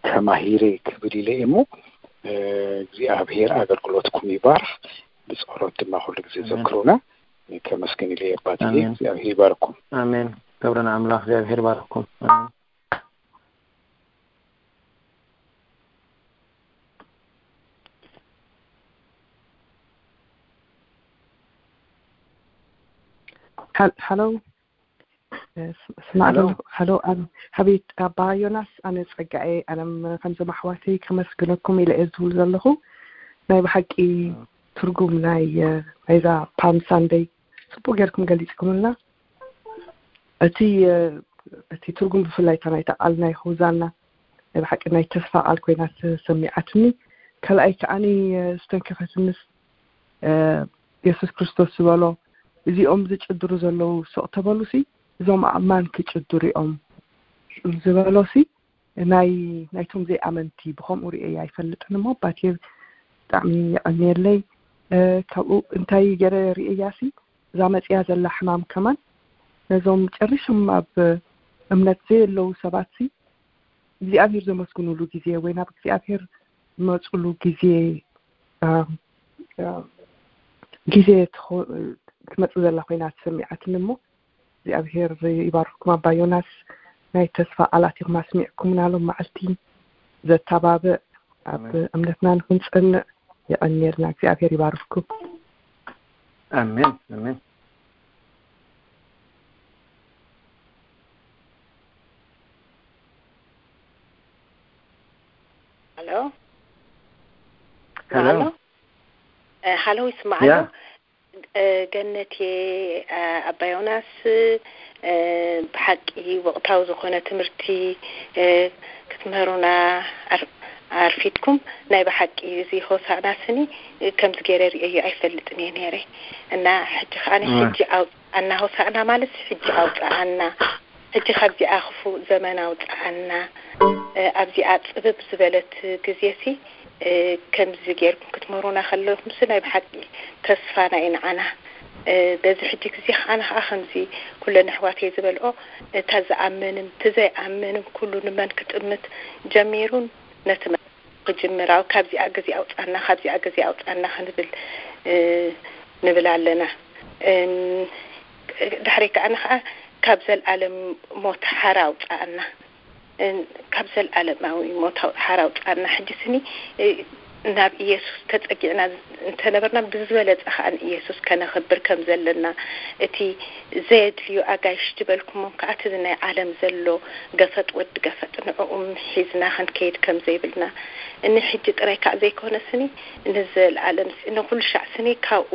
ተማሂረ ክብል ኢለ እየ እሞ፣ እ፣ እግዚኣብሔር ኣገልግሎትኩም ይባርኽ። ብጸሎት ድማ ኩሉ ግዜ ኣሜን። ዘክሩና። ከመስግን ኢለ እየ ኣባትዬ። ኣሜን። እግዚኣብሔር ይባርኩም። ኣሜን። ክብሪ ንኣምላኽ። እግዚኣብሔር ይባርኩም። ኣሜን። ሃል-፣ ሃሎ። እ፣ ስ-፣ ስማዕ ሃሎ። ዘለኹ። ሃሎ፣ ኣብ-፣ ሃቤት ኣባ ዮናስ፣ ኣነ ጸጋኤ፣ ኣነም ከምዞም ኣሕዋተይ ከመስግነኩም ኢለ እየ ዝብል ዘለኹ። ናይ ብሓቂ እ። ትርጉም ናይ፣ እ፣ ናይዛ ፓም ሳንደይ ጽቡቅ ጌርኩም ገሊጽኩምልና። እቲ፣ እ፣ እቲ ትርጉም ብፍላይ እታ ናይታ ቃል ናይ ሆዛና ናይ ብሓቂ ናይ ተስፋ ቃል ኮይና ተሰሚዓትኒ። ካልኣይ ከዓኒ፣ እ፣ ዝተንከፈትንስ፣ እ፣ የሱስ ክርስቶስ ዝበሎ፣ "እዚኦም ዝጭድሩ ዘለዉ ስቕ ተበሉሲ፣ እዞም ኣእማን ክጭድሩ እዮም" ዝበሎሲ፣ ናይ፣ ናይቶም ዘይኣመንቲ ብኸምኡ ርእየ ኣይፈልጥን እሞ፣ ኣባቴ ብጣዕሚ የቐንየለይ። እ፣ ካብኡ እንታይ ገይረ ርእየያሲ፣ እዛ መጽያ ዘላ ሕማም ከማን ነዞም ጨሪሶም ኣብ እምነት ዘየለዉ ሰባትሲ እግዚኣብሔር ዘመስግኑሉ ግዜ ወይ ናብ እግዚኣብሔር ዝመጽሉ ግዜ፣ እ፣ እ፣ ግዜ ትኾ-፣ ትመጽእ ዘላ ኮይና ተሰሚዓትኒ እሞ፣ እግዚኣብሔር ይባርኽኩም። ኣባ ዮናስ፣ ናይ ተስፋ ቃላት ኢኹም ኣስሚዕኩምና ሎም መዓልቲ። ዘተባብዕ፣ ኣብ ኣሜን። እምነትና ንኽንጸንዕ የቐንየልና። እግዚኣብሔር ይባርኽኩም። ኣሜን፣ ኣሜን። ሃሎ? ሃሎ? ሃሎ? እ፣ ሃሎ፣ ይስማዕ ያ። ኣሎ? እ፣ ገነትየ፣ እ፣ ኣባ ዮናስ፣ እ፣ ብሓቂ ወቕታዊ ዝኾነ ትምህርቲ፣ እ፣ ክትምህሩና ኣር-፣ ኣርፊድኩም። ናይ ብሓቂ እዚ ሆሳዕና ስኒ፣ እ፣ ከምዚ ገይረ ርእየዮ ኣይፈልጥን እየ ነይረ። እና ሕጂ ከኣ እወ። ሕጂ ኣውጽኣና፣ ሆሳዕና ማለት ሕጂ ኣውጽኣና፣ ሕጂ ካብዚኣ ክፉእ ዘመን ኣውጽኣና፣ እ፣ ኣብዚኣ ጽብብ ዝበለት ግዜሲ ከምዚ ጌርኩም ክትምህሩና ከለኹምሲ ናይ ብሓቂ ተስፋና እዩ ንዓና። በዚ ሕጂ ግዜ ከዓና ከዓ ከምዚ ኩለን ኣሕዋተይ ዝበልኦ፣ እታ ዝኣምንን እቲ ዘይኣምንን ኩሉ ንመን ክጥምት ጀሚሩን ነቲ መ- ክጅምር ኣብ ካብዚኣ ግዜ ኣውፃና፣ ካብዚኣ ግዜ ኣውፃና ክንብል ንብል ኣለና። ድሕሪ ከዓና ከዓ ካብ ዘለኣለም ሞት ሓራ ኣውፃኣና። ካብ ዘለኣለማዊ ሞት ሓራ ኣውፃኣና። ሕጂ ስኒ ናብ ኢየሱስ ተፀጊዕና እንተነበርና ብዝበለፀ ከዓ ንኢየሱስ ከነኽብር ከም ዘለና፣ እቲ ዘየድልዩ ኣጋይሽ ዝበልኩሞም ከዓ እቲ ናይ ዓለም ዘሎ ገፈጥ ወዲ ገፈጥ ንዕኡም ሒዝና ክንከይድ ከም ዘይብልና፣ እኒ ሕጂ ጥራይ ከዓ ዘይኮነ ስኒ ንዘለኣለም ንኩሉ ሻዕ ስኒ ካብኡ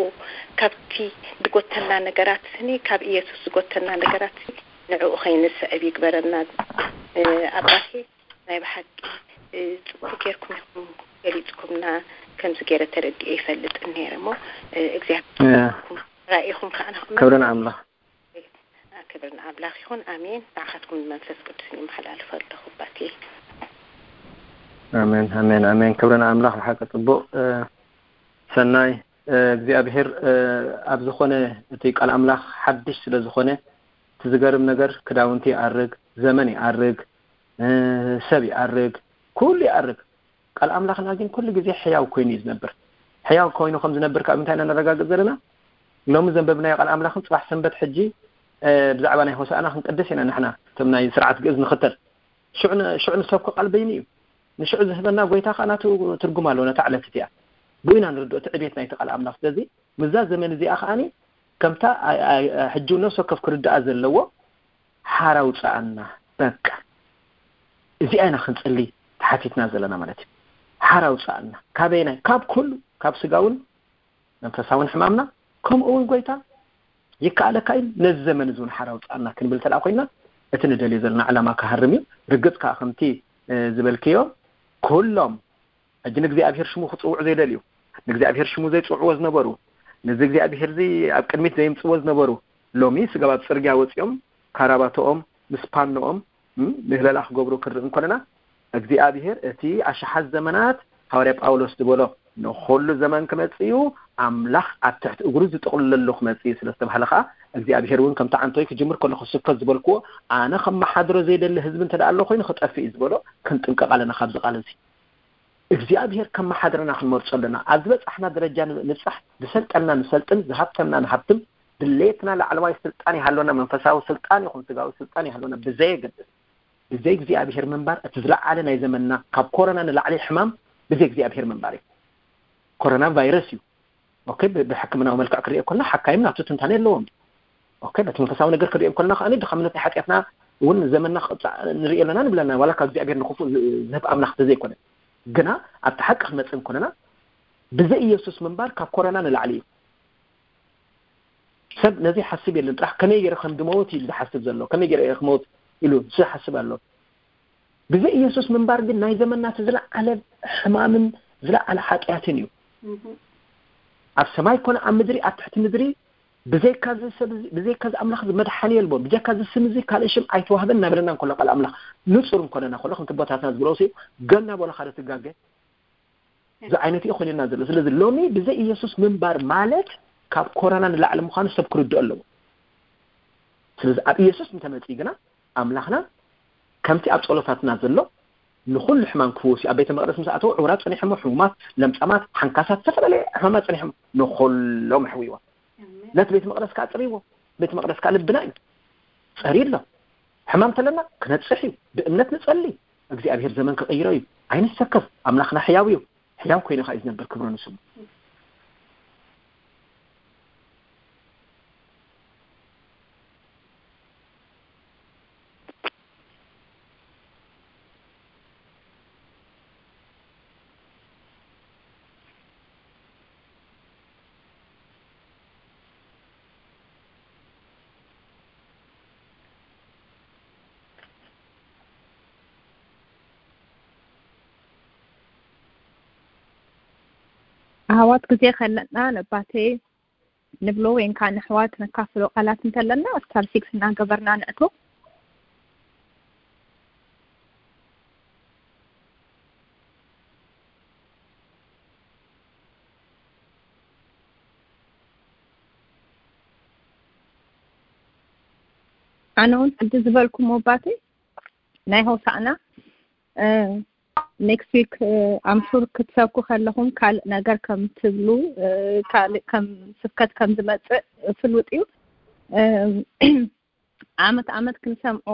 ካብቲ ዝጎተና ነገራት ስኒ ካብ ኢየሱስ ዝጎተና ነገራት ስኒ ንዕኡ ከይንስዕብ ይግበረና። ኣባቴ ናይ ብሓቂ ፅቡቅ ጌርኩም ኢኹም ገሊፅኩምና። ከምዚ ገይረ ተረዲኤ ይፈልጥ ነይረ እሞ እግዚኣብሔር ራኢኹም ከዓ ንክመ- ክብሪ ንኣምላኽ። ክብሪ ንኣምላኽ ይኹን። ኣሜን። ንዓኻትኩም መንፈስ ቅዱስ ይመሓላልፈ ኣለኹ ኣባቴ። ኣሜን ኣሜን ኣሜን። ክብሪ ንኣምላኽ። ብሓቂ ፅቡቅ ሰናይ እግዚኣብሔር ኣብ ዝኾነ እቲ ቃል ኣምላኽ ሓድሽ ስለ ዝኾነ እቲ ዝገርም ነገር ክዳውንቲ ይኣርግ፣ ዘመን ይኣርግ፣ ሰብ ይኣርግ፣ ኩሉ ይኣርግ። ቃል ኣምላኽና ግን ኩሉ ግዜ ሕያው ኮይኑ እዩ ዝነብር። ሕያው ኮይኑ ከም ዝነብር ካብ እንታይ ኢና ነረጋግጽ ዘለና? ሎሚ ዘንበብናዮ ቃል ኣምላኽን ጽባሕ ሰንበት ሕጂ ብዛዕባ ናይ ሆሳዕና ክንቅድስ ኢና ንሕና እቶም ናይ ስርዓት ግእዝ ንኽተል። ሽዑ ንሰብኮ ቃል በይኑ እዩ። ንሽዑ ዝህበና ጎይታ ከዓ ናቱ ትርጉም ኣለዎ ነታ ዕለት እቲኣ። ብኡ ኢና ንርድኦ እቲ ዕቤት ናይቲ ቃል ኣምላኽ። ስለዚ ምዛ ዘመን እዚኣ ከዓኒ ከምታ ሕጂ ነፍሲ ወከፍ ክርድኣ ዘለዎ ሓራ ውፅኣና። በቃ እዚኣ ኢና ክንፅሊ ተሓቲትና ዘለና ማለት እዩ። ሓራ ውፅኣና ካበይናይ? ካብ ኩሉ፣ ካብ ስጋውን መንፈሳውን ሕማምና። ከምኡ እውን ጎይታ ይከኣለካ እዩ፣ ነዚ ዘመን እዚ እውን ሓራ ውፅኣና ክንብል እንተደኣ ኮይና እቲ ንደልዮ ዘለና ዕላማ ክሃርም እዩ። ርግፅ ከዓ ከምቲ ዝበልክዮ ኩሎም ሕጂ ንእግዚኣብሔር ሽሙ ክጽውዑ ዘይደልዩ፣ ንእግዚኣብሔር ሽሙ ዘይጽውዕዎ ዝነበሩ፣ ነዚ እግዚኣብሔር እዚ ኣብ ቅድሚት ዘየምጽዎ ዝነበሩ፣ ሎሚ ስጋብ ኣብ ጽርግያ ወጺኦም ካራባትኦም ምስ ፓኖኦም ምህለላ ክገብሩ ክንርኢ እንኮለና፣ እግዚኣብሔር እቲ ኣሽሓት ዘመናት ሃዋርያ ጳውሎስ ዝበሎ ንኹሉ ዘመን ክመጽእ እዩ፣ ኣምላኽ ኣብ ትሕቲ እግሩ ዝጥቕልለሉ ክመጽእ እዩ ስለ ዝተባህለ ከኣ እግዚኣብሔር እውን ከምቲ ዓንቶይ ክጅምር ከሎ ክስብከት ዝበልክዎ ኣነ ከመሓድሮ ዘይደሊ ህዝቢ እንተ ደኣ ኣሎ ኮይኑ ክጠፍእ እዩ ዝበሎ ክንጥንቀቕ ኣለና ካብዚ ቃል እዚ። እግዚኣብሔር ከመሓድረና ክንመርጾ ኣለና። ኣብ ዝበጻሕና ደረጃ ንብጻሕ፣ ዝሰልጠና ንሰልጥን፣ ዝሃብተና ንሃብትም፣ ድሌትና ላዕለዋይ ስልጣን ይሃሎና፣ መንፈሳዊ ስልጣን ይኹን ስጋዊ ስልጣን ይሃሎና ብዘየገድስ፣ ብዘይ እግዚኣብሔር ምንባር እቲ ዝለዓለ ናይ ዘመንና ካብ ኮሮና ንላዕሊ ሕማም ብዘይ እግዚኣብሔር ምንባር እዩ። ኮሮና ቫይረስ እዩ። ኦኬ፣ ብሕክምናዊ መልክዕ ክሪኦ ከለና ሓካይም ናቱ ትንታኔ ኣለዎም። ኦኬ፣ በቲ መንፈሳዊ ነገር ክሪኦ ከለና ከኣ ድኻምነት ናይ ሓጢኣትና እውን ዘመንና ክቕጻዕ ንርኢ ኣለና ንብለና፣ ዋላ ካብ እግዚኣብሔር ንክፉእ ዝህብ ኣምላኽ ተዘይኮነ። ግና ኣብቲ ሓቂ ክንመጽእ እንኮለና ብዘይ ኢየሱስ ምንባር ካብ ኮረና ንላዕሊ እዩ። ሰብ ነዚ ሓስብ የለን፣ ጥራሕ ከመይ ገይረ ከም ድመወት እዩ ዝሓስብ ዘሎ፣ ከመይ ገይረ እየ ክመውት ኢሉ ዝሓስብ ኣሎ። ብዘይ ኢየሱስ ምንባር ግን ናይ ዘመንና እቲ ዝለዓለ ሕማምን ዝለዓለ ሓጢኣትን እዩ። ኣብ ሰማይ ኮነ ኣብ ምድሪ ኣብ ትሕቲ ምድሪ ብዘይካ እዚ ሰብ እዚ፣ ብዘይካ እዚ ኣምላኽ እዚ መድሓኒ የልቦን፣ ብጀካ እዚ ስም እዚ ካልእ ሽም ኣይተዋህበን እናበለና እንከሎ ቃል ኣምላኽ ንጹር እንኮነና ከሎ ከምቲ ኣቦታትና ዝበሎ ሲ ገና በሎ ሓደ ትጋገ እዚ ዓይነት እዩ ኮይንና ዘሎ። ስለዚ ሎሚ ብዘይ ኢየሱስ ምንባር ማለት ካብ ኮረና ንላዕሊ ምዃኑ ሰብ ክርድኦ ኣለዎ። ስለዚ ኣብ ኢየሱስ እንተመጺኡ ግና ኣምላኽና ከምቲ ኣብ ጸሎታትና ዘሎ ንኹሉ ሕማም ክፍውስ እዩ። ኣብ ቤተ መቕደስ ምስ ኣተዉ ዕውራት ጸኒሖሞ፣ ሕሙማት፣ ለምጻማት፣ ሓንካሳት፣ ዝተፈላለየ ሕማማት ጸኒሖሞ ንኹሎም ኣሕዊዎም። ነቲ ቤተ መቕደስ ከዓ ኣጽርይዎ። ቤተ መቕደስ ከዓ ልብና እዩ። ጸርዩ ኣሎ። ሕማም ተለና ክነጽሕ እዩ። ብእምነት ንጸሊ። እግዚኣብሔር ዘመን ክቕይሮ እዩ። ኣይንሰከፍ። ኣምላኽና ሕያው እዩ። ሕያው ኮይኑ ከዓ እዩ ዝነብር። ክብሩ ንስሙ። ኣሕዋት ግዜ ከለና ነባቴ ንብሎ ወይን ከዓ ንኣሕዋት ነካፍሎ ቃላት እንተለና ስታር ሲክስ እናገበርና ንእቶ። ኣነ እውን ሕጂ ዝበልኩም ኣባተይ ናይ ሆሳዕና next week ኣምሹር ክትሰብኩ ከለኹም ካልእ ነገር ከም ትብሉ፣ ካልእ ከም ስብከት ከም ዝመፅእ ፍሉጥ እዩ። ዓመት ዓመት ክንሰምዖ፣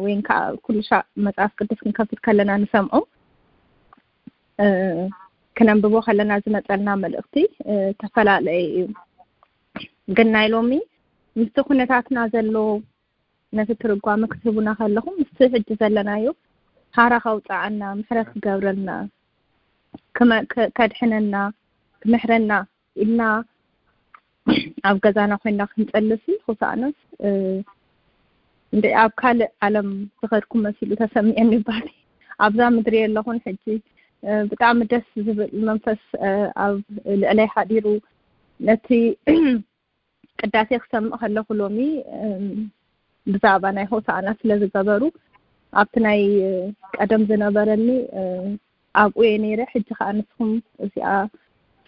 ወይን ከዓ ኩሉ ሻዕ መፅሓፍ ቅዱስ ክንከፍት ከለና ንሰምዖ፣ ክነንብቦ ከለና ዝመፀልና መልእኽቲ ተፈላለየ እዩ። ግን ናይ ሎሚ ምስቲ ኩነታትና ዘሎ ነቲ ትርጓመ ክትህቡና ከለኹም ምስቲ ሕጂ ዘለናዮ ሃራ ከውፅኣና፣ ምሕረት ክገብረልና፣ ከድሕነና፣ ክምሕረና ኢልና ኣብ ገዛና ኮይና ክንፀልሲ፣ ክሳእነስ እንደ ኣብ ካልእ ዓለም ዝኸድኩ መሲሉ ተሰሚዐኒ ባኒ። ኣብዛ ምድሪ የለኹን ሕጂ። ብጣዕሚ ደስ ዝብል መንፈስ ኣብ ልዕለይ ሓዲሩ፣ ነቲ ቅዳሴ ክሰምዕ ከለኹ ሎሚ ብዛዕባ ናይ ሆሳዕና ስለ ዝገበሩ፣ ኣብቲ ናይ ቀደም ዝነበረኒ ኣብኡ እየ ነይረ። ሕጂ ከዓ ንስኹም እዚኣ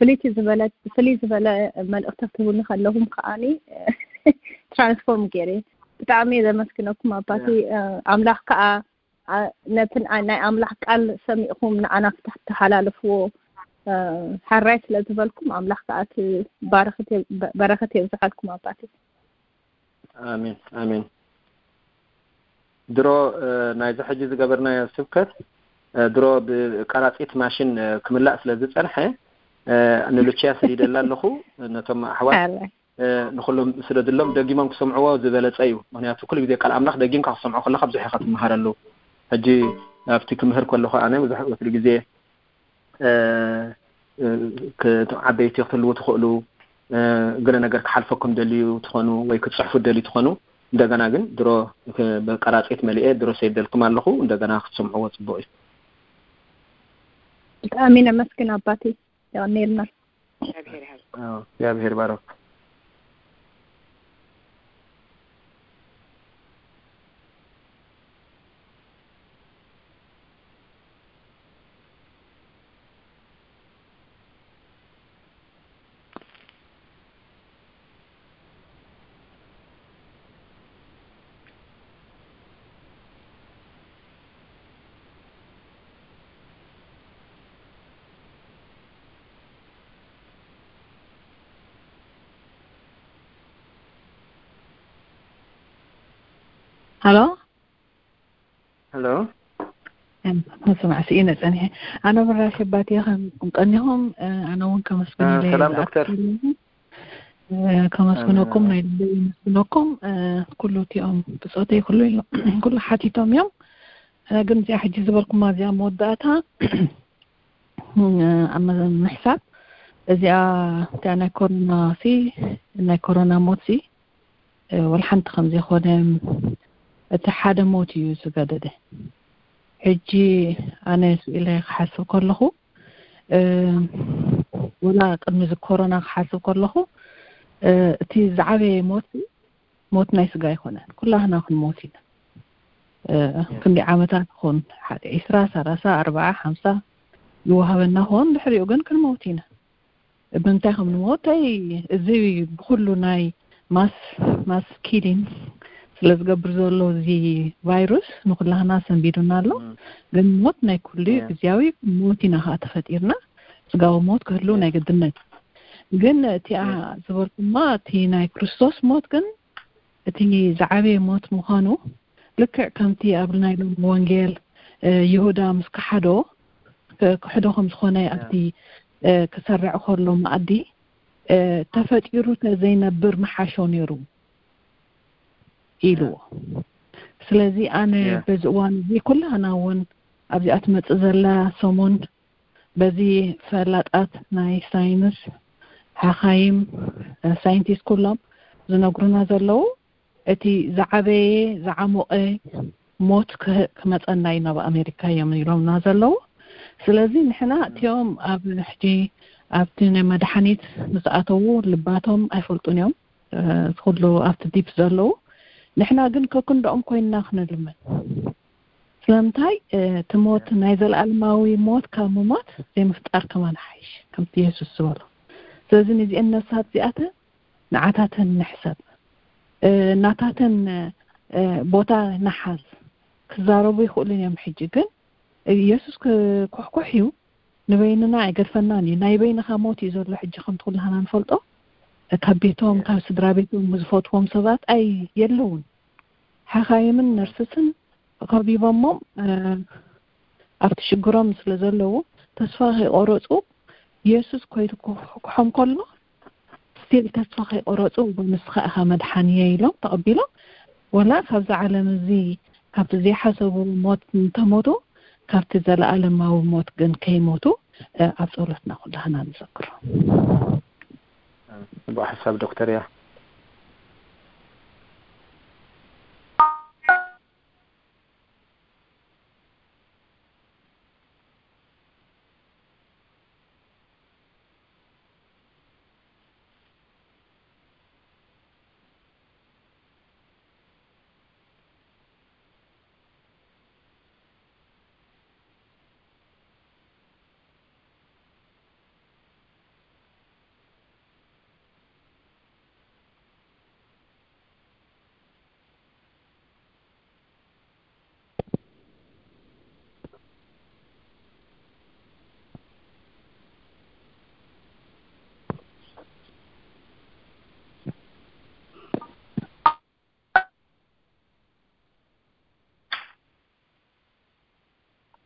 ፍልይቲ ዝበለት፣ ፍልይ ዝበለ መልእኽቲ ክትህቡኒ ከለኹም ከዓኒ ትራንስፎርም ገይረ። ብጣዕሚ እየ ዘመስግነኩም ኣባቲ። ኣምላኽ ከዓ ነቲ ናይ ኣምላኽ ቃል ሰሚዕኹም ንዓና ክትተሓላልፍዎ ሓራይ ስለ ዝበልኩም፣ ኣምላኽ ከዓ እቲ በረኸት የብዝሓልኩም ኣባቲ። ኣሜን፣ ኣሜን። ድሮ ናይዚ ሕጂ ዝገበርናዮ ስብከት ድሮ ብቀራፂት ማሽን ክምላእ ስለ ዝፀንሐ፣ ንሉችያ ሰዲደላ ኣለኹ። ነቶም ኣሕዋት ንኩሎም ስደድሎም፣ ደጊሞም ክሰምዕዎ ዝበለፀ እዩ። ምክንያቱ ኩሉ ግዜ ቃል ኣምላኽ ደጊምካ ክሰምዖ ከለካ ብዙሕ ኢካ ትመሃረሉ። ሕጂ ኣብቲ ክምህር ከለኹ ኣነ ብዙሕ ወትሩ ግዜ ዓበይቲ ክትህልዉ ትኽእሉ፣ ገለ ነገር ክሓልፈኩም ደልዩ ትኾኑ ወይ ክትፅሕፉ ደልዩ ትኾኑ፣ እንደገና ግን ድሮ ብቀራፂት መሊኤ ድሮ ሰይደልኩም ኣለኹ። እንደገና ክትሰምዕዎ ፅቡቅ እዩ። ብጣዕሚ ነመስግን ኣባቴ። የቐኔልና። እግዚኣብሔር ይሃብ። እግዚኣብሔር ባረኩ። ሃሎ። ሃሎ። መስማዕ ስኢነ ጸኒሐ። ኣነ ብራሽ ባቲ ከም ቀኒኹም ኣነ እውን ከመስግን ኢለ ሰላም ዶክተር። ከመስግነኩም ናይ ልበይ የመስግነኩም። ኩሉ እቲኦም ብጾተይ ኩሉ ኢሎ ኩሉ ሓቲቶም እዮም። ግን እዚኣ ሕጂ ዝበልኩማ እዚኣ መወዳእታ ኣብ ምሕሳብ እዚኣ እቲኣ ናይ ኮሮና ሲ ናይ ኮሮና ሞት ሲ ወላ ሓንቲ ከም ዘይኮነ እቲ ሓደ ሞት እዩ ዝገደደ። ሕጂ ኣነ ስኢለ ክሓስብ ከለኹ ወላ ቅድሚ እዚ ኮሮና ክሓስብ ከለኹ እቲ ዝዓበየ ሞት ሞት ናይ ስጋ ኣይኮነን። ኩላህና ክንሞት ኢና። ክንዲ ዓመታት ይኹን ሓደ ዒስራ፣ ሰላሳ፣ ኣርባዓ፣ ሓምሳ ይወሃበና ኾን ድሕሪኡ ግን ክንሞት ኢና። ብምንታይ ከም ንሞት ኣይ እዚ ብኩሉ ናይ ማስ ማስ ኪሊንግ ስለ ዝገብር ዘሎ እዚ ቫይሩስ ንኩላህና ሰንቢዱና ኣሎ። ግን ሞት ናይ ኩሉ እዩ፣ ግዝያዊ ሞት ኢና ከዓ ተፈጢርና። ስጋዊ ሞት ክህሉ ናይ ግድነት። ግን እቲኣ ዝበልኩማ እቲ ናይ ክርስቶስ ሞት ግን እቲ ዝዓበየ ሞት ምዃኑ ልክዕ ከምቲ ኣብ ናይ ሎሚ ወንጌል ይሁዳ ምስ ከሓዶ ክሕዶ ከም ዝኾነ ኣብቲ ክሰርዕ ከሎ መኣዲ ተፈጢሩ ተዘይነብር ምሓሾ ነይሩ ኢልዎ። ስለዚ ኣነ በዚ እዋን እዚ ኩላህና እውን ኣብዚኣ ትመፅእ ዘላ ሰሙን በዚ ፈላጣት ናይ ሳይንስ ሓኻይም ሳይንቲስት ኩሎም ዝነግሩና ዘለዉ እቲ ዝዓበየ ዝዓሞቐ ሞት ክመፀና እዩ ናብ ኣሜሪካ እዮም ኢሎምና ዘለዉ። ስለዚ ንሕና እቲኦም ኣብ ሕጂ ኣብቲ ናይ መድሓኒት ምስ ኣተዉ ልባቶም ኣይፈልጡን እዮም ኩሉ ኣብቲ ዲፕ ዘለዉ። ንሕና ግን ከክንድኦም ኮይንና ክንልምን ስለምንታይ እቲ ሞት ናይ ዘለኣለማዊ ሞት ካብ ምሞት ዘይምፍጣር ከማን ሓይሽ ከምቲ የሱስ ዝበሎ። ስለዚ ንዚአን ነፍሳት እዚኣተን ንዓታተን ንሕሰብ። ናታተን እ፣ ቦታ ንሓዝ። ክዛረቡ ይኽእሉን እዮም። ሕጂ ግን ኢየሱስ ክኩሕኩሕ እዩ፣ ንበይንና ኣይገድፈናን እዩ። ናይ በይንኻ ሞት እዩ ዘሎ። ሕጂ ከምቲ ኩላህና ንፈልጦ፣ ካብ ቤቶም፣ ካብ ስድራ ቤቶም ዝፈትዎም ሰባት ኣይ የለውን። ሓኻይምን ነርስስን ከቢቦሞም፣ እ፣ ኣብቲ ሽግሮም ስለ ዘለዉ፣ ተስፋ ከይቆረጹ፣ ኢየሱስ ኮይኑ ክኩሕኩሖም ከሎ፣ ስቲል ተስፋ ከይቆረጹ፣ "ንስኻ ኢኻ መድሓኒየ" ኢሎም ተቐቢሎም። ወላ ካብዚ ዓለም እዚ፣ ካብቲ ዘይሓሰቡ ሞት እንተሞቱ፣ ካብቲ ዘለኣለማዊ ሞት ግን ከይሞቱ፣ እ፣ ኣብ ጸሎትና ኩላህና ንዘክሮ። ጽቡቕ ሓሳብ ዶክተር እያ።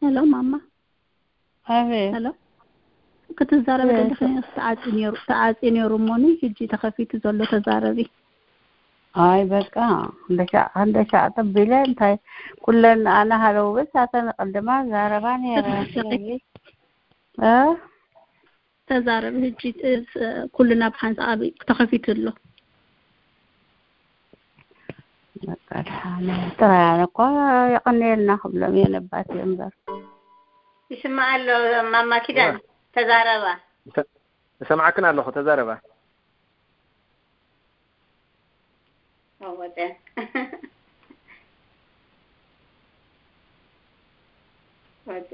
ሄሎ ማማ። ኣቤት። ሄሎ። ክትዛረቢ ኣቤት። ከለኺ ተዓፂ ነይሩ፣ ተዓፂ ነይሩ እሞኒ፣ ሕጂ ተኸፊቱ ዘሎ ተዛረቢ። ኣይ በቃ፣ እንደሻ-፣ እንደሻ ተቢለ እንታይ ኩለን ኣነ ሃለው በስ ኣተን ቀልድማ ዛረባ ነይረ። ተዛረቢ። ስለዚ፣ እ? ተዛረቢ ሕጂ፣ እ፣ ስ-፣ ኩልና ብሓንሳብ ተኸፊቱ ኣሎ። በቃ፣ ደሓን። ጥራይ ኣነ እኮ የቐንየልና ክብሎም እየ ነባት እየ እምበር። ይስማዕ ኣሎ ማማ ኪዳን፣ ተዛረባ። ይሰ-፣ ይሰምዓክን ኣለኹ፣ ተዛረባ። ኦ፣ ወደ። ወደ።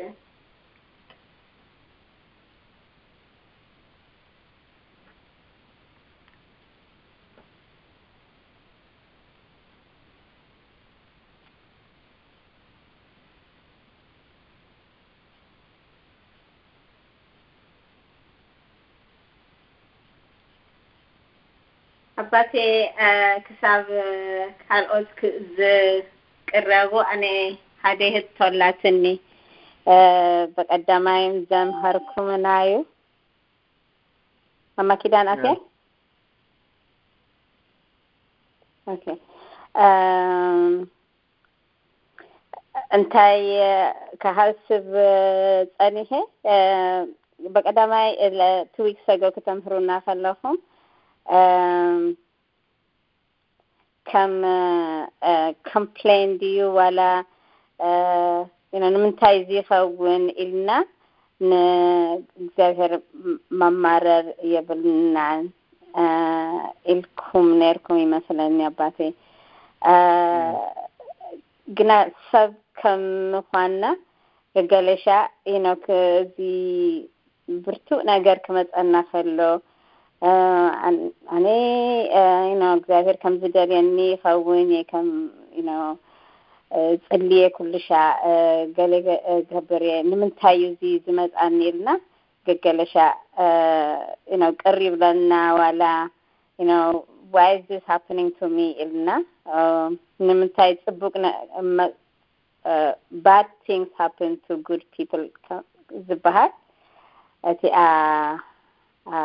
ኣባቴ፣ እ፣ ክሳብ፣ እ፣ ካልኦት ክ-፣ ዝቅረቡ ኣነ ሓደ ህቶ ኣላትኒ። እ፣ ብቀዳማይም ዘምሀርኩምና እዩ። ማማ ኪዳን ኣትያ? ያ። ኦኬ። እም፣ እንታይ ክሃስብ ጸኒሐ፣ እ፣ ብቀዳማይ ለ-፣ two weeks ago ክተምህሩና ከለኹም፣ እም፣ ከም፣ እ፣ ኮምፕሌን ድዩ ዋላ፣ እ፣ you know፣ ንምንታይ እዚ ይኸውን ኢልና ንእግዚኣብሔር ም-፣ መማረር የብልናን፣ እ፣ ኢልኩም ነይርኩም ይመስለኒ ኣባቴ። እ፣ ግና ሰብ ከም ምዃንና ገገለሻ፣ you know፣ ክ-፣ እዚ ብርቱዕ ነገር ክመጸና ከሎ፣ እ፣ ኣን-፣ ኣነ፣ እ፣ you know፣ እግዚኣብሔር ከም ዝደልየኒ ይኸውን እየ፣ ከም፣ you know፣ እ፣ ጽልየ ኩሉ ሻዕ፣ እ፣ ገለ ገ-፣ እ፣ ገብር እየ፣ ንምንታይ እዩ እዚ ዝመጽኣኒ ኢልና ገገለ ሻዕ፣ እ፣ you know፣ ቅር ይብለና ዋላ፣ you know, why is this happening to me ኢልና፣ እ፣ ንምንታይ ጽቡቅ ነ-፣ መ-፣ እ፣ bad things happen to good people ከ-፣ ዝበሃል እቲኣ፣ ኣ፣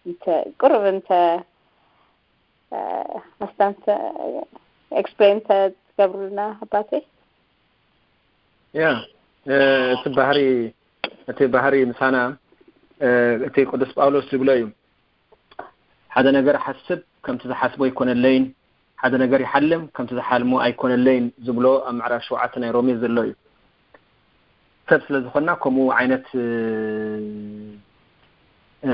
እንተ-፣ ቁሩብ እንተ፣ እ፣ ኣስታንተ ኤክስፕሌን ተትገብሩልና ኣባቴ። ያ፣ እ፣ እቲ ባህሪ፣ እቲ ባህሪ ምሳና፣ እ፣ እቲ ቅዱስ ጳውሎስ ዝብሎ እዩ። ሓደ ነገር ሓስብ፣ ከምቲ ዝሓስቦ ኣይኮነለይን፣ ሓደ ነገር ይሓልም፣ ከምቲ ዝሓልሞ ኣይኮነለይን ዝብሎ ኣብ ምዕራፍ ሸውዓተ ናይ ሮሜ ዘሎ እዩ። ሰብ ስለ ዝኾንና ከምኡ ዓይነት፣ እ፣ እ፣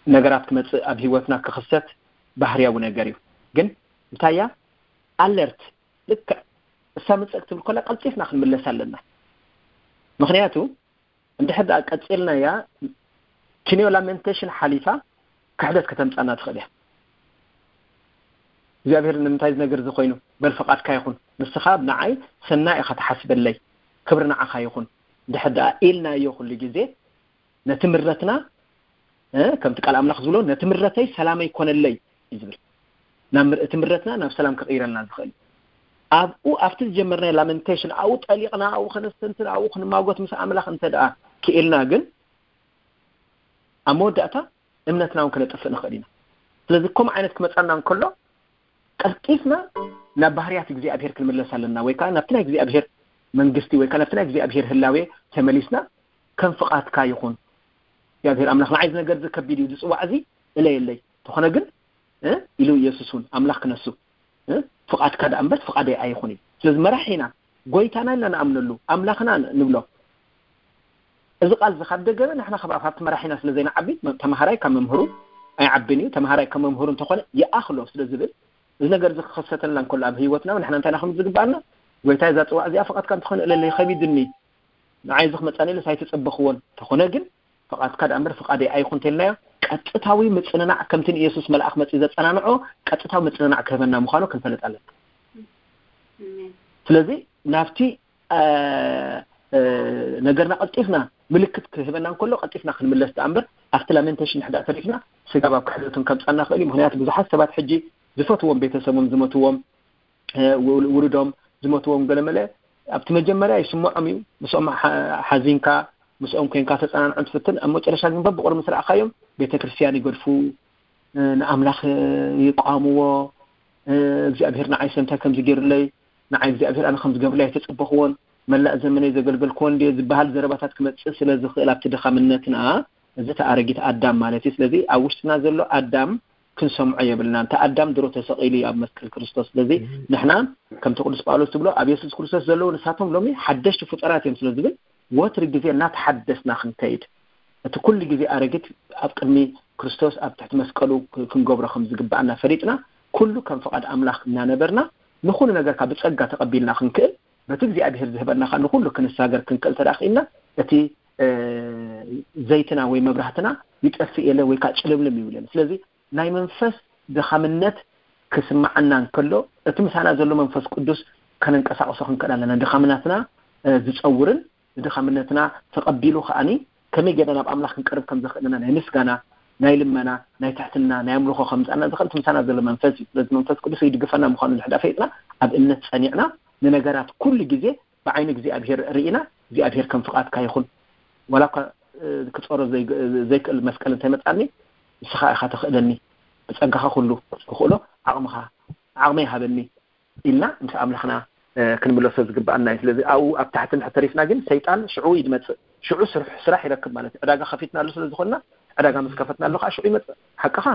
ነገራት ክመጽእ ኣብ ህይወትና ክኽሰት ባህርያዊ ነገር እዩ። ግን እንታይ እያ? ኣለርት፣ ልክዕ እሳ ምጽእ ክትብል ከላ ቀልጢፍና ክንምለስ ኣለና። ምኽንያቱ እንድሕር ደኣ ቀጺልናያ፣ ኪንዮ ላሜንቴሽን ሓሊፋ ክሕደት ከተምጻና ትኽእል እያ። እግዚኣብሔር ንምንታይ ዝነገር እዚ ኮይኑ? በል ፍቓድካ ይኹን፣ ንስኻ ንዓይ ሰናይ ኢኻ ትሓስበለይ፣ ክብሪ ንዓኻ ይኹን ድሕር ደኣ ኢልናዮ ኩሉ ግዜ፣ ነቲ ምረትና ከምቲ ቃል ኣምላኽ ዝብሎ፣ ነቲ ምረተይ ሰላመይ ኮነለይ እዩ ዝብል። ናብ እቲ ምረትና ናብ ሰላም ክቕይረልና ዝኽእል ኣብኡ ኣብቲ ዝጀመርናዮ ላመንቴሽን ኣብኡ ጠሊቕና ኣብኡ ከነስተንትን ኣብኡ ክንማጎት ምስ ኣምላኽ እንተ ደኣ ክኢልና ግን ኣብ መወዳእታ እምነትና እውን ክነጥፍእ ንኽእል ኢና። ስለዚ ከምኡ ዓይነት ክመፃና እንከሎ ቀልጢፍና ናብ ባህርያት እግዚኣብሔር ክንምለስ ኣለና፣ ወይ ከዓ ናብቲ ናይ እግዚኣብሔር መንግስቲ ወይ ከዓ ናብቲ ናይ እግዚኣብሔር ህላዌ ተመሊስና ከም ፍቓድካ ይኹን። እግዚኣብሔር ኣምላኽ ንዓይ እዚ ነገር እዚ ከቢድ እዩ፣ ዝፅዋዕ እዚ እለየለይ፣ ተኾነ ግን ኢሉ ኢየሱስ እውን ኣምላኽ ክነሱ ፍቓድካ ደኣ እምበር ፍቓደይ ኣይኹን እዩ። ስለዚ መራሒና ጎይታና ኢልና ንኣምነሉ ኣምላኽና ንብሎ። እዚ ቃል እዚ ካብ ደገመ ንሕና ካብ ኣብቲ መራሒና ስለ ዘይንዓቢ ተምሃራይ ካብ መምህሩ ኣይዓብን እዩ። ተምሃራይ ካብ መምህሩ እንተኾነ ይኣኽሎ ስለ ዝብል እዚ ነገር እዚ ክኸሰተልና እንከሎ ኣብ ህይወትና ንሕና እንታይ ኢና ከም ዝግባኣና? ጎይታይ እዛ ፅዋዕ እዚኣ ፍቓድካ እንተኾነ እለለይ ከቢድኒ ንዓይ እዚ ክመፃኒ ኢለስ ኣይተፀበኽዎን ተኾነ ግን ፍቓድካ ደኣ እምበር ፍቓደይ ኣይኹን እንተልናዮ ቀጥታዊ ምፅንናዕ ከምቲ ንኢየሱስ መልኣኽ መፂ ዘፀናንዖ ቀጥታዊ ምፅንናዕ ክህበና ምዃኑ ክንፈልጥ ኣለና። ስለዚ ናብቲ ነገርና ቀልጢፍና ምልክት ክህበና እንከሎ ቀልጢፍና ክንምለስ ደኣ እምበር ኣብቲ ላሜንቴሽን ንሕዳ ተሪፍና ስጋብ ኣብ ክሕደቱን ከምፃና ክእል እዩ። ምክንያቱ ብዙሓት ሰባት ሕጂ ዝፈትዎም ቤተሰቦም ዝመትዎም ውሉዶም ዝመትዎም ገለመለ ኣብቲ መጀመርያ ይስምዖም እዩ። ምስኦም ሓዚንካ ምስኦም ኮንካ ተፀናንዖም ትፍትን ኣብ መጨረሻ ግን በብቑር ምስ ረኣኻዮም ቤተክርስትያን ይገድፉ፣ ንኣምላኽ ይቃወምዎ። እግዚኣብሔር ንዓይ ሰምታይ ከምዚ ገይሩለይ፣ ንዓይ እግዚኣብሔር ኣነ ከምዚ ገብርለይ ኣይተፀበኽዎን፣ መላእ ዘመነይ ዘገልገልክዎ እንድየ ዝበሃል ዘረባታት ክመፅእ ስለ ዝኽእል ኣብቲ ድኻምነትና እዚ ተኣረጊት ኣዳም ማለት እዩ። ስለዚ ኣብ ውሽጥና ዘሎ ኣዳም ክንሰምዖ የብልና። እንተ ኣዳም ድሮ ተሰቒሉ እዩ ኣብ መስቀል ክርስቶስ። ስለዚ ንሕና ከምቲ ቅዱስ ጳውሎስ ዝብሎ ኣብ የሱስ ክርስቶስ ዘለዉ ንሳቶም ሎሚ ሓደሽቲ ፍጡራት እዮም ስለ ዝብል ወትሪ ግዜ እናተሓደስና ክንከይድ እቲ ኩሉ ግዜ ኣረጊት ኣብ ቅድሚ ክርስቶስ ኣብ ትሕቲ መስቀሉ ክንገብሮ ከም ዝግባኣና ፈሊጥና ኩሉ ከም ፍቓድ ኣምላኽ እናነበርና ንኹሉ ነገርካ ብጸጋ ተቐቢልና ክንክእል በቲ እግዚኣብሔር ዝህበና ኸዓ ንኹሉ ክንሳገር ክንክእል ተደኣ ኽኢልና እቲ ዘይትና ወይ መብራህትና ይጠፍእ የለ ወይ ከዓ ጭልምልም ይብል የለ። ስለዚ ናይ መንፈስ ድኻምነት ክስምዓና እንከሎ እቲ ምሳና ዘሎ መንፈስ ቅዱስ ከነንቀሳቕሶ ክንክእል ኣለና። ድኻምናትና ዝፀውርን ንድኻምነትና ተቐቢሉ ከዓኒ ከመይ ጌርና ናብ ኣምላኽ ክንቀርብ ከም ዘኽእለና ናይ ምስጋና ናይ ልመና ናይ ትሕትና ናይ ኣምልኾ ከምፃና ዝኽእል እቲ ምሳና ዘሎ መንፈስ እዩ። ስለዚ መንፈስ ቅዱስ ይድግፈና ምዃኑ እንድሕዳ ፈይጥና ኣብ እምነት ፀኒዕና ንነገራት ኩሉ ግዜ ብዓይኒ እግዚኣብሔር ርኢና እግዚኣብሔር ከም ፍቓድካ ይኹን ዋላ እኳ ክፀሮ ዘይክእል መስቀል እንተይመፃኒ ንስኻ ኢኻ ተኽእለኒ ብፀጋኻ ኩሉ ክኽእሎ ዓቕምኻ ዓቕመይ ሃበኒ ኢልና ምስ ኣምላኽና ክንምለሶ ዝግባኣና እዩ። ስለዚ ኣብኡ ኣብ ታሕቲ እንድሕር ተሪፍና ግን ሰይጣን ሽዑ እዩ ዝመፅእ። ሽዑ ስራሕ ይረክብ ማለት እዩ። ዕዳጋ ከፊትና ኣሎ ስለ ዝኾንና ዕዳጋ ምስ ከፈትና ኣሎ ከዓ ሽዑ ይመፅእ። ሓቅኻ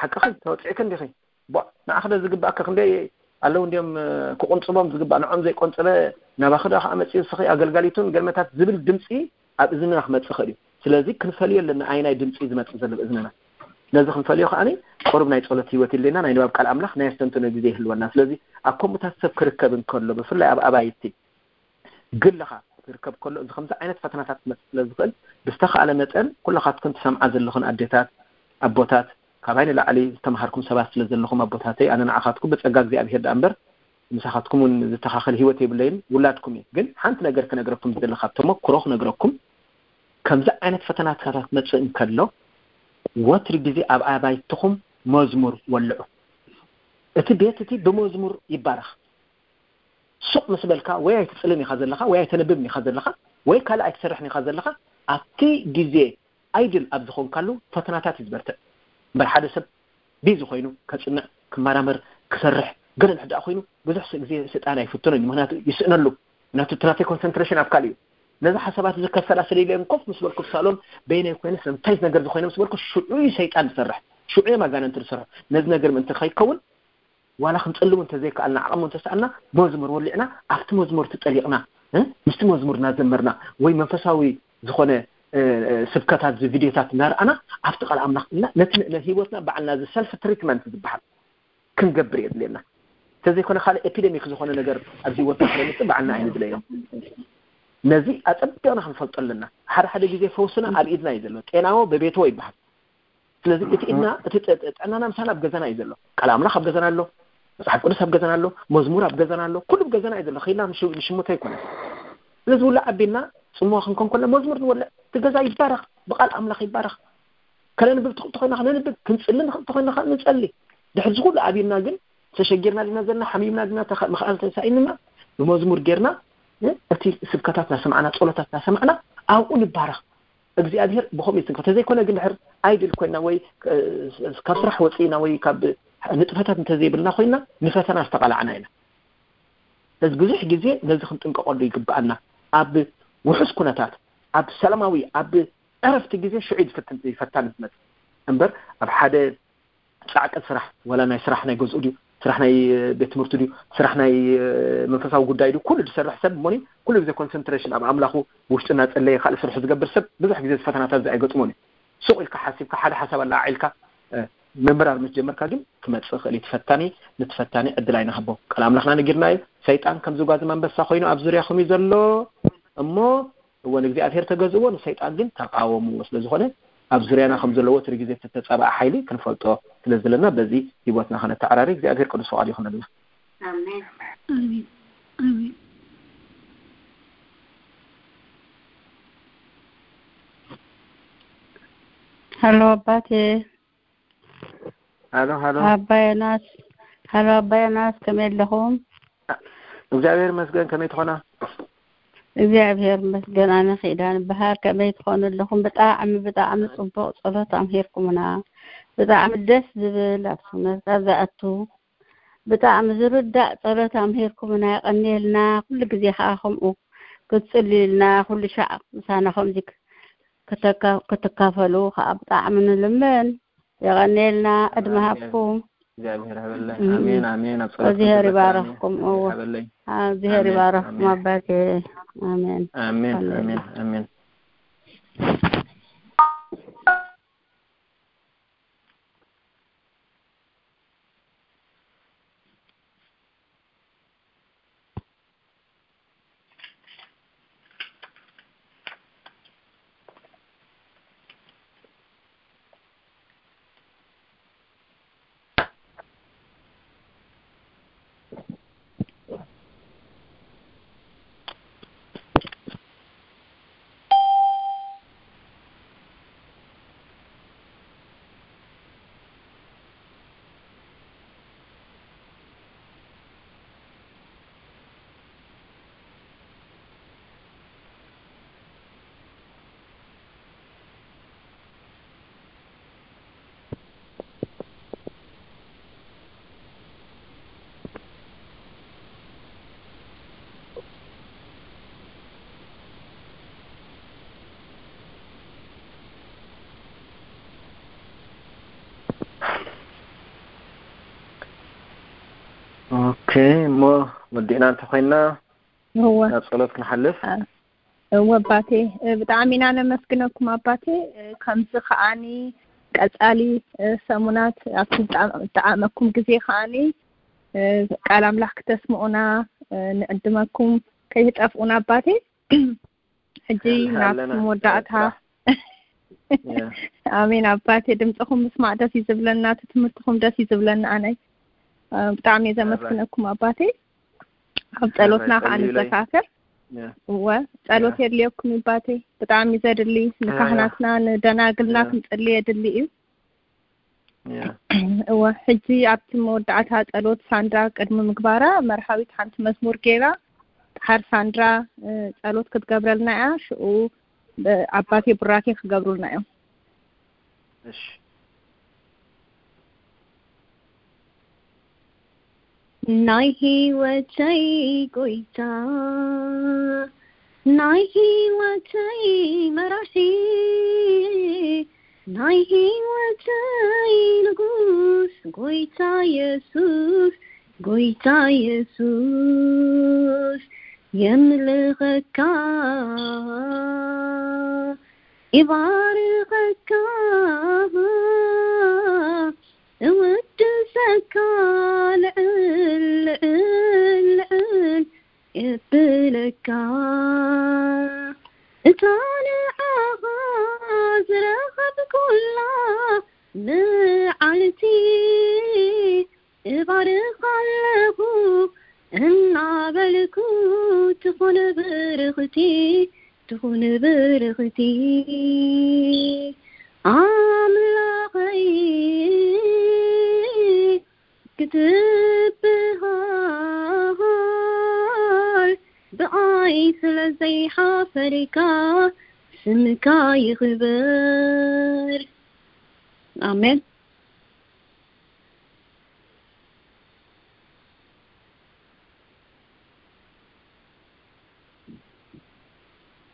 ሓቅኺ ተወፂዕኪ እንዲኺ ንዓኺ ዶ ዝግባእኪ ክንደይ ኣለዉ እንዲዮም ክቁንፅቦም ዝግባእ ንዖም ዘይቆንፅበ ናባኺ ዶ ከዓ መፅኡ ንስኺ ኣገልጋሊቱን ገልመታት ዝብል ድምፂ ኣብ እዝንና ክመፅእ ይኽእል እዩ። ስለዚ ክንፈልዮ ኣለና ኣየናይ ድምፂ እዩ ዝመፅእ ዘሎ ብእዝንና። ነዚ ክንፈልዮ ከዓኒ ቁሩብ ናይ ፀሎት ህይወት የድልየና፣ ናይ ንባብ ቃል ኣምላኽ፣ ናይ ኣስተንትኖ ግዜ ይህልወና። ስለዚ ኣብ ከምኡታት ሰብ ክርከብ እንከሎ ብፍላይ ኣብ ኣባይቲ ግልኻ ክርከብ ከሎ እዚ ከምዚ ዓይነት ፈተናታት ክመፅእ ስለ ዝኽእል ብዝተኻእለ መጠን ኩላኻትክን ትሰምዓ ዘለኹን ኣዴታት ኣቦታት ካባይ ንላዕሊ ዝተምሃርኩም ሰባት ስለ ዘለኹም ኣቦታተይ ኣነ ንዓኻትኩም ብፀጋ እግዚኣብሄር ደኣ እምበር ምሳኻትኩም እውን ዝተኻኸል ህይወት የብለይን ውላድኩም እየ። ግን ሓንቲ ነገር ክነግረኩም ዝደሊ ካብ ተመክሮ ክነግረኩም ከምዚ ዓይነት ፈተናታት ክመፅእ እንከሎ ወትሪ ግዜ ኣብ ኣባይትኹም መዝሙር ወልዑ። እቲ ቤት እቲ ብመዝሙር ይባረኽ። ሱቕ ምስ በልካ ወይ ኣይትፅልን ኢኻ ዘለኻ ወይ ኣይተንብብን ኢኻ ዘለኻ ወይ ካልእ ኣይትሰርሕን ኢኻ ዘለኻ ኣብቲ ግዜ ኣይድል ኣብ ዝኾንካሉ ፈተናታት እዩ ዝበርትዕ እምበር ሓደ ሰብ ቢዚ ኮይኑ ከፅንዕ ክመራመር ክሰርሕ ገለ እንድሕር ደኣ ኮይኑ ብዙሕ ግዜ ስልጣን ኣይፍትኖን እዩ። ምክንያቱ ይስእነሉ። ምክንያቱ እቲ ናተይ ኮንሰንትሬሽን ኣብ ካልእ እዩ። ነዚ ሓሳባት እዚ ከሰላስል ኢለ ኮፍ ምስ በልኩ ሳሎን በይነይ ኮይነ ስለምንታይ እዚ ነገር እዚ ኮይነ ምስ በልኩ ሽዑ እዩ ሰይጣን ዝሰርሕ፣ ሽዑ እዮም ኣጋንንቲ ዝሰርሑ። ነዚ ነገር ምእንቲ ከይከውን ዋላ ክንፅልም እንተዘይከኣልና ዓቕሚ እንተሰኣልና መዝሙር ወሊዕና ኣብቲ መዝሙር ተጠሊቕና ምስቲ መዝሙር እናዘመርና ወይ መንፈሳዊ ዝኾነ ስብከታት ቪድዮታት እናርኣና ኣብቲ ቃል ኣምላኽ ኢልና ነቲ ህይወትና ባዕልና እዚ ሰልፍ ትሪትመንት ዝበሃል ክንገብር የድልየና። እንተዘይኮነ ካልእ ኤፒደሚክ ዝኾነ ነገር ኣብዚ ህይወትና ስለምፅእ ባዕልና ኣይንድለዮ። ነዚ ኣፀቢቕና ክንፈልጦ ኣለና። ሓደ ሓደ ግዜ ፈውስና ኣብ ኢድና እዩ ዘሎ። ጤናዎ በቤትዎ ይበሃል። ስለዚ እቲ ኢድና እቲ ጥዕናና ምሳና ኣብ ገዛና እዩ ዘሎ። ቃል ኣምላኽ ኣብ ገዛና ኣሎ። መጽሓፍ ቅዱስ ኣብ ገዛና ኣሎ፣ መዝሙር ኣብ ገዛና ኣሎ፣ ኩሉ ኣብ ገዛና እዩ ዘሎ። ከይና ንሽ- ንሽሙተ ኣይኮነን። ስለዚ ውላ ኣቢልና ጽምዋ ክንኮን ከሎ መዝሙር ንወልዕ፣ እቲ ገዛ ይባረኽ፣ ብቃል ኣምላኽ ይባረኽ። ከነንብብ ትኽእል ተኾይና ከነንብብ፣ ክንጽሊ ንኽእል ተኾይና ከዓ ንጸሊ። ድሕሪ እዚ ኩሉ ኣቢልና ግን ተሸጊርና ዲና ዘለና፣ ሓሚምና ዲና፣ ተኸ- መኽኣል ተሳኢንና፣ ብመዝሙር ጌርና እ፣ እቲ ስብከታት እናሰማዕና፣ ጸሎታት እናሰማዕና ኣብኡ ንባረኽ። እግዚኣብሔር ብኸምኡ ይትንክፍ። ተዘይኮነ ግን ድሕር ኣይድል ኮይና ወይ እ፣ ካብ ስራሕ ወፂእና ወይ ካብ ንጥፈታት እንተዘይብልና ኮይና ንፈተና ዝተቓላዕና ኢና። ስለዚ ብዙሕ ግዜ ነዚ ክንጥንቀቐሉ ይግብኣና። ኣብ ውሑስ ኩነታት፣ ኣብ ሰላማዊ፣ ኣብ ዕረፍቲ ግዜ ሽዑ እዩ ዝፍትን- ይፈታን ዝመፅእ እምበር ኣብ ሓደ ጻዕቂ ስራሕ፣ ወላ ናይ ስራሕ ናይ ገዝኡ ድዩ፣ ስራሕ ናይ ቤት ትምህርቱ ድዩ፣ ስራሕ ናይ መንፈሳዊ ጉዳይ ድዩ፣ ኩሉ ዝሰርሕ ሰብ እሞኒ ኩሉ ግዜ ኮንሰንትሬሽን ኣብ ኣምላኹ ውሽጡ እናጸለየ ካልእ ስርሑ ዝገብር ሰብ ብዙሕ ግዜ ፈተናታት እዚ ኣይገጥሞን እዩ። ሱቕ ኢልካ ሓሲብካ ሓደ ሓሳብ ኣላዓዒልካ ምምራር ምስ ጀመርካ ግን ክመጽእ ይኽእል እዩ። ትፈታኒ ንትፈታኒ ዕድል ኣይንሃቦ። ቃል ኣምላኽና ነጊርና እዩ። ሰይጣን ከም ዝጓዝም ኣንበሳ ኮይኑ ኣብ ዙርያኹም እዩ ዘሎ እሞ እወ ንእግዚኣብሔር ተገዝእዎ፣ ንሰይጣን ግን ተቃወምዎ። ስለ ዝኾነ ኣብ ዙርያና ከም ዘሎ ወትሩ ግዜ እተተጻብኣ ሓይሊ ክንፈልጦ ስለ ዘለና በዚ ህይወትና ከነተዓራሪ እግዚኣብሔር ቅዱስ ፍቓዱ ይኹነልና። ኣሜን። ኣሜን። ኣሜን። ሃሎ ኣባቴ። ሃሎ ሃሎ። ኣባ ዮናስ። ሃሎ ኣባ ዮናስ፣ ከመይ ኣለኹም? እግዚኣብሔር ይመስገን። ከመይ ትኾና? እግዚኣብሔር ይመስገን። ኣነ ኪዳን በሃር፣ ከመይ ትኾኑ ኣለኹም? ብጣዕሚ ብጣዕሚ ጽቡቕ ጸሎት ኣምሂርኩምና። ብጣዕሚ ደስ ዝብል ኣብ ሰውነትካ ዝኣቱ ብጣዕሚ ዝርዳእ ጸሎት ኣምሂርኩምና። የቐንየልና። ኩሉ ግዜ ከኣ ከምኡ ክትጽልዩልና፣ ኩሉ ሻዕ ምሳና ከምዚ ክተካ- ክትካፈሉ ከኣ ብጣዕሚ ንልምን። የቐንየልና። ዕድመ ሃብኩም። እግዚኣብሔር ሃበለይ። እም። ኣሜን ኣሜን። ኣብ ጸሎት እግዚኣብሔር ክትበርታኒ ይባረኽኩም። እዎ። እግዚኣብሔር ሃበለይ። ኣብ እግዚኣብሔር ኣሜን፣ ይባረኽኩም ኣሜን። ኣባቴ። ኣሜን ሃሌሉያ። ኣሜን ኣሜን። ኦኬ፣ እሞ ወዲእና እንተኾይና እወ። ናብ ጸሎት ክንሓልፍ። እወ ኣባቴ፣ ብጣዕሚ ኢና ነመስግነኩም ኣባቴ። ከምዚ ከዓኒ ቀጻሊ ሰሙናት ኣብቲ ዝጠዓመኩም ግዜ ከዓኒ ቃል ኣምላኽ ክተስምዑና ንዕድመኩም ከይትጠፍኡና ኣባቴ። ሕጂ ናብቲ መወዳእታ። ኣሜን ኣባቴ፣ ድምፅኹም ምስማዕ ደስ እዩ ዝብለና፣ እቲ ትምህርትኹም ደስ እዩ ዝብለና። ኣነይ ብጣዕሚ እየ ዘመስግነኩም ኣባቴ። ኣብ ጸሎትና ከዓ ንዘካከር። እወ፣ ጸሎት የድልየኩም ኣባቴ፣ ብጣዕሚ ዘድሊ። ንካህናትና ንደናግልና ክንጽሊ የድሊ እዩ። እወ፣ ሕጂ ኣብቲ መወዳእታ ጸሎት ሳንድራ ቅድሚ ምግባራ መርሃዊት ሓንቲ መዝሙር ገይራ ድሓር ሳንድራ ጸሎት ክትገብረልና እያ። ሽኡ ኣባቴ ቡራኬ ክገብሩልና እዮም። እሺ። ናይ ህይወተይ ጎይታ፣ ናይ ህይወተይ መራሒ፣ ናይ ህይወተይ ንጉስ፣ ጎይታ የሱስ፣ ጎይታ የሱስ፣ የምልኸካ፣ ይባርኸካ፣ እውድሰካ፣ ልዕል፣ ልዕል፣ ልዕል የብለካ። እታ ንዓኻ ዝረኸብኩላ መዓልቲ፣ እባርኻ ልኩ ትኹን ብርኽቲ፣ ትኹን ብርኽቲ ኣምላኸይ ክትብሃል ብኣይ ስለ ዘይሓፈርካ ስምካ ይኽበር። ኣሜን።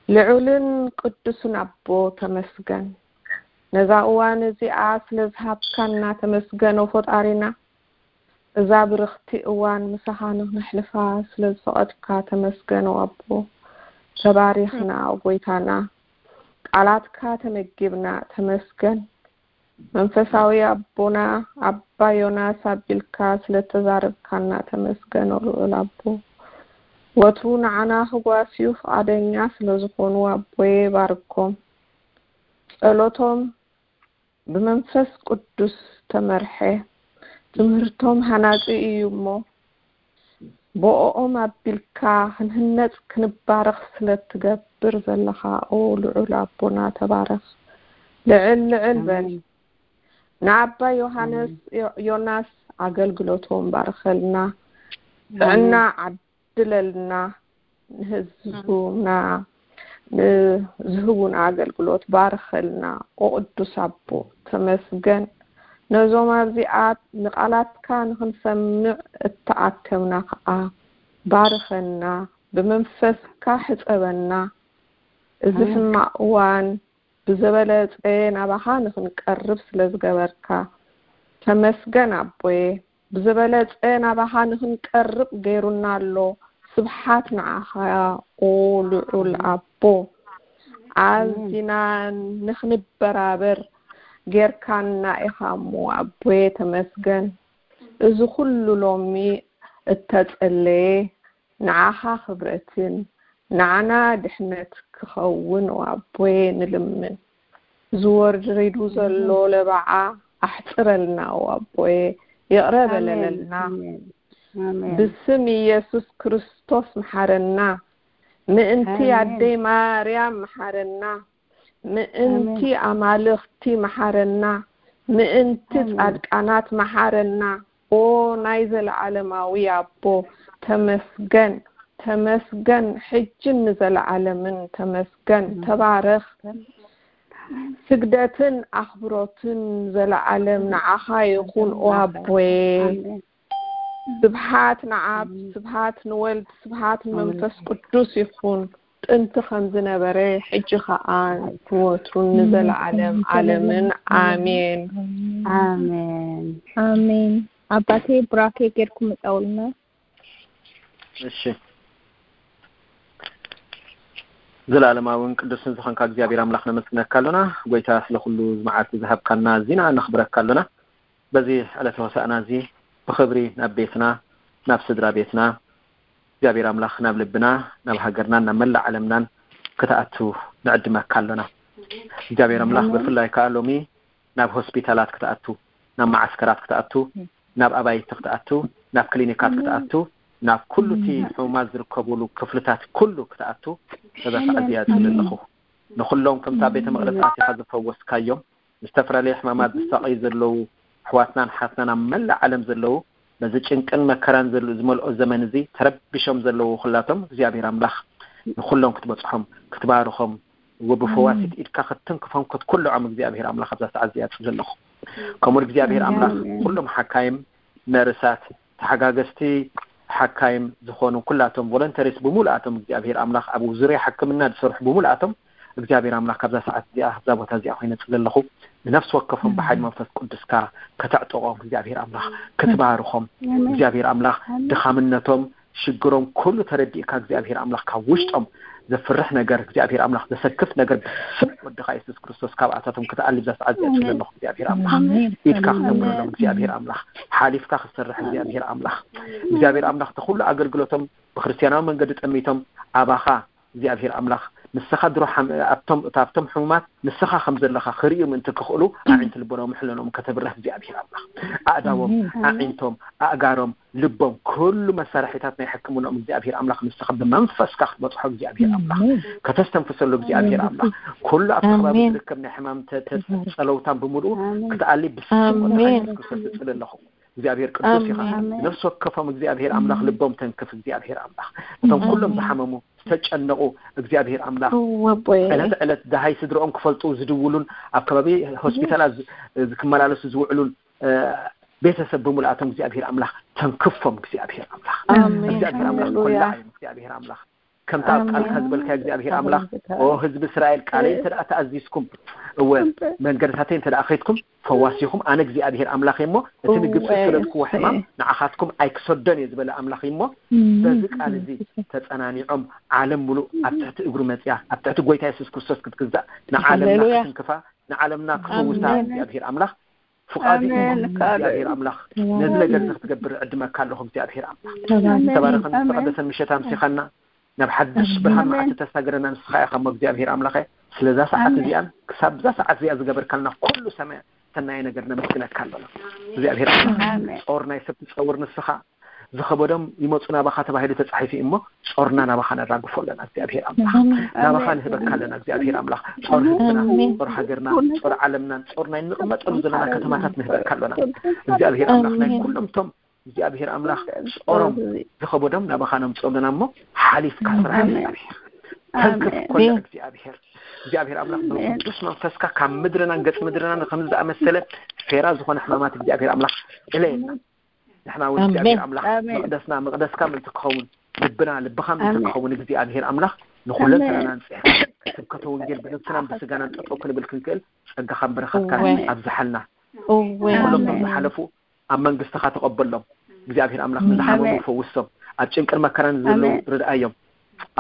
ልዑልን ቅዱስን ኣቦ ተመስገን፣ ነዛ እዋን እዚኣ ስለ ዝሃብካና ተመስገን ኦ ፈጣሪና። እዛ ብርኽቲ እዋን ምሳኻ ንኽነሕልፋ ስለ ዝፈቐድካ ተመስገን ኦ ኣቦ። ተባሪኽና ኦ ጎይታና፣ ቃላትካ ተመጊብና ተመስገን። መንፈሳዊ ኣቦና ኣባ ዮናስ ኣቢልካ ስለ ተዛረብካና ተመስገን ኦ ልዑል ኣቦ። ወትሩ ንዓና ክጓስዩ ፍቓደኛ ስለ ዝኾኑ ኣቦየ ባርኮም። ጸሎቶም ብመንፈስ ቅዱስ ተመርሐ። ትምህርቶም ሃናጺ እዩ እሞ ብኦኦም ኣቢልካ ክንህነጽ ክንባረኽ ስለ ትገብር ዘለኻ ኦ ልዑል ኣቦና ተባረኽ። ልዕል ልዕል በል። ንኣባ ዮሃንስ ዮናስ ኣገልግሎቶም ባርኸልና። ጥዕና ዓድለልና። ንህዝቡና ንዝህቡና ኣገልግሎት ባርኸልና። ኦ ቅዱስ ኣቦ ተመስገን። ነዞም ኣብዚኣ ንቓላትካ ንኽንሰምዕ እተኣከብና ከኣ ባርኸና። ብመንፈስካ ሕጸበና። እዚ ሕማቕ እዋን ብዝበለጸ ናባኻ ንኽንቀርብ ስለ ዝገበርካ ተመስገን ኣቦየ። ብዝበለጸ ናባኻ ንኽንቀርብ ገይሩና ኣሎ። ስብሓት ንዓኻ ኦ ልዑል ኣቦ። ኣዚና ንኽንበራበር ጌርካና ኢኻ እሞ ኣቦየ ተመስገን። እዚ ኩሉ ሎሚ እተጸለየ ንዓኻ ክብረትን ንዓና ድሕነት ክኸውን ኣቦየ ንልምን። ዝወርድ ሪዱ ዘሎ ለባዓ ኣሕጽረልና ኣቦየ፣ ይቕረ በለለልና። ብስም ኢየሱስ ክርስቶስ መሓረና። ምእንቲ ኣደይ ማርያም መሓረና። ምእንቲ ኣማልኽቲ መሓረና። ምእንቲ ጻድቃናት መሓረና። ኦ ናይ ዘለዓለማዊ ኣቦ ተመስገን፣ ተመስገን፣ ሕጅን ንዘለዓለምን ተመስገን። ተባረኽ። ስግደትን ኣኽብሮትን ዘለዓለም ንዓኻ ይኹን ኦ ኣቦየ። ስብሓት ንኣብ፣ ስብሓት ንወልድ፣ ስብሓት ንመንፈስ ቅዱስ ይኹን። ጥንቲ ከም ዝነበረ ሕጂ ኸኣ ንወትሩን ንዘለዓለም ዓለምን ኣሜን። ኣሜን። ኣሜን። ኣባቴ ቡራኬ ጌርኩም ምጻውልና። እሺ። ዘላለማውን ቅዱስን ዝኾንካ እግዚኣብሔር ኣምላኽ ነመስግነካ ኣሎና። ጎይታ ስለ ኩሉ መዓልቲ ዝሃብካና ዚና ነኽብረካ ኣሎና። በዚ ዕለተ ሆሳእና እዚ ብኽብሪ ናብ ቤትና ናብ ስድራ ቤትና እግዚኣብሔር ኣምላኽ ናብ ልብና ናብ ሃገርናን ናብ መላእ ዓለምናን ክትኣቱ ንዕድመካ ኣሎና። እግዚኣብሔር ኣምላኽ ብፍላይ ከኣ ሎሚ ናብ ሆስፒታላት ክትኣቱ፣ ናብ መዓስከራት ክትኣቱ፣ ናብ ኣባይቲ ክትኣቱ፣ ናብ ክሊኒካት ክትኣቱ፣ ናብ ኩሉ እቲ ሕሙማት ዝርከብሉ ክፍልታት ኩሉ ክትኣቱ በዛ ሰዓት እዚኣ እጽሊ ኣለኹ። ንኹሎም ከምታ ቤተ መቕደስ ኣቲኻ ዝፈወስካዮም፣ ዝተፈላለየ ሕማማት ዝሳቐዩ ዘለዉ ኣሕዋትናን ኣሓትናን ኣብ መላእ ዓለም ዘለዉ፣ በዚ ጭንቅን መከራን ዝመልኦ ዘመን እዚ ተረቢሾም ዘለዉ ኩላቶም እግዚኣብሔር ኣምላኽ ንኹሎም ክትበጽሖም ክትባርኾም ወብፈዋሲት ኢድካ ክትትንክፎም ክትኩልዖም እግዚኣብሔር ኣምላኽ ኣብዛ ሰዓት እዚኣ እጽሊ ኣለኹ። ከምኡ እግዚኣብሔር ኣምላኽ ኩሎም ሓካይም፣ ነርሳት፣ ተሓጋገዝቲ ሓካይም ዝኾኑ ኩላቶም ቮለንተሪስ ብሙሉኣቶም እግዚኣብሔር ኣምላኽ ኣብ ዙርያ ሕክምና ዝሰርሑ ብሙሉኣቶም እግዚኣብሔር ኣምላኽ ካብዛ ሰዓት እዚኣ ካብዛ ቦታ እዚኣ ኮይነ እጽሊ ኣለኹ። ንነፍሲ ወከፎም ብሓይሊ መንፈስ ቅዱስካ ከተዕጥቖም እግዚኣብሔር ኣምላኽ ክትባርኾም እግዚኣብሔር ኣምላኽ ድኻምነቶም ሽግሮም ኩሉ ተረዲእካ እግዚኣብሔር ኣምላኽ ካብ ውሽጦም ዘፍርሕ ነገር እግዚኣብሔር ኣምላኽ ዘሰክፍ ነገር ብስም ወድኻ የሱስ ክርስቶስ ካብኣታቶም ክትኣሊ ብዛ ሰዓት እዚኣ እጽሊ ኣለኹ እግዚኣብሔር ኣምላኽ ኢድካ ክተብረሎም እግዚኣብሔር ኣምላኽ ሓሊፍካ ክትሰርሕ እግዚኣብሔር ኣምላኽ እግዚኣብሔር ኣምላኽ እቲ ኩሉ ኣገልግሎቶም ብክርስትያናዊ መንገዲ ጠሚቶም ኣባኻ እግዚኣብሔር ኣምላኽ ንስኻ ድሮ ሓም- ኣብቶም ኣብቶም ሕሙማት ንስኻ ከም ዘለኻ ክርእዩ ምእንቲ ክኽእሉ ኣዒንቲ ልቦናኦም ሕለኖም ከተብርህ እግዚኣብሔር ኣምላኽ ኣእዳዎም ኣዒንቶም ኣእጋሮም ልቦም ኩሉ መሳርሒታት ናይ ሕክምናኦም እግዚኣብሔር ኣምላኽ ንስኻ ብመንፈስካ ክትበፅሖ እግዚኣብሔር ኣምላኽ ከተስተንፍሰሉ እግዚኣብሔር ኣምላኽ ኩሉ ኣብቲ ከባቢ ዝርከብ ናይ ሕማም ተ- ተ- ፀለውታን ብምልኡ ክትኣሊ ብስም ወድኻ የሱስ ክርስቶስ እፅሊ ኣለኹ እግዚኣብሔር ቅዱስ ኢኻ ነፍሲ ወከፎም እግዚኣብሔር ኣምላኽ ልቦም ተንክፍ እግዚኣብሔር ኣምላኽ እቶም ኩሎም ዝሓመሙ ዝተጨነቑ እግዚኣብሔር ኣምላኽ ዕለት ዕለት ደሃይ ስድርኦም ክፈልጡ ዝድውሉን ኣብ ከባቢ ሆስፒታላት ክመላለሱ ዝውዕሉን ቤተሰብ ብምልኣቶም እግዚኣብሔር ኣምላኽ ተንክፎም እግዚኣብሔር ኣምላኽ እግዚኣብሔር ኣምላኽ ኮላዓዮም እግዚኣብሔር ኣምላኽ ከምታ ኣብ ቃልካ ዝበልካ እግዚኣብሔር ኣምላኽ ኦ ህዝቢ እስራኤል ቃለይ እንተ ተኣዚዝኩም እወ መንገድታተይ እንተ ከይድኩም ፈዋሲኹም ኣነ እግዚኣብሔር ኣምላኽ እሞ እቲ ንግብፂ ዝሰደድክዎ ሕማም ንዓኻትኩም ኣይክሰዶን እየ ዝበለ ኣምላኽ እሞ በዚ ቃል እዚ ተፀናኒዖም ዓለም ሙሉእ ኣብ ትሕቲ እግሩ መፅያ ኣብ ትሕቲ ጎይታ የሱስ ክርስቶስ ክትግዛእ ንዓለምና ክትንክፋ ንዓለምና ክፈውሳ እግዚኣብሔር ኣምላኽ ፍቓዱ እዩ እግዚኣብሔር ኣምላኽ ነዚ ነገር እዚ ክትገብር ዕድመካ ኣለኹ እግዚኣብሔር ኣምላኽ ተባረኸን ዝተቐደሰን ምሸት ኣምሲኻና ናብ ሓድሽ ብርሃን መዓልቲ ተሳገረና ንስኻ ኢኻ እሞ እግዚኣብሔር ኣምላኸ ስለዛ ሰዓት እዚኣን ክሳብ እዛ ሰዓት እዚኣ ዝገበርካልና ኩሉ ሰማያ ሰናየ ነገር ነመስግነካ ኣለና እግዚኣብሔር ኣምላኽ ጾር ናይ ሰብ ትጸውር ንስኻ ዝኸበዶም ይመፁ ናባኻ ተባሂሉ ተፃሒፉ እሞ ጾርና ናባኻ ነራግፎ ኣለና እግዚኣብሔር ኣምላኽ ናባኻ ንህበካ ኣለና እግዚኣብሔር ኣምላኽ ጾር ህዝብና ጾር ሃገርና ጾር ዓለምናን ጾር ናይ ንቕመጠሉ ዘለና ከተማታት ንህበካ ኣለና እግዚኣብሔር ኣምላኽ ናይ ኩሎም ቶም እግዚኣብሔር ኣምላኽ ጾሮም ዝኸበዶም ናባኻ ነምፅኦ ኣለና እሞ ሓሊፍካ ስራሕ እግዚኣብሔር ተንክፍ ኮላ እግዚኣብሔር እግዚኣብሔር ኣምላኽ ብቅዱስ መንፈስካ ካብ ምድርናን ገጽ ምድርናን ከም ዝኣመሰለ ፌራ ዝኾነ ሕማማት እግዚኣብሔር ኣምላኽ እለየና ንሕና እውን እግዚኣብሔር ኣምላኽ መቅደስና መቅደስካ ምእንቲ ክኸውን ልብና ልብኻ ምእንቲ ክኸውን እግዚኣብሔር ኣምላኽ ንኹለንተናና ንፅሕ ስብከተ ወንጌል ብነብስናን ብስጋናን ጠጠው ክንብል ክንክእል ጸጋኻን በረኸትካን ኣብዝሓልና ኩሎም ዝሓለፉ ኣብ መንግስትኻ ተቐበሎም እግዚኣብሔር ኣምላኽ ንዝሓመሙ ፈውሶም ኣብ ጭንቅን መከራን ዘለዉ ርድኣዮም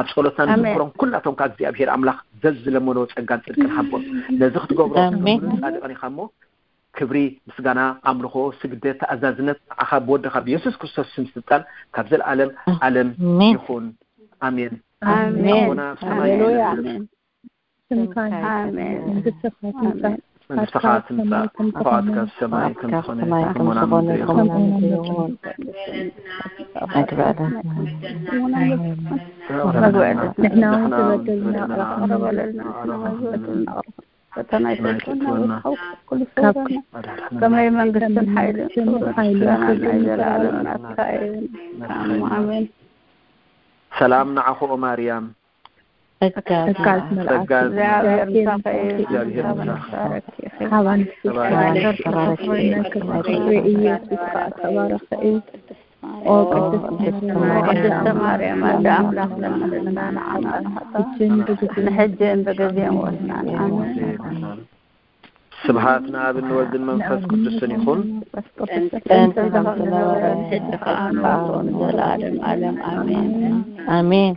ኣብ ጸሎትና ንዝክሮም ኩላቶም ካብ እግዚኣብሔር ኣምላኽ ዘዝለመንዎ ጸጋን ጽድቅን ሃቦም ነዚ ክትገብሮ ጻድቅን ኢኻ እሞ ክብሪ፣ ምስጋና፣ ኣምልኾ፣ ስግደት፣ ተኣዛዝነት ንዓኻ ብወድኻ ብየሱስ ክርስቶስ ስም ስልጣን ካብ ዘለኣለም ኣለም ይኹን። ኣሜን። ኣሜን። ኣቦና ኣብ ሰማይ ሃሌሉያ። ስምካ ይትቀደስ፣ መንግስትኻ ትምጻእ፣ መንግስትኻ ትምጻእ፣ ፍቓድካ ኣብ ሰማይ ከም ዝኾነ ከሞና ምድሪ ይኹን። መግቢ ዕለትና ንሕና እውን ዝበደልና ንቕረብ በለልና ፈተና ኣይተእትወና ከመይ መንግስትን ሓይልን ክብርን ናይ ዘለኣለም ናትካ እዩ። ኣሜን። ሰላም ንዓኹ ኦ ማርያም። ጸጋ ጸጋ እግዚኣብሔር ምሳኺ እዩ። እግዚኣብሔር ምሳኺ። ተባረኪ። ተባረኪ። ኢየሱስ ከኣ ተባረኸ እዩ። ኦ ቅድስት ማርያም፣ ቅድስተ ማርያም ኣደ ኣምላኽ ለምንልና ንዓና ንሕጅን ብግዜን ሞትና። ኣሜን። ስብሐት ንኣብ ንወልድን መንፈስ ቅዱስን ይኹን። ጥንቲ ከም ዝነበረ ሕጂ ከኣ ንዘለኣለም ኣለም ኣሜን። ኣሜን።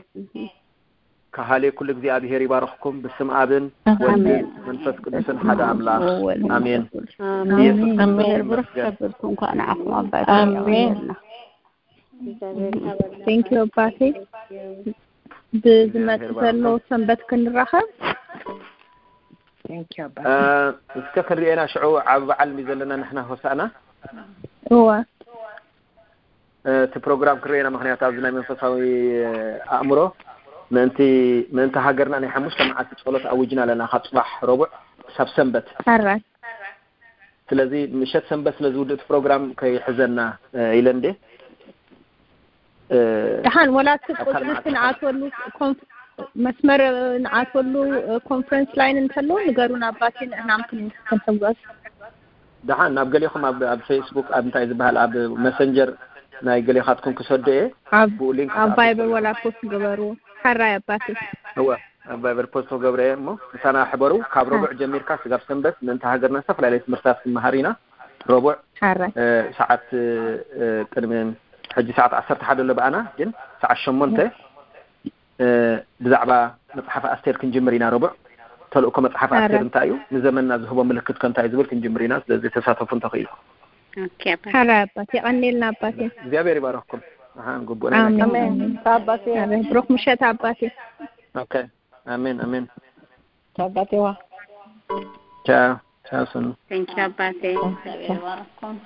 ከሃሌ ኩሉ እግዚኣብሔር ይባርኽኩም ብስም ኣብን ወልድን መንፈስ ቅዱስን ሓደ ኣምላኽ ኣሜን። ኢየሱስ ክርስቶስ ይመስገን። ብሩክ ከብርኩ እንኳዕ ንዓኹም ኣባይ ኣሜን። Thank you ኣባቴ። ብዝመጽእ ዘሎ ሰንበት ክንራኸብ። Thank you ኣባቴ። እስከ ክንሪኤና ሽዑ ዓቢ በዓል እንዲ ዘለና ንሕና ሆሳእና። እወ። እቲ ፕሮግራም ክርእየና ምክንያት ኣብዚ ናይ መንፈሳዊ ኣእምሮ ምእንቲ ምእንቲ ሃገርና ናይ ሓሙሽተ መዓልቲ ጸሎት ኣዊጅና ኣለና ካብ ጽባሕ ረቡዕ ክሳብ ሰንበት። ሕራይ። ስለዚ ምሸት ሰንበት ስለ ዝውድእ እቲ ፕሮግራም ከይሕዘና ኢለ እንዴ ደሓን ወላ እቲ ቁፅሪ እቲ ንኣትወሉ መስመር ንኣትወሉ ኮንፈረንስ ላይን እንተሎ ንገሩን ኣባቴ ንእናም ክንሕጓዝ ደሓን ናብ ገሌኹም ኣብ ፌስቡክ ኣብ እንታይ ዝበሃል ኣብ መሰንጀር ናይ ገሌኻትኩም ክሰዶ እየ ብኡ ሊንክ ኣብ ቫይበር ወላ ፖስት ግበሩ። ሓራይ ኣባቴ እወ ኣብ ቫይበር ፖስት ክገብረ እየ እሞ ምሳና ሕበሩ። ካብ ረቡዕ ጀሚርካ ስጋብ ሰንበት ምእንቲ ሃገርና ዝተፈላለዩ ትምህርትታት ክንመሃር ኢና። ረቡዕ ሓራይ ሰዓት ቅድሚ ሕጂ ሰዓት ዓሰርተ ሓደ ኣሎ ብኣና ግን ሰዓት ሸሞንተ ብዛዕባ መፅሓፍ ኣስቴር ክንጅምር ኢና። ረቡዕ ተልእኮ መፅሓፍ ኣስቴር እንታይ እዩ ንዘመንና ዝህቦ ምልክት ከ እንታይ ዝብል ክንጅምር ኢና። ስለዚ ተሳተፉ እንተኽኢሉ። ሓራይ ኣባቴ የቐኔልና ኣባቴ። እግዚኣብሔር ይባረክኩም። ኣሓን ግቡእ ናይ ኣሜን። ኣሜን። ኣባቴ። ኣሜን። ብሩክ ምሸት ኣባቴ። ኦኬ። ኣሜን ኣሜን። ቻው ኣባቴዋ። ቻው ቻው። ስኑ Thank you ኣባቴ። እግዚኣቢሔር ይባርኩም።